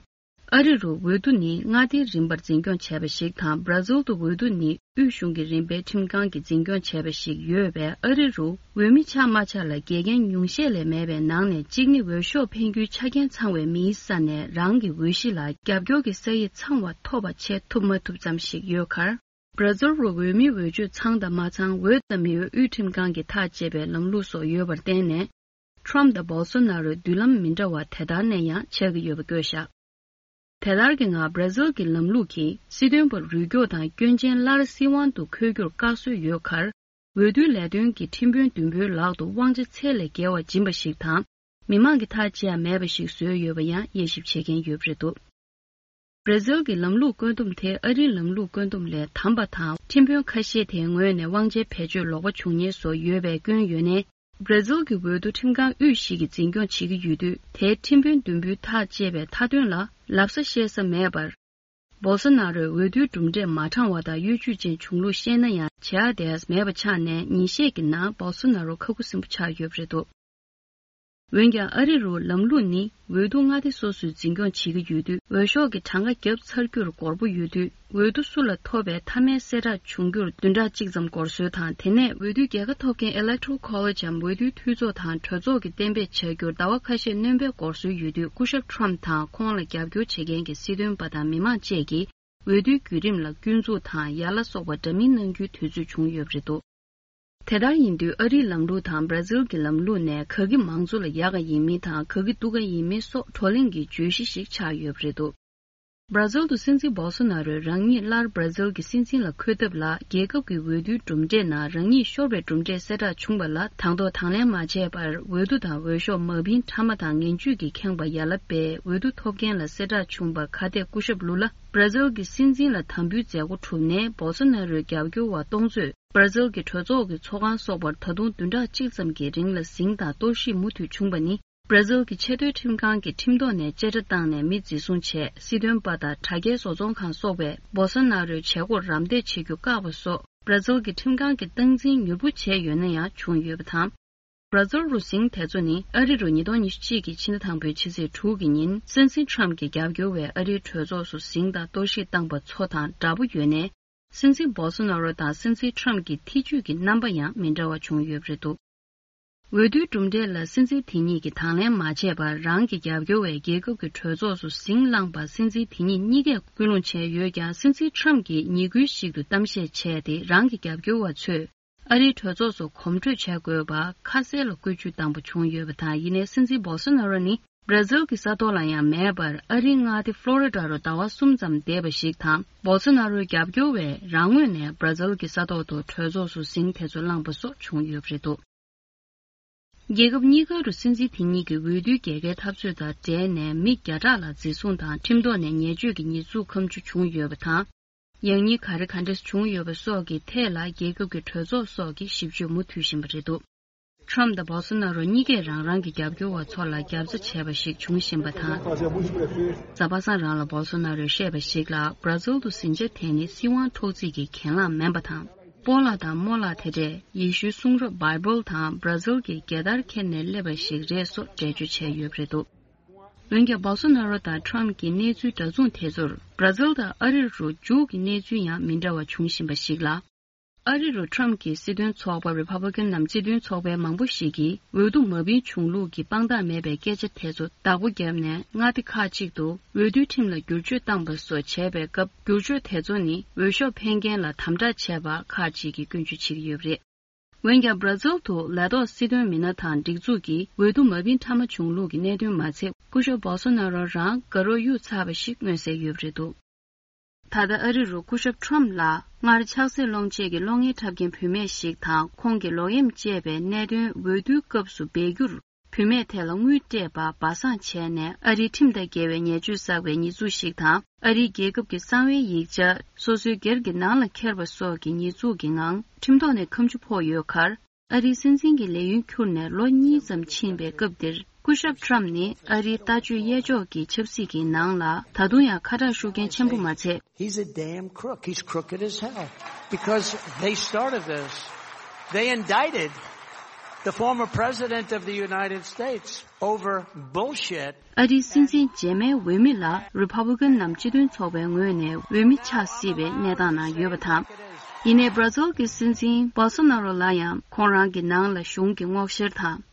ཨ་རི་རུ་འོས་བསྡུ་ནི་མངའ་སྡེའི་རིམ་པར་འཛིན་སྐྱོང་བྱས་པ་ཞིག་དང་། བྷ་ར་ཛིལ་དུ་འོས་བསྡུ་ནི་དབུས་གཞུང་གི་རིམ་པའི་ཁྲིམས་ཁང་གིས་འཛིན་སྐྱོང་བྱས་པ་ཞིག་ཡོད་པས། ཨ་རི་རུ་འོས་མི་ཆགས་མ་ཆགས་ལ་འགལ་རྐྱེན་ཉུང་ཤས་ལས་མེད་པའི་ནང་ནས་གཅིག་ནི། འོས་ཤོག་འཕེན་རྒྱུའི་ཆ་རྐྱེན་ཚང་བའི་མིའི་ས་ནས་རང་གི་འོས་གཞི་ལ་རྒྱབ་སྐྱོར་གྱི་ས་ཡིག་ཚང་བ་ཐོབ་པ་བྱེད་ཐུབ་མ་ཐུབ་ཙམ་ཞིག་ཡོད་ཁར། བྷ་ར་ཛིལ་རུ་འོས་མིའི་འོས་ཆོས་ཚང་དང་མ་ཚང་། འོས་དང་མི་འོས་དབུས་ཁྲིམས་ཁང་གིས་ཐག་བཅད་པའི་ལམ་ལུགས་སོགས་ཡོད་པར་བརྟེན་ནས། ཊམ་དང་བོལ་སོ་ན་རོའི་མདུན་ལམ་མི་འདྲ་བ་དེ་ལྟར་ནས་ཡང་ཆགས་ཀྱི་ཡོད་པ་བཀོད་བཞག་དེ་ལྟར་གྱི་ངང་བྷ་ར་ཛིལ་གྱི་ལམ་ལུགས་ཀྱིས་སྲིད་དོན་པར་རུས་སྐྱོག་དང་སྐྱོན་ཅན་སླར་སྲིད་དབང་དུ་འཁོད་རྒྱུར་བཀག་སྲོལ་ཡོད་ཁར། འོས་བསྡུའི་ལས་དོན་གྱི་ཁྲིམས་དཔོན་བདུན་པོའི་ལག་ཏུ་དབང་ཆ་ཚད་ལས་བརྒལ་བ་སྦྱིན་པ་ཞིག་དང་། མི་མང་གིས་ཐག་བཅད་ཡ་མེད་པ་ཞིག་བཟོས་ཡོད་པ་ཡང་དབྱེ་ཞིབ་བྱེད་མཁན་ཡོད་པ་རེད་འདུག་བྷ་ར་ཛིལ་གྱི་ལམ་ལུགས་བཀོད་འདོམས་དེ་ཨ་རིའི་ལམ་ལུགས་བཀོད་འདོམས་ལས་དམ་པ་དང་། ཁྲིམས་དཔོན་ཁ་ཤས་དེའི་ངོས་ནས་དབང་ཆའི་བེད་སྤྱོད་ལོག་པ་བྱུང་ཉེན་བཟོ་ཡོད་པའི་སྐྱོན་ཡོད་ནའི། བྷ་ར་ཛིལ་གྱི་འོས་བསྡུ་ཁྲིམས་ཁང་དབུས་ཤིག་གིས་འཛིན་སྐྱོང་བྱེད་ཀྱི་ཡོད་དུས། དེའི་ཁྲིམས་དཔོན་བདུན་པོའི་ཐག་བཅད་པའི་མཐའ་དོན་ལ་ལབ་ས་བཤད་ས་མེད་པར། བོལ་སོ་ན་རོས་འོས་བསྡུའི་གྲུབ་འབྲས་མ་དྲང་བ་དང་གཡོ་ཇུས་ཅན་བྱུང་ལུགས་བཤད་ན་ཡང་བྱེད་ཡ་དེ་མེད་པ་ཆགས་ནས། ཉིན་ཤས་ཀྱི་ནང་བོལ་སོ་ན་རོ་ཁ་ཁུ་སིམ་པོ་ཆགས་ཡོད་པ་རེད་འདུག་འོན་ཀྱང་ཨ་རི་རུ་ལམ་ལུགས་ནི་འོས་བསྡུ་མངའ་སྡེ་སོ་སོས་འཛིན་སྐྱོང་བྱེད་ཀྱི་ཡོད་དུས། འོས་ཤོག་གི་གྲངས་ཀ་བརྒྱབ་ཚར་རྒྱུར་འགོར་པོ་ཡོད་དུས། འོས་བསྡུ་སུ་ལ་ཐོབ་པའི་མཐའ་མའི་གསལ་བསྒྲགས་བྱུང་རྒྱུར་བདུན་ཕྲག་གཅིག་ཙམ་འགོར་སྲོལ་དང་། དེ་ནས་འོས་བསྡུའི་རྒྱལ་ཁ་ཐོབ་མཁན་Electoral College འམ་འོས་བསྡུའི་འཐུས་ཚོགས་དང་གྲོས་ཚོགས་ཀྱིས་གཏན་འབེབས་བྱ་རྒྱུར་ཟླ་བ་ཁ་ཤས་སྣོན་པའི་འགོར་སྲོལ་ཡོད་དུས། སྐུ་ཞབས་Trump དང་ཁོང་ལ་རྒྱབ་སྐྱོར་བྱེད་མཁན་གྱི་སྲིད་དོན་པ་དང་མི་མང་བཅས་ཀྱིས་འོས་བསྡུའི་བརྒྱུད་རིམ་ལ་སྐྱོན་འཛུགས་དང་ཡ་ལ་སོགས་པ་འདྲ་མིན་གནང་རྒྱུའི་དུས་ཚོད་བྱུང་ཡོད་པ་རེད་འདུག་དེ་ལྟར་ཡིན་དུས། ཨ་རིའི་ལམ་ལུགས་དང་བྷ་ར་ཛིལ་གྱི་ལམ་ལུགས་ནས་ག་གི་མང་གཙོ་ལ་ཡག་ག་ཡིན་མིན་དང་། ག་གི་སྡུག་ག་ཡིན་མིན་སོགས་བགྲོ་གླེང་གི་བརྗོད་གཞི་ཞིག་ཆགས་ཡོད་པ་རེད་འདུག་བྷར་ཛིལ་དུ་སྲིད་འཛིན་བོལ་སོ་ནཱ་རོས་རང་ཉིད་སླར་བྷར་ཛིལ་གྱི་སྲིད་འཛིན་ལ་འཁོད་ཐབས་ལ། རྒྱལ་ཁབ་ཀྱི་འོས་བསྡུའི་གྲུབ་འབྲས་ནང་རང་ཉིད་ཤོར་བའི་གྲུབ་འབྲས་གསལ་བསྒྲགས་བྱུང་བ་ལ། དང་ཐོག་དང་ལེན་མ་བྱས་པར། འོས་བསྡུ་དང་འོས་ཤོག་མ་བིན་ཕྲ་མ་དང་ངན་ཇུས་ཀྱིས་ཁེངས་པ་ཡ་ལ་པས་འོས་བསྡུ་ཐོབ་མཁན་ལ་གསལ་བསྒྲགས་བྱུང་བར། ཁ་གཏད་སྐུ་ཞབས་ལུ་ལ་བྷར་ཛིལ་གྱི་སྲིད་འཛིན་ལ་དམ་འབུལ་མཛད་སྒོ་གྲུབ་ནས། བོལ་སོ་ནཱ་རོའི་རྒྱབ་སྐྱོར་བ་སྟོང་ཚོས་བྷར་ཛིལ་གྱི་གྲོས་ཚོགས་ཀྱི་ཚོགས་ཁང་སོགས་པར་ད་དུང་བདུན་ཕྲག་གཅིག་ཙམ་གྱི་རིང་ལ་ཟིང་དང་གཏོར་བཤིག་མུ་མཐུད་བྱུང་བ་ནི། བྷར་ཛིལ་གྱི་ཆེས་མཐོའི་ཁྲིམས་ཁང་གིས་ཁྲིམས་ཐོག་ནས་བཅད་ཁྲ་བཏང་ནས་མི་འཛིན་བཟུང་བྱས། སྲིད་དོན་པ་དང་དྲ་རྒྱའི་བཟོ་ཚོང་ཁང་སོགས་པས་བོལ་སོ་ནཱ་རོའི་བྱེད་སྒོར་རམ་འདེགས་བྱེད་རྒྱུ་བཀག་པ་སོགས། བྷར་ཛིལ་གྱི་ཁྲིམས་ཁང་གིས་སྟངས་འཛིན་མྱུར་པོ་བྱས་ཡོད་ན་ཡང་བྱུང་ཡོད་པ་དང་། བྷར་ཛིལ་རུ་ཟིང་དེ་ཚོ་ནི། ཨ་རི་རུ་ཉིས་སྟོང་ཉི་ཤུ་གཅིག་གི་ཕྱི་ཟླ་དང་པོའི་ཕྱི་ཚེས་དྲུག་གི་ཉིན། སྲིད་འཛིན་ཁྲམ་གྱི་རྒྱབ་སྐྱོར་བས་ཨ་རིའི་གྲོས་ཚོགས་སུ་ཟིང་དང་གཏོར་བཤིག་བཏང་པ་ཚོ་དང་འདྲ་པོ་ཡོད་ནས། སྲིད་འཛིན་བོལ་སོ་ནཱ་རོ་དང་སྲིད་འཛིན་ཁྲམ་གྱི་ཐེ་ཇུས་ཀྱི་རྣམ་པ་ཡང་མི་འདྲ་བ་བྱུང་ཡོད་པ་རེད་འདུག། འོས་བསྡུའི་གྲུབ་འབྲས་ལ་སྲིད་འཛིན་དེ་ཉིད་ཀྱིས་དང་ལེན་མ་བྱས་པར། རང་གི་རྒྱབ་སྐྱོར་བས་རྒྱལ་ཁབ་ཀྱི་གྲོས་ཚོགས་སུ་ཟིང་བསླངས་པར། སྲིད་འཛིན་དེ་ཉིད་གཉིས་ཀས་སྐུལ་སློང་བྱས་ཡོད་ཀྱང་། སྲིད་འཛིན་ཁྲམ་གྱིས་ཉིན་གུང་ཞིག་ཏུ་གཏམ་བཤད་བྱས་ཏེ། རང་གི་རྒྱབ་སྐྱོར་བ་ཚོས་ཨ་རིའི་གྲོས་ཚོགས་སུ་གོམ་བགྲོད་བྱ་དགོས་པ་ཁ་གསལ་ལ་བཀོད་ཇུས་བཏང་པ་བྱུང་ཡོད་པ་དང་། ཡིན་ནའི་སྲིད་འཛིན་བོལ་སོ་ནཱ་རོ་ནི་བྷར་ཛིལ་གྱི་ས་ཐོག་ལ་ཡང་མེད་པར། ཨ་རིའི་མངའ་སྡེ་ཕློ་རི་ཌ་རུ་ཟླ་བ་གསུམ་ཙམ་བསྡད་པ་ཞིག་དང་། བོལ་སོ་ནཱ་རོའི་རྒྱབ་སྐྱོར་བས་རང་ངོས་ནས་བྷར་ཛིལ་གྱི་ས་ཐོག་ཏུ་གྲོས་ཚོགས་སུ་ཟིང་དེ་ཚོ་བསླངས་པ་སོགས་བྱུང་ཡོད་པ་རེད་འདུག། རྒྱལ་ཁབ་གཉིས་ཀ་རུ་སྲིད་འཛིན་དེ་གཉིས་ཀྱི་འོས་བསྡུའི་རྒྱལ་ཁའི་འཐབ་རྩོད་དང་འབྲེལ་ནས། མི་བརྒྱ་ཕྲག་ལ་འཛིན་བཟུང་དང་ཁྲིམས་ཐོག་ནས་ཉེས་སྤྱོད་ཀྱི་ཉེས་འཛུགས་ཁ་མཆུ་བྱུང་ཡོད་པ་དང་། ཡང་སྙིང་ག་རེ་ག་འདྲ་བྱུང་ཡོད་པ་སོགས་ཀྱི་ཐད་ལ། རྒྱལ་ཁབ་ཀྱི་གྲོས་ཚོགས་སོགས་ཀྱིས་ཞིབ་དཔྱོད་མུ་མཐུད་བཞིན་པ་རེད་འདུག། ཁྲམ་དང་བོལ་སོ་ནཱ་རོ་གཉིས་ཀས་རང་རང་གི་རྒྱབ་སྐྱོར་བ་ཚོ་ལ་རྒྱབ་རྩ་བྱས་པ་ཞིག་འབྱུང་བཞིན་པ་དང་། གཟའ་པ་སངས་རང་ལ་བོལ་སོ་ནཱ་རོས་བཤད་པ་ཞིག་ལ། བྷར་ཛིལ་དུ་ཟིང་ཆ་དེ་ནི་སྲིད་དབང་འཕྲོག་རྩིས་ཀྱི་གྱེན་ལངས་མིན་པ་དང་། སྤོ་ལགས་དང་རྨོ་ལགས་དེ་འདྲས་ཡེ་ཤུའི་གསུང་རབ་བྷའི་བལ་དང་བྷར་ཛིལ་གྱི་རྒྱལ་དར་འཁྱེར་ནས་སླེབས་པ་ཞིག་རེད་སོགས་འགྲེལ་བརྗོད་བྱས་ཡོད་པ་རེད་འདུག། འོན་ཀྱང་། བྷོལ་སོ་ནཱ་རོ་དང་ཁྲམ་གྱི་གནས་ཚུལ་འདྲ་མཚུངས་དེ་ཚོར། བྷར་ཛིལ་དང་ཨ་རི་རུ་མཇུག་གི་གནས་ཚུལ་ཡང་མི་འདྲ་བ་འབྱུང་བཞིན་པ་ཞིག་ལ། ཨ་རི་རུ་ཁྲམ་གྱི་སྲིད་དོན་ཚོགས་པ་རི་ཕབ་ལི་ཀན་ནམ་སྤྱི་མཐུན་ཚོགས་པའི་མང་པོ་ཞིག་གིས། འོས་བསྡུ་མ་བིན་བྱུང་ལུགས་ཀྱི་དཔང་རྟགས་མེད་པའི་སྐད་ཆ་དེ་ཚོ་བདག་པོ་བརྒྱབ་ནས། མངའ་སྡེ་ཁག་ཅིག་ཏུ་འོས་བསྡུའི་ཁྲིམས་ལ་བསྒྱུར་བཅོས་བཏང་པ་སོགས་བྱས་པའི་སྐབས། བསྒྱུར་བཅོས་དེ་ཚོ་ནི་འོས་ཤོག་འཕེན་མཁན་ལ་དམ་དྲག་བྱས་པ་ཁག་ཅིག་གིས་སྐྱོན་བརྗོད་བྱེད་ཀྱི་ཡོད་པ་རེད། འོན་ཀྱང་། བྷར་ཛིལ་དུ་ལས་ཐོག་སྲིད་དོན་མི་སྣ་དང་སྒྲིག་འཛུགས་ཀྱིས་འོས་བསྡུ་མ་བིན་ཕྲ་མ་བྱུང་ལུགས་ཀྱི་གནད་དོན་མ་ཚད། སྐུ་ཞབས་བྷོལ་སོ་ནཱ་རོ་རང་དགའ་རོགས་གཡུག་ཚར་བ་ཞིག་མངོན་གསལ་ཡོད་པ་རེད་འདུག། ད་ལྟ་ཨ་རི་རུ་སྐུ་ཞབས་ཁྲམ་ལ་སྔར་ཆགས་སྲེད་སློང་ཆེད་ཀྱི་གློག་བརྙན་འཁྲབ་མཁན་བུད་མེད་ཞིག་དང་། ཁོང་གིས་ལོག་གཡེམ་བཅས་པའི་གནད་དོན་འོས་བསྡུའི་སྐབས་སུ་སྦས་རྒྱུར། བུད་མེད་དེ་ལ་དངུལ་སྤྲད་པ་སྦ་གསང་བྱས་ནས། ཨ་རིའི་ཁྲིམས་དང་འགལ་བའི་ཉེས་སྤྱོད་བསགས་པའི་ཉེས་འཛུགས་ཤིག་དང་། ཨ་རིའི་རྒྱལ་ཁབ་ཀྱི་གསང་བའི་ཡིག་ཆ་སོ་སོའི་སྒེར་གྱི་ནང་ལ་འཁྱེར་བ་སོགས་ཀྱི་ཉེས་འཛུགས་ཀྱི་ངང་ཁྲིམས་ཐོག་ནས་ཁ་མཆུ་ཕོག་ཡོད་ཁར། ཨ་རིའི་སྲིད་འཛིན་གྱི་ལས་ཡུན་འཁྱོལ་ནས་ལོ་གཉིས་ཙམ་ཕྱིན་པའི་སྐབས་འདིར། སྐུ་ཞབས་ཁྲམ་ནི་ཨ་རིའི་ལྟ་སྤྱོད་གཡས་ཕྱོགས་ཀྱི་ཆབ་སྲིད་ཀྱི་ནང་ལ་ད་དུང་ཡང་ཁ་གྲག་ཤུགས་རྐྱེན་ཆེན་པོ་མ་ཚད། He's a damn crook. He's crooked as hell. Because they started this. They indicted the former president of the United States over bullshit. ཨ་རིའི་སྲིད་འཛིན་རྗེས་མའི་འོས་མི་ལ་རི་ཕབ་ལི་ཀན་ནམ་སྤྱི་མཐུན་ཚོགས་པའི་ངོས་ནས་འོས་མི་ཆགས་སྲིད་པའི་གནས་སྟངས་ནང་ཡོད་པ་དང་། ཡིན་ནའི་བྷར་ཛིལ་གྱི་སྲིད་འཛིན་བྷོལ་སོ་ནཱ་རོ་ལ་ཡང་ཁོང་རང་གི་ནང་ལ་གཞུང་གི་སྔོག་བཤེར་དང་།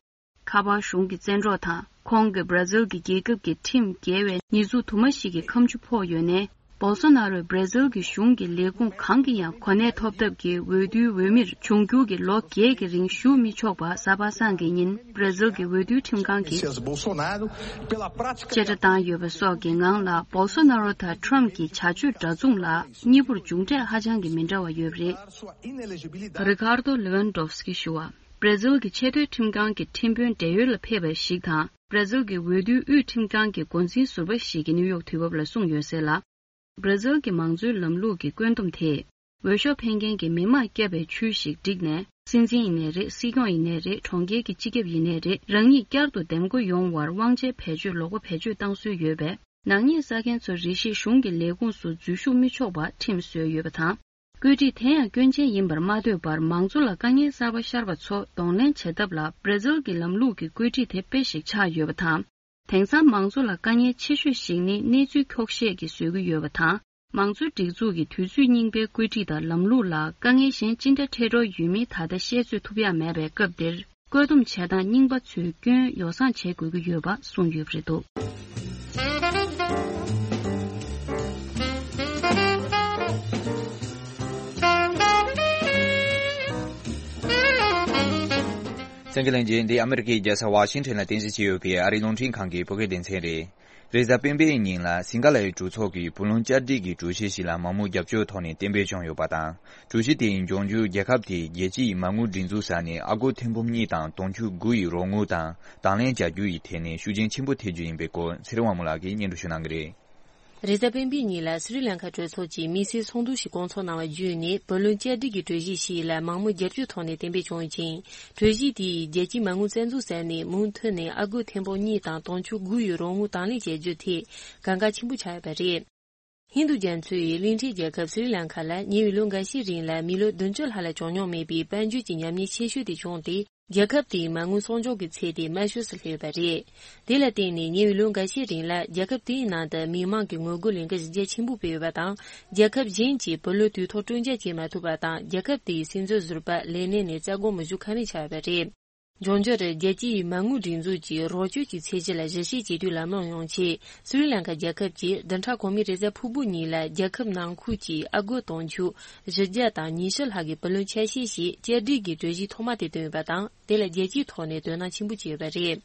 ཁ་པར་གཞུང་གི་བཙན་འཕྲོག་དང་། ཁོང་གིས་བྷར་ཛིལ་གྱི་རྒྱལ་ཁབ་ཀྱི་ཁྲིམས་འགལ་བའི་ཉེས་འཛུགས་དུ་མ་ཞིག་གི་ཁ་མཆུ་ཕོག་ཡོད་ནའི། བྷོལ་སོ་ནཱ་རོས་བྷར་ཛིལ་གྱི་གཞུང་གི་ལས་ཁུངས་གང་གི་ཡང་གོ་གནས་ཐོབ་ཐབས་ཀྱི་འོས་བསྡུའི་འོས་མིར་འབྱུང་འགྱུར་གྱི་ལོ་བརྒྱད་ཀྱི་རིང་ཞུགས་མི་ཆོག་པ་གཟའ་པ་སངས་ཀྱི་ཉིན་བྷར་ཛིལ་གྱི་འོས་བསྡུའི་ཁྲིམས་ཁང་གིས་Seas Bolsonaro, pela prática བཅད་ཁྲ་བཏང་ཡོད་པ་སོགས་ཀྱི་ངང་ལ། བྷོལ་སོ་ནཱ་རོ་དང་ཁྲམ་གྱི་བྱ་སྤྱོད་འདྲ་མཚུངས་ལ་གཉིས་པོར་མཇུག་འབྲས་ཧ་ཅང་གི་མི་འདྲ་བ་ཡོད་པ་རེད། རི་ཀར་དོ་ལེ་ཝན་ཌོབ་སི་ཀི་ཞུ་བ། བྷར་ཛིལ་གྱི་ཆེས་མཐོའི་ཁྲིམས་ཁང་གི་ཁྲིམས་དཔོན་བགྲེས་ཡོལ་ལ་ཕེབས་པ་ཞིག་དང་། བྷར་ཛིལ་གྱི་འོས་བསྡུའི་དབུས་ཁྲིམས་ཁང་གི་འགོ་འཛིན་ཟུར་པ་ཞིག་གིས་ནིའུ་ཡོག་དུས་བབ་ལ་གསུངས་ཡོད་གསལ་ལ། བྷར་ཛིལ་གྱི་མང་གཙོའི་ལམ་ལུགས་ཀྱི་བཀོད་འདོམས་དེས། འོས་ཤོག་འཕེན་མཁན་གྱི་མི་མང་བསྐྱབས་པའི་ཆུ་ཞིག་བསྒྲིགས་ནས། སྲིད་འཛིན་ཡིན་ནའི་རེད། སྲིད་སྐྱོང་ཡིན་ནའི་རེད། གྲོང་ཁྱེར་གྱི་སྤྱི་ཁྱབ་ཡིན་ནའི་རེད། རང་ཉིད་བསྐྱར་དུ་འདེམས་བསྐོ་ཡོང་བར་དབང་ཆའི་བེད་སྤྱོད་ལོག་པ་བེད་སྤྱོད་བཏང་སྲོལ་ཡོད་པས། ནག་ཉེས་བསགས་མཁན་ཚོ་རེ་ཞིག་གཞུང་གི་ལས་ཁུངས་སུ་འཛུལ་ཞུགས་མི་ཆོག་པ་ཁྲིམས་བཟོས་ཡོད་པ་དང་། བཀོད་སྒྲིག་དེ་ཡང་སྐྱོན་ཅན་ཡིན་པར་མ་འདོད་པར། མང་གཙོ་ལ་དཀའ་ངལ་གསར་པ་ཤར་བ་ཚོ་གདོང་ལེན་བྱེད་ཐབས་ལ། བྷར་ཛིལ་གྱི་ལམ་ལུགས་ཀྱི་བཀོད་སྒྲིག་དེ་དཔེ་ཞིག་ཆགས་ཡོད་པ་དང་། དེང་སང་མང་གཙོ་ལ་དཀའ་ངལ་ཆེ་ཤོས་ཤིག་ནི་གནས་ཚུལ་འཁྱོག་བཤད་ཀྱིས་བཟོ་གི་ཡོད་པ་དང་། མང་གཙོའི་སྒྲིག་འཛུགས་ཀྱི་དུས་ཚོད་རྙིང་པའི་བཀོད་སྒྲིག་དང་ལམ་ལུགས་ལ་དཀའ་ངལ་གཞན་ཅི་འདྲ་འཕྲད་འགྲོ་ཡོད་མིན་ད་ལྟ་བཤད་ཚོད་ཐུབ་ཡ་མེད་པའི་སྐབས་འདིར། བཀོད་འདོམས་བྱེད་སྟངས་རྙིང་པ་ཚོའི་སྐྱོན་ཡོ་བསྲང་བྱེད་དགོས་ཀྱི་ཡོད་པ་གསུངས་ཡོད་པ་རེད་འདུག། གསན་མཁན་ལྷན་རྒྱས། འདི་ཨ་མི་རི་ཀའི་རྒྱལ་ས་ཝ་ཤིང་ཊོན་ལ་རྟེན་གཞི་བྱས་ཡོད་པའི་ཨ་རིའི་རླུང་འཕྲིན་ཁང་གི་བོད་སྐད་སྡེ་ཚན་རེད། རེས་གཟའ་སྤེན་པའི་ཉིན་ལ་སིང་ག་ལའི་གྲོས་ཚོགས་ཀྱི་བུ་ལོན་བསྐྱར་སྒྲིག་གི་གྲོས་གཞི་ཞིག་ལ་མང་མོས་རྒྱབ་སྐྱོར་ཐོག་ནས་གཏན་འབེབས་བྱུང་ཡོད་པ་དང་། གྲོས་གཞི་དེའི་འབྱུང་འགྱུར་རྒྱལ་ཁབ་དེས་རྒྱལ་སྤྱིའི་མ་དངུལ་སྒྲིག་འཛུགས་ས་ནས་ཨ་སྒོར་ཐེར་འབུམ་གཉིས་དང་དུང་ཕྱུར་དགུ་ཡི་རོགས་དངུལ་དང་དང་ལེན་བྱ་རྒྱུ་ཡི་ཐད་ནས་ཤུགས་རྐྱེན་ཆེན་པོ་ཐེབས་རྒྱུ་ཡིན་པའི་སྐོར་ཚེ་རིང་དབང་མོ་ལགས་ཀྱིས་སྙན་སྒྲོན་ཞུ་གནང་གི་རེད། རེས་གཟའ་སྤེན་པའི་ཉིན་ལ་སི་རི་ལང་ཀ་གྲོས་ཚོགས་ཀྱིས་དམིགས་བསལ་ཚོགས་འདུ་ཞིག་བསྐོང་ཚོགས་གནང་བ་བརྒྱུད་ནས་བུ་ལོན་བསྐྱར་སྒྲིག་གི་གྲོས་གཞི་ཞིག་ལ་མང་མོས་རྒྱབ་སྐྱོར་ཐོག་ནས་གཏན་འབེབས་བྱུང་ཞིང་། གྲོས་གཞི་དེས་རྒྱལ་སྤྱིའི་མ་དངུལ་རྩ་འཛུགས་ས་ནས་མུ་མཐུད་ནས་ཨ་སྒོར་ཐེར་འབུམ་གཉིས་དང་དུང་ཕྱུར་དགུ་ཡི་རོགས་དངུལ་དང་ལེན་བྱེད་རྒྱུ་དེ་གལ་འགངས་ཆེན་པོ་ཆགས་ཡོད་པ་རེད། ཧིན་རྡུ་རྒྱ་མཚོའི་གླིང་ཕྲན་རྒྱལ་ཁབ་སི་རི་ལང་ཀ་ལ་ཉེ་བའི་ལོ་འགའ་ཤས་རིང་ལ་མི་ལོ་བདུན་ཅུ་ལྷག་ལ་བྱུང་མྱོང་མེད་པའི་དཔལ་འབྱོར་གྱི་ཉམས་ཉེས་ཆེ་ཤོས་དེ་བྱུང་སྟེ། རྒྱལ་ཁབ་དེའི་མ་དངུལ་གསོག་འཇོག་གི་ཚད་དེ་དམའ་ཤོས་སུ་སླེབས་ཡོད་པ་རེད། དེ་ལ་བརྟེན་ནས་ཉེ་བའི་ལོ་འགའ་ཤས་རིང་ལ་རྒྱལ་ཁབ་དེའི་ནང་དུ་མི་མང་གི་དངུལ་སྒོར་ལེན་ག་གཞི་རྒྱ་ཆེན་པོ་སྤེལ་ཡོད་པ་དང་། རྒྱལ་ཁབ་གཞན་གྱིས་བུ་ལོན་དུས་ཐོག་སྤྲོད་འཇལ་བྱེད་མ་ཐུབ་པ་དང་། རྒྱལ་ཁབ་དེའི་སྲིད་འཛིན་ཟུར་པ་ལས་གནས་ནས་རྩ་དགོངས་མི་ཞུ་ཁ་མེད་ཆགས་ཡོད་པ་རེད། འབྱུང་འགྱུར་རྒྱལ་སྤྱིའི་མ་དངུལ་སྒྲིག་འཛུགས་ཀྱི་རོགས་སྐྱོར་གྱི་ཚད་གཞི་ལ་གཞི་བྱེད་བྱེད་དུས་ལམ་ལྷོང་ཡོང་ཆེད། སི་རི་ལང་ཀ་རྒྱལ་ཁབ་ཀྱིས་བདུན་ཕྲག་གོང་མའི་རེས་གཟའ་ཕུར་བུ་ཉིན་ལ་རྒྱལ་ཁབ་ནང་ཁུལ་གྱི་ཨ་སྒོར་དུང་ཕྱུར་བཞི་བརྒྱ་དང་ཉི་ཤུ་ལྷག་གི་བུ་ལོན་ཆ་ཤས་ཤིག་བསྐྱར་སྒྲིག་གི་གྲོས་གཞི་ཐོག་མ་དེ་བཏོན་ཡོད་པ་དང་། དེ་ལ་རྒྱལ་སྤྱིའི་ཐོག་ནས་དོ་སྣང་ཆེན་པོ་བྱས་ཡོད་པ་རེད།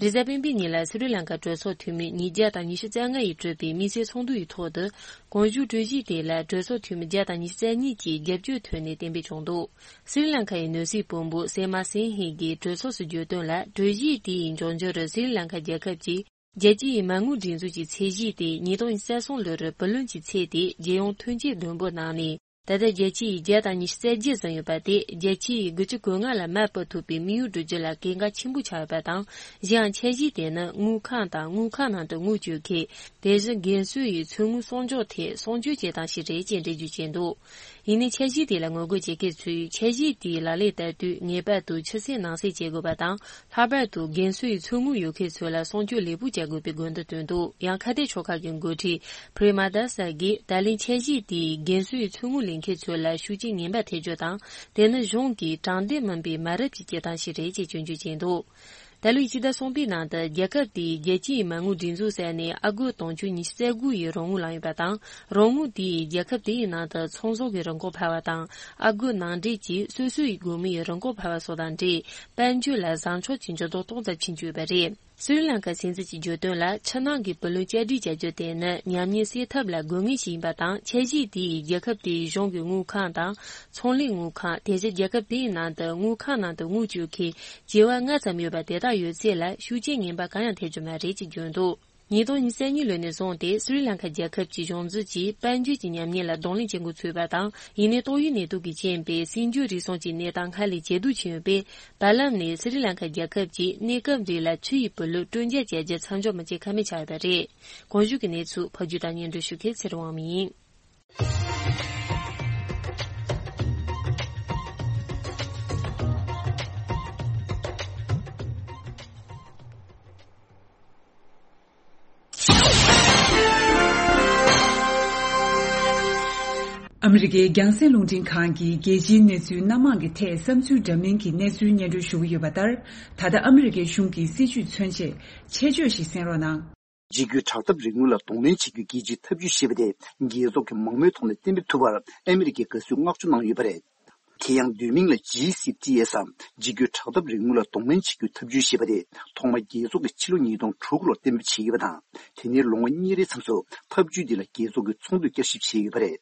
རེས་གཟའ་སྤེན་པའི་ཉིན་ལ་སི་རི་ལང་ཀ་གྲོས་ཚོགས་འཐུས་མི་ཉིས་བརྒྱ་དང་ཉི་ཤུ་རྩ་ལྔ་ཡིས་གྲུབ་པའི་དམིགས་བསལ་ཚོགས་འདུ་ཡི་ཐོག་ཏུ། གོང་ཞུས་གྲོས་གཞི་དེ་ལ་གྲོས་ཚོགས་འཐུས་མི་བརྒྱ་དང་ཉི་ཤུ་རྩ་གཉིས་ཀྱིས་རྒྱབ་སྐྱོར་ཐོན་ནས་གཏན་འབེབས་བྱུང་འདུག་སི་རི་ལང་ཀ་ཡི་ནོར་སྲིད་དཔོན་པོ་སེ་མ་སིན་ཧི་གིས་གྲོས་ཚོགས་སུ་བརྗོད་དོན་ལ། གྲོས་གཞི་དེ་ཡི་འབྱུང་འགྱུར་རུ་སི་རི་ལང་ཀ་རྒྱལ་ཁབ་ཀྱིས་རྒྱལ་སྤྱི་ཡི་མ་དངུལ་སྒྲིག་འཛུགས་ཀྱི་ཚད་གཞི་དེ་ཉིས་སྟོང་ཉི་ཤུ་རྩ་གསུམ་ལོར་བུ་ལོན་གྱི་ཚད་དེ་རྒྱལ་ཡོངས་ཐོན་སྐྱེད་བསྡོམས་པོ་ནང་ནས། ད་ལྟ་རྒྱལ་སྤྱི་ཡི་བརྒྱ་དང་ཉི་ཤུ་རྩ་བརྒྱད་ཟིན་ཡོད་པ་དེ་རྒྱལ་སྤྱི་ཡི་དགུ་བཅུ་གོ་ལྔ་ལ་མར་སྤོ་ཐུབ་པའི་དམིགས་ཡུལ་བསྒྲུབ་རྒྱུ་ལ་གལ་འགངས་ཆེན་པོ་ཆགས་ཡོད་པ་དང་། གཞན་ཡང་འཆར་གཞི་དེ་ནི་དངུལ་ཁང་དང་དངུལ་ཁང་ནང་དུ་དངུལ་བཅོལ་མཁན། དེ་བཞིན་རྒན་གསོའི་ཚོད་དངུལ་གསོག་འཇོག་ཐད་གསོག་འཇོག་བྱེད་སྟངས་ཤིག་རེད་ཅེས་འགྲེལ་བརྗོད་བྱས་འདུག་ཡིན་ནའི་འཆར་གཞི་དེ་ལ་ངོ་རྒོལ་བྱེད་མཁན་ཚོས་འཆར་གཞི་དེའི་ལག་ལེན་བསྟར་དུས་ངེས་པར་དུ་ཕྱི་གསལ་ནང་གསལ་བྱེད་དགོས་པ་དང་། ལྷག་པར་དུ་རྒན་གསོའི་ཚོད་དངུལ་ཡོད་མཁན་ཚོ་ལ་གསོག་འཇོག་ལེགས་པོ་བྱ་དགོས་པའི་དགོས་འདུན་བཏོན་འདུག་ཡང་ཁ་གཏད་ཕྱོགས་ཁག་གི་འགོ་ཁྲིད་པྲེ་མ་དཱ་ས་གིས། ད་ལན་འཆར་གཞི་དེས་རྒན་གསོའི་ཚོད་དངུལ་ལེན་མཁན་ཚོ་ལ་ཤུགས་རྐྱེན་ངན་པ་ཐེབས་རྒྱུ་དང་། དེ་ནི་གཞུང་གིས་དྲང་བདེན་མིན་པའི་མ་རབས་ཀྱི་སྐྱེ་སྟངས་ཤིག་རེད་ཅེས་སྐྱོན་བརྗོད་བྱས་འདུག་ད་ལོའི་ཕྱི་ཟླ་གསུམ་པའི་ནང་དུ་རྒྱལ་ཁབ་དེས་རྒྱལ་སྤྱིའི་མ་དངུལ་སྒྲིག་འཛུགས་ཟེར་ནས་ཨ་སྒོར་དུང་ཕྱུར་ཉི་ཤུ་རྩ་དགུ་ཡི་རོགས་དངུལ་བླངས་ཡོད་པ་དང་། རོགས་དངུལ་དེས་རྒྱལ་ཁབ་དེའི་ནང་དུ་ཚོང་ཟོག་གི་རིན་གོང་འཕར་བ་དང་། ཨ་སྒོར་ནང་འདྲེན་གྱིས་སོ་སོའི་སྒོར་མོའི་རིན་གོང་འཕར་བ་སོགས་དང་འབྲེལ། དཔལ་འབྱོར་ལ་བཟང་ཕྱོགས་ཀྱི་འགྱུར་ལྡོག་ཏོག་ཙམ་ཕྱིན་ཡོད་པ་རེད། སི་རི་ལང་ཀ་སྲིད་འཛིན་གྱིས་བརྗོད་དོན་ལ། ཕྱི་ནང་གི་བུ་ལོན་བསྐྱར་སྒྲིག་བྱ་རྒྱུ་དེ་ནི་ཉམས་ཉེས་སེལ་ཐབས་ལ་དགོས་ངེས་ཤིག་ཡིན་པ་དང་། འཆར་གཞི་དེས་རྒྱལ་ཁབ་དེའི་གཞུང་གི་དངུལ་ཁང་དང་། ཚོང་ལས་དངུལ་ཁང་། དེ་བཞིན་རྒྱལ་ཁབ་དེའི་ནང་དུ་དངུལ་ཁང་ནང་དུ་དངུལ་བཅོལ་མཁན་བྱེ་བ་ལྔ་ཙམ་ཡོད་པ་དེ་དག་ཡོད་ཚད་ལ་ཤུགས་རྐྱེན་ངན་པ་གང་ཡང་ཐེབས་རྒྱུ་མ་རེད་ཅེས་བརྗོད་འདུག་ཉིས་སྟོང་ཉི་ཤུ་རྩ་གཉིས་ལོ་ནས་བཟུང་སྟེ་སི་རི་ལང་ཀ་རྒྱལ་ཁབ་ཀྱི་གཞུང་འཛིན་གྱིས་དཔལ་འབྱོར་གྱི་ཉམས་ཉེས་ལ་གདོང་ལེན་བྱེད་འགོ་ཚུགས་པ་དང་། ཡིན་ནའི་ཏོག་དབྱིབས་ནད་དུག་གི་རྐྱེན་པས་སྲིད་འབྱོར་རིག་གསུམ་གྱི་གནས་སྟངས་སྔར་ལས་ཇེ་སྡུག་ཕྱིན་ཡོད་པས། བར་ལམ་ནས་སི་རི་ལང་ཀ་རྒྱལ་ཁབ་ཀྱིས་གནས་སྐབས་རེ་ལ་ཕྱི་ཡི་བུ་ལོན་སྤྲོད་འཇལ་བྱ་རྒྱུ་མཚམས་འཇོག་མི་བྱེད་ཀ་མེད་ཆགས་ཡོད་པ་རེད། གོང་ཞུས་ཀྱི་གནས་ཚུལ་ཕབ་སྒྱུར་དང་སྙན་སྒྲོན་ཞུ་མཁན་ཚེ་རིང་དབང་མོ་ཡིན། ཨ་མི་རི་ཀའི་རྒྱང་སྲིང་རླུང་འཕྲིན་ཁང་གིས་རྒྱལ་སྤྱིའི་གནས་ཚུལ་སྣ་མང་གི་ཐད་བསམ་ཚུལ་འདྲ་མིན་གྱི་གནས་ཚུལ་སྙན་སྒྲོན་ཞུ་གི་ཡོད་པ་ལྟར། ད་ལྟ་ཨ་མི་རི་ཀའི་གཞུང་གི་སྲིད་བྱུས་མཚོན་ཆེད་ཆེད་བརྗོད་ཞིག་གསན་རོགས་གནང་། འཇིགས་སྐུལ་དྲག་འཐབ་རིག་དངོས་ལ་གདོང་ལེན་བྱེད་རྒྱུའི་རྒྱལ་སྤྱིའི་འཐབ་ཇུས་ཞེས་པ་དེ་རྒྱལ་ཚོགས་ཀྱི་མང་མོས་ཐོག་ནས་གཏན་འབེབས་ཐུབ་པར་ཨ་མི་རི་ཀས་དགའ་བསུའི་བསྔགས་བརྗོད་གནང་ཡོད་པ་རེད། དེ་ཡང་བསྡུས་མིང་ལ་ཇི་སི་ཊི་ཨེས་སམ་འཇིགས་སྐུལ་དྲག་འཐབ་རིག་དངོས་ལ་གདོང་ལེན་བྱེད་རྒྱུའི་འཐབ་ཇུས་ཞེས་པ་དེ་ཐོག་མར་རྒྱལ་ཚོགས་ཀྱིས་ཕྱི་ལོ་ཉིས་སྟོང་དྲུག་ལོར་གཏན་འབེབས་བྱས་ཡོད་པ་དང་། དེ་ནས་ལོ་ངོ་གཉིས་རེའི་མཚམས་སུ་འཐབ་ཇུས་འདི་ལ་རྒྱལ་ཚོགས་ཀྱིས་ཚོགས་འདུ་བསྐྱར་ཞིབ་བྱས་ཡོད་པ་རེད།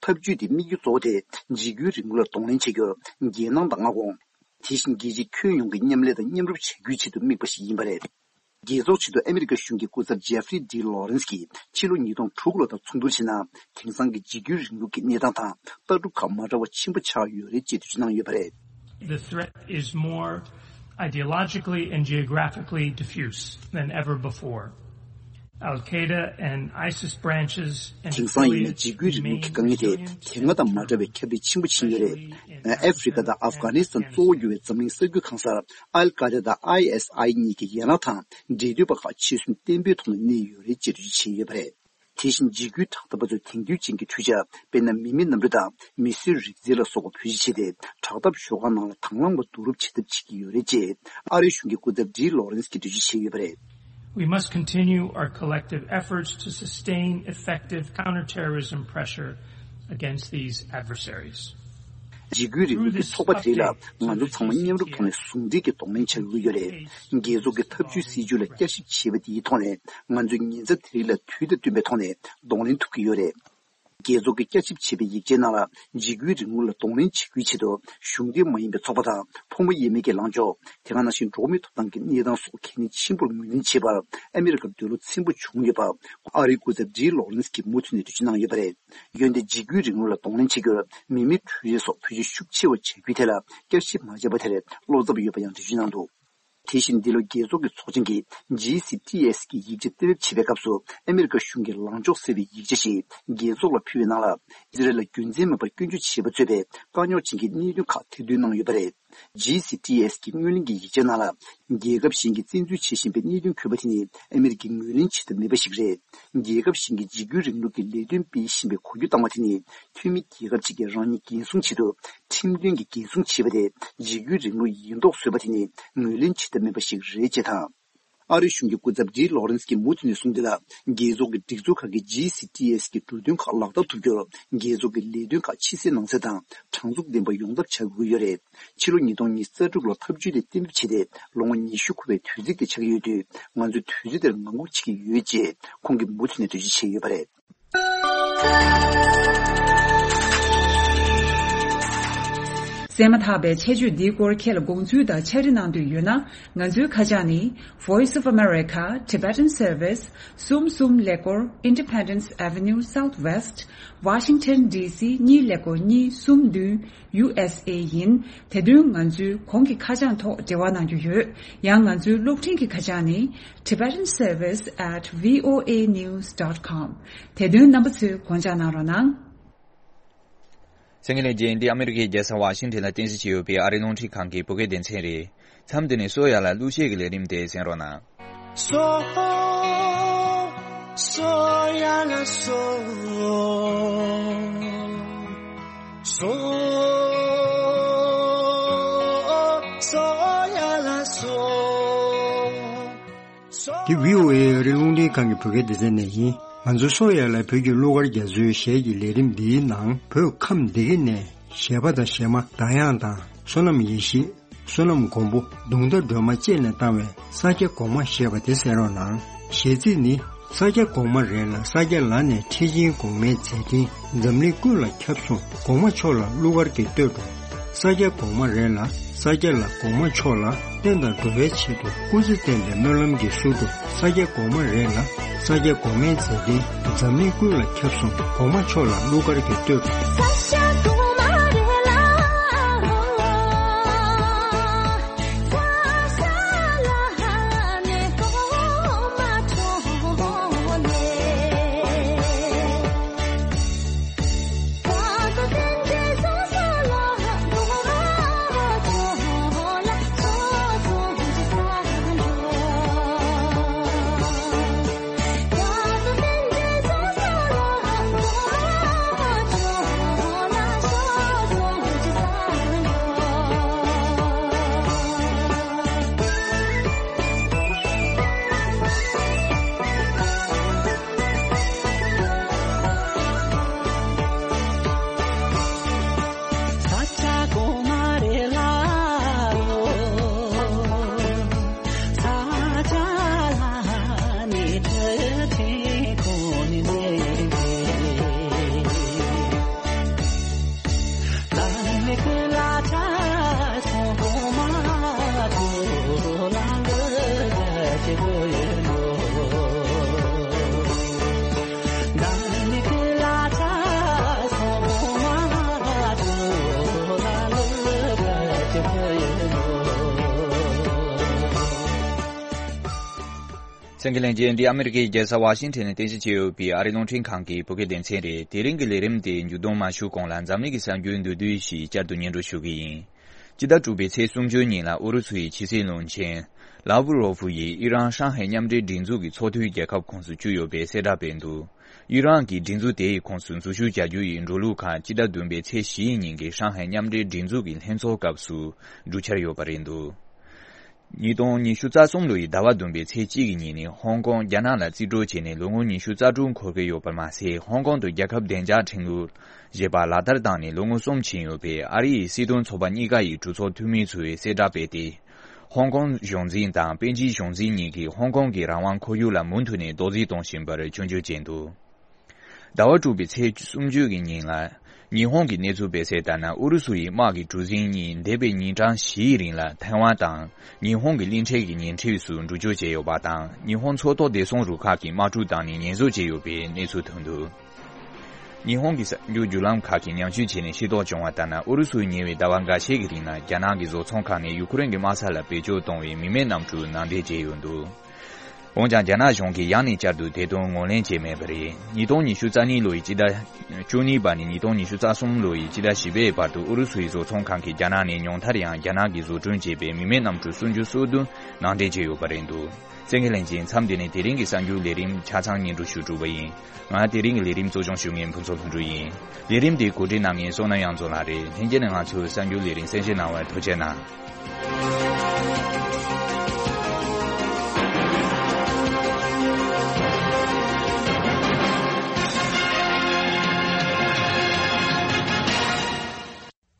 འཐབ་ཇུས་འདིའི་དམིགས་ཡུལ་གཙོ་བོ་དེ་འཇིགས་སྐུལ་རིག་དངོས་ལ་གདོང་ལེན་བྱེད་རྒྱུར་རྒྱལ་ནང་དང་མངའ་ཁོངས། དེ་བཞིན་རྒྱལ་སྤྱིའི་ཁྱོན་ཡོངས་ཀྱི་མཉམ་ལས་དང་མཉམ་རུབ་བྱ་རྒྱུའི་ཆེད་དུ་དམིགས་པ་ཞིག་ཡིན་པ་རེད། རྒྱལ་ཚོགས་ཆེད་དུ་ཨ་མི་རི་ཀ་གཞུང་གི་སྐུ་ཚབ་ཇེ་ཧྥ་རི་ཌི་ལོ་རེན་སི་གིས་ཕྱི་ལོ་ཉིས་སྟོང་དྲུག་ལོ་དང་མཚུངས་བསྡུར་བྱས་ན། དེང་སང་གི་འཇིགས་སྐུལ་རིང་ལུགས་ཀྱི་གནས་སྟངས་དང་ལྟ་གྲུབ་ཁག་མ་འདྲ་བ་ཆེན་པོ་ཆགས་ཡོད་རེད་ཅེས་འགྲེལ་བརྗོད་གནང་ཡོད་པ་རེད། The threat is more ideologically and geographically diffuse than ever before. Al Qaeda and ISIS branches and དེང་སང་ཡིན་ན་འཇིགས་སྐུལ་རིང་ལུགས་ཀྱི་དཀའ་ངལ་དེ་དེ་སྔ་དང་མ་འདྲ་བའི་ཁྱབ་སྤེལ་ཆེན་པོ་ཕྱིན་ཡོད་རེད། ཨ་ཧྥེ་རི་ཀ་དང་ཨབ་གྷ་ནི་སི་ཐན་གཙོ་བོ་གྱུར་བའི་འཛམ་གླིང་ས་ཁུལ་གང་སར་ཨལ་ཀ་ཌ་དང་ཨའི་ཨེས་ཨའི་གཉིས་ཀྱི་ཡན་ལག་དང་འབྲེལ་མཐུད་པ་ཁག་འཆར་ཟིན་བརྟན་པོའི་ཐོག་ནས་གནས་ཡོད་རེད་ཅེས་འགྲེལ་བརྗོད་བྱས་ཡོད་པ་རེད། དེ་བཞིན་འཇིགས་སྐུལ་དྲག་འཐབ་པ་ཚོས་དེང་དུས་ཅན་གྱི་འཕྲུལ་ཆས་དཔེར་ན་མི་མེད་གནམ་གྲུ་དང་མི་གསོད་རིག་རྩལ་ལ་སོགས་པ་བེད་སྤྱོད་བྱས་ཏེ་དྲག་འཐབ་ཤོག་ཁག་ནང་ལ་དང་བླངས་པ་བསྡུ་རུབ་བྱེད་ཐབས་བྱེད་ཀྱི་ཡོད་རེད་ཅེས་ཨ་རིའི་གཞུང་གི་སྐུ་ཚབ་ཌི་ལོ་རེན་སི་གིས་འགྲེལ་བརྗོད་བྱས་ཡོད་པ་རེད། We must continue our collective efforts to sustain effective counterterrorism pressure against these adversaries. འཇིགས་སྐུལ་རིང་ལུགས་ཀྱི་ཚོགས་པ་དེ་རིགས་ལ་ང་ཚོ་ཚང་མ་མཉམ་རུབ་ཐོག་ནས་ཟུང་འབྲེལ་གྱི་གདོང་ལེན་བྱ་དགོས་ཀྱི་ཡོད་རེད། རྒྱལ་ཚོགས་ཀྱི་ཐབས་ཇུས་སྲིད་ཇུས་ལ་བསྐྱར་ཞིབ་བྱེད་པ་དེའི་ཐོག་ནས་ང་ཚོས་ཉེན་ཚབས་དེ་རིགས་ལ་དུས་དང་བསྟུན་པའི་ཐོག་ནས་གདོང་ལེན་ཐུབ་ཀྱི་ཡོད་རེད། རྒྱལ་ཚོགས་ཀྱིས་བསྐྱར་ཞིབ་བྱས་པའི་ཡིག་ཆའི་ནང་ལ་འཇིགས་སྐུལ་རིང་ལུགས་ལ་གདོང་ལེན་བྱེད་རྒྱུའི་ཆེད་དུ་གཞུང་འབྲེལ་མ་ཡིན་པའི་ཚོགས་པ་དང་ཕོ་མོ་དབྱེ་མེད་ཀྱི་ལངས་ཕྱོགས། དེ་ག་ནང་བཞིན་འགྲོ་བ་མིའི་ཐོབ་ཐང་གི་གནས་སྟངས་སོགས་གལ་གནད་ཆེན་པོར་ངོས་འཛིན་བྱས་པར་ཨ་མི་རི་ཀར་འདོད་བློ་ཚིམ་པོ་བྱུང་ཡོད་པ་ཨ་རིའི་སྐུ་ཚབ་ཌི་ལོ་རེན་སི་གིས་མུ་མཐུད་ནས་འགྲེལ་བརྗོད་གནང་ཡོད་པ་རེད། འོན་ཏེ་འཇིགས་སྐུལ་རིང་ལུགས་ལ་གདོང་ལེན་བྱེད་རྒྱུར་མི་མེད་འཕྲུལ་རིག་སོགས་བེད་སྤྱོད་ཤུགས་ཆེ་བ་བྱ་རྒྱུའི་ཐད་ལ་བསྐྱར་ཞིབ་མ་བྱས་པ་དེར་བློ་འཚབ་ཡོད་པ་ཡང་འགྲེལ་བརྗོད་གནང་འདུག་དེ་བཞིན་འདི་ལོ་རྒྱལ་ཚོགས་ཀྱི་ཚོགས་ཆེན་གྱིས་ཇི་སི་ཊི་ཨེས་ཀྱི་ཡིག་ཆ་གཏན་འབེབས་བྱེད་པའི་སྐབས་སུ་ཨ་མི་རི་ཀ་གཞུང་གིས་ལངས་ཕྱོགས་གསལ་བའི་ཡིག་ཆ་ཞིག་རྒྱལ་ཚོགས་ལ་ཕུལ་བའི་ནང་ལ། ཨི་ཟི་རལ་ལ་རྒྱུ་མཚན་མེད་པར་སྐྱོན་བརྗོད་བྱས་པ་གཙོས་པའི་དཀའ་རྙོག་ཅན་གྱི་གནད་དོན་ཁག་ཐེར་འདོན་གནང་ཡོད་པ་རེད། ཇི་སི་ཊི་ཨེས་ཀྱི་སྔོན་གླེང་གི་ཡིག་ཆའི་ནང་ལ། རྒྱལ་ཁབ་གཞན་གྱིས་བཙན་འཛུལ་བྱེད་བཞིན་པའི་གནད་དོན་འཁོད་པ་དེ་ནི་ཨ་མི་རི་ཀས་ངོས་ལེན་བྱེད་ཐབས་མེད་པ་ཞིག་རེད། རྒྱལ་ཁབ་གཞན་གྱིས་འཇིགས་སྐུལ་རིང་ལུགས་ཀྱི་ལས་དོན་སྤེལ་བཞིན་པའི་གོ་རྒྱུ་བཏང་བ་དེ་ནི་འཐུས་མི་རྒྱལ་ཁབ་ཅིག་གིས་རང་ཉིད་འགན་སྲུང་ཆེད་དུ་ཁྲིམས་མཐུན་གྱི་འགན་སྲུང་བྱས་པ་དེ་འཇིགས་སྐུལ་རིང་ལུགས་ཡིན་མདོག་བཟོས་པ་དེ་ནི་ངོས་ལེན་བྱེད་ཐབས་མེད་པ་ཞིག་རེད་ཅེས་དང་། ཨ་རིའི་གཞུང་གི་སྐུ་ཚབ་ཌི་ལོ་རེན་སི་གིས་མུ་མཐུད་ནས་གསུངས་དོན་ལ། རྒྱལ་ཚོགས་ཀྱི་སྒྲིག་འཛུགས་ཁག་གིས་ཇི་སི་ཊི་ཨེས་ཀྱི་འབྲུ་དོན་ཁག་ལག་བསྟར་ཐུབ་རྒྱུར་རྒྱལ་ཚོགས་ཀྱི་ལས་དོན་ཁག་ཕྱི་གསལ་ནང་གསལ་དང་དྲང་ཚུགས་ལྡན་པ་ཡོང་ཐབས་བྱ་དགོས་ཀྱི་ཡོད་རེད། ཕྱི་ལོ་ཉིས་སྟོང་ཉི་ཤུ་རྩ་དྲུག་ལོ་ཐབས་ཇུས་དེ་གཏན་འབེབས་བྱས་ཏེ་ལོ་ངོ་ཉི་ཤུ་འཁོར་བའི་དུས་ཚིགས་དེ་ཆགས་ཀྱི་ཡོད་དུས། ང་ཚོས་དུས་ཚོད་དེར་ངང་སྒུག་བྱེད་ཀྱི་ཡོད་ཅེས་ཁོང་གིས་མུ་མཐུད་ནས་འགྲེལ་བརྗོད་བྱས་ཡོད་པ་རེད། གསན་མ་ཐག་པའི་ཆེད་བརྗོད་འདིའི་སྐོར་ཁྱེད་ལ་དགོངས་ཚུལ་དང་ཕྱག་བྲིས་གནང་འདོད་ཡོད་ན། ང་ཚོའི་ཁ་བྱང་ནི། Voice of America, Tibetan Service, གསུམ་གསུམ་ཀླད་ཀོར། Independence Avenue Southwest, Washington D C གཉིས་ཀླད་ཀོར་གཉིས་གསུམ་བདུན། ཡུ་ཨེས་ཨེ་ཡིན། དེ་དོན་ང་ཚོའི་གོང་གི་ཁ་བྱང་ཐོག་འབྲེལ་བ་གནང་རྒྱུ་ཡོད། ཡང་ང་ཚོའི་གློག་འཕྲིན་གྱི་ཁ་བྱང་ནི། Tibetan Service at V O A news dot com། དེ་དོན་རྣམ་པ་ཚོས་དགོངས་འཇགས་གནང་རོགས་གནང་། གསན་མཁན་ལྷན་རྒྱས། འདི་ཨ་མི་རི་ཀའི་རྒྱལ་ས་ཝ་ཤིང་ཊོན་ལ་རྟེན་གཞི་བྱས་ཡོད་པའི་ཨ་རིའི་རླུང་འཕྲིན་ཁང་གི་བོད་སྐད་སྡེ་ཚན་རེད། མཚམས་འདི་ནས་གསོ་ཡ་ལ་གླུ་གཞས་ཀྱི་ལས་རིམ་དེ་གསན་རོགས་གནང་། སོ། སོ་ཡ་ལ་སོ། སོ། སོ་ཡ་ལ་སོ། འདི་བྷི་ཨོ་ཨེ་ཨ་རིའི་རླུང་འཕྲིན་ཁང་གི་བོད་སྐད་སྡེ་ཚན་ནས་ཡིན། ང་ཚོ་སོ་ཡ་ལ་བོད་ཀྱི་གླུ་གར་རྒྱ་མཚོའི་གཞས་ཀྱི་ལས་རིམ་འདིའི་ནང་བོད་ཁམས་སྡེ་དགེ་ནས་གཞས་པ་དང་གཞས་མ་ཟླ་དབྱངས་དང་བསོད་ནམས་ཡེ་ཤེས། བསོད་ནམས་མགོན་པོ། གདུང་ཟླ་སྒྲོལ་མ་བཅས་ནས་བཏང་བའི་ས་སྐྱ་གོང་མ་ཞེས་པ་དེ་གསན་རོགས་གནང་། གཞས་ཚིག་ནི། ས་སྐྱ་གོང་མ་རེད་ལ་ས་སྐྱ་ལ་ནས་ཁྲི་ཆེན་གོང་མའི་མཛད་འཕྲིན་འཛམ་གླིང་ཀུན་ལ་ཁྱབ་སོང་། གོང་མ་མཆོག་ལ་གླུ་གར་གྱིས་བསྟོད་འགྲོ། ས་སྐྱ་གོང་མ་རེད་ལ་ས་སྐྱ་ལ་གོང་མ་མཆོག་ལ་བསྟན་དང་འགྲོ་བའི་ཆེད་དུ་སྐུ་ཚེ་བརྟན་པའི་སྨོན་ལམ་གྱིས་བསུ་འགྲོ། ས་སྐྱ་གོང་མ་རེད་ལ་ས་སྐྱ་གོང་མའི་མཛད་འཕྲིན་འཛམ་གླིང་ཀུན་ལ་ཁྱབ་སོང་། གོང་མ་མཆོག་ལ་གླུ་གར་གྱིས་བསྟོད་འགྲོ། གསན་མཁན་ལྷན་རྒྱས། འདི་ཨ་མི་རི་ཀའི་རྒྱལ་ས་ཝ་ཤིང་ཊོན་ནས་རྟེན་གཞི་བྱས་ཡོད་པའི་ཨ་རིའི་རླུང་འཕྲིན་ཁང་གི་བོད་སྐད་སྡེ་ཚན་རེད། དེ་རིང་གི་ལས་རིམ་དེ་མཇུག་བསྡོམས་མ་ཞུ་གོང་ལ་འཛམ་གླིང་གི་གསར་འགྱུར་མདོར་བསྡུས་ཤིག་བསྐྱར་དུ་སྙན་སྒྲོན་ཞུ་གི་ཡིན། སྤྱི་ཟླ་དྲུག་པའི་ཚེས་སུམ་ཅུ་ཉིན་ལ་ཨུ་རུ་སུ་ཡི་ཕྱི་སྲིད་བློན་ཆེན་ལཱ་བུ་རོ་ཧྥུ་ཡིས་ཨི་རན་ཧྲང་ཧའེ་མཉམ་འབྲེལ་སྒྲིག་འཛུགས་ཀྱི་ཚོགས་འཐུས་རྒྱལ་ཁབ་ཁོངས་སུ་བསྐྱོད་ཡོད་པའི་གསལ་བསྒྲགས་སྤེལ་འདུག་ཨི་རན་གྱིས་སྒྲིག་འཛུགས་དེ་ཡི་ཁོངས་སུ་འཛུལ་ཞུགས་བྱ་རྒྱུ་ཡི་འགྲོ་ལུགས་ཁག་སྤྱི་ཟླ་བདུན་པའི་ཚེས་བཞི་ཉིན་གྱི་ཧྲང་ཧའེ་མཉམ་འབྲེལ་སྒྲིག་འཛུགས་ཀྱི་ལྷན་ཚོགས་སྐབས་སུ་འགྲུབ་འཆར་ཡོད་པ་རེད་འདུག་ཉིས་སྟོང་ཉི་ཤུ་རྩ་གསུམ་ལོ་ཡི་ཟླ་བ་བདུན་པའི་ཚེས་གཅིག་གི་ཉིན་ནས་ཧོང་ཀོང་རྒྱ་ནག་ལ་རྩིས་སྤྲོད་བྱས་ནས་ལོ་ངོ་ཉི་ཤུ་རྩ་དྲུག་འཁོར་གྱི་ཡོད་པར་མ་ཟད། ཧོང་ཀོང་དུ་རྒྱལ་ཁབ་བདེ་འཇགས་ཁྲིམས་ལུགས་ཞེས་པ་ལག་བསྟར་བཏང་ནས་ལོ་ངོ་གསུམ་ཕྱིན་ཡོད་པས། ཨ་རི་ཡི་སྲིད་དོན་ཚོགས་པ་གཉིས་ཀ་ཡི་གྲོས་ཚོགས་འཐུས་མི་ཚོས་གསལ་བསྒྲགས་སྤེལ་ཏེ། ཧོང་ཀོང་གཞུང་འཛིན་དང་པེ་ཅིན་གཞུང་འཛིན་གཉིས་ཀྱིས་ཧོང་ཀོང་གི་རང་དབང་ཁོར་ཡུག་ལ་མུ་མཐུད་ནས་རྡོག་རྫིས་གཏོང་བཞིན་པར་སྐྱོན་བརྗོད་བྱས་འདུག་ཟླ་བ་དྲུག་པའི་ཚེས་སུམ་ཅུ་གི་ཉིན་ལ། ཉི་ཧོང་གི་གནས་ཚུལ་སྤེལ་གསལ་ལྟར་ན། ཨུ་རུ་སུ་ཡི་དམག་གི་གྲུ་གཟིངས་གཉིས་འདས་པའི་ཉིན་གྲངས་བཞིའི་རིང་ལ་ཐའེ་ཝན་དང་ཉི་ཧོང་གི་གླིང་ཕྲན་གྱི་ཉེ་འཁྲིས་སུ་འགྲུལ་སྐྱོད་བྱས་ཡོད་པ་དང་། ཉི་ཧོང་མཚོ་ཐོག་བདེ་སྲུང་རུ་ཁག་གིས་དམག་གྲུ་བཏང་ནས་ཉེན་བཟོ་བྱས་ཡོད་པའི་གནས་ཚུལ་ཐོན་འདུག་ཉི་ཧོང་གི་གསར་འགྱུར་བརྒྱུད་ལམ་ཁག་གིས་ཉམས་ཞིབ་བྱས་ནས་ཤེས་རྟོགས་བྱུང་བ་ལྟར་ན། ཨུ་རུ་སུས་ཉེ་བའི་ཟླ་བ་འགའ་ཤས་ཀྱི་རིང་ལ་རྒྱ་ནག་གི་བཟོ་ཚོང་ཁང་ནས་ཡུ་ཁུ་རེན་གྱི་དམག་ས་ལ་བེད་སྤྱོད་གཏོང་བའི་མི་མེད་གནམ་གྲུ་ནང་འདྲེན་བྱས་ཡོད་འདུག་འོན་ཀྱང་རྒྱ་ནག་གཞུང་གིས་ཡང་ནས་བསྐྱར་དུ་དེ་དོན་ངོས་ལེན་བྱས་མེད་པ་རེད། ཉིས་སྟོང་ཉི་ཤུ་རྩ་གཉིས་ལོ་ཡི་སྤྱི་ཟླ་བཅུ་གཉིས་པ་ནས་ཉིས་སྟོང་ཉི་ཤུ་རྩ་གསུམ་ལོ་ཡི་སྤྱི་ཟླ་བཞི་པའི་བར་དུ་ཨུ་རུ་སུའི་བཟོ་ཚོང་ཁང་གིས་རྒྱ་ནག་ནས་ཉུང་མཐར་ཡང་རྒྱ་ནག་གིས་བཟོ་སྐྲུན་བྱས་པའི་མི་མེད་གནམ་གྲུ་སུམ་ཅུ་སོ་བདུན་ནང་འདྲེན་བྱས་ཡོད་པ་རེད་འདུག་གསན་མཁན་ལྷན་རྒྱས། མཚམས་འདི་ནས་དེ་རིང་གི་གསར་འགྱུར་ལས་རིམ་ཆ་ཚང་སྙན་སྒྲོན་ཞུ་གྲུབ་པ་ཡིན། ང་དེ་རིང་གི་ལས་རིམ་གཙོ་སྐྱོང་ཞུ་མཁན་ཕུན་ཚོགས་ལྷུན་གྲུབ་ཡིན། ལས་རིམ་དེ་གོ་སྒྲིག་གནང་མཁན་བསོད་ནམས་དབྱངས་འཛོམས་ལགས་རེད། ལྷན་རྒྱས་ནས་ང་ཚོའི་གསར་འགྱུར་ལས་རིམ་གསན་བཞེས་གནང་བར་ཐུགས་རྗེ་གནང་།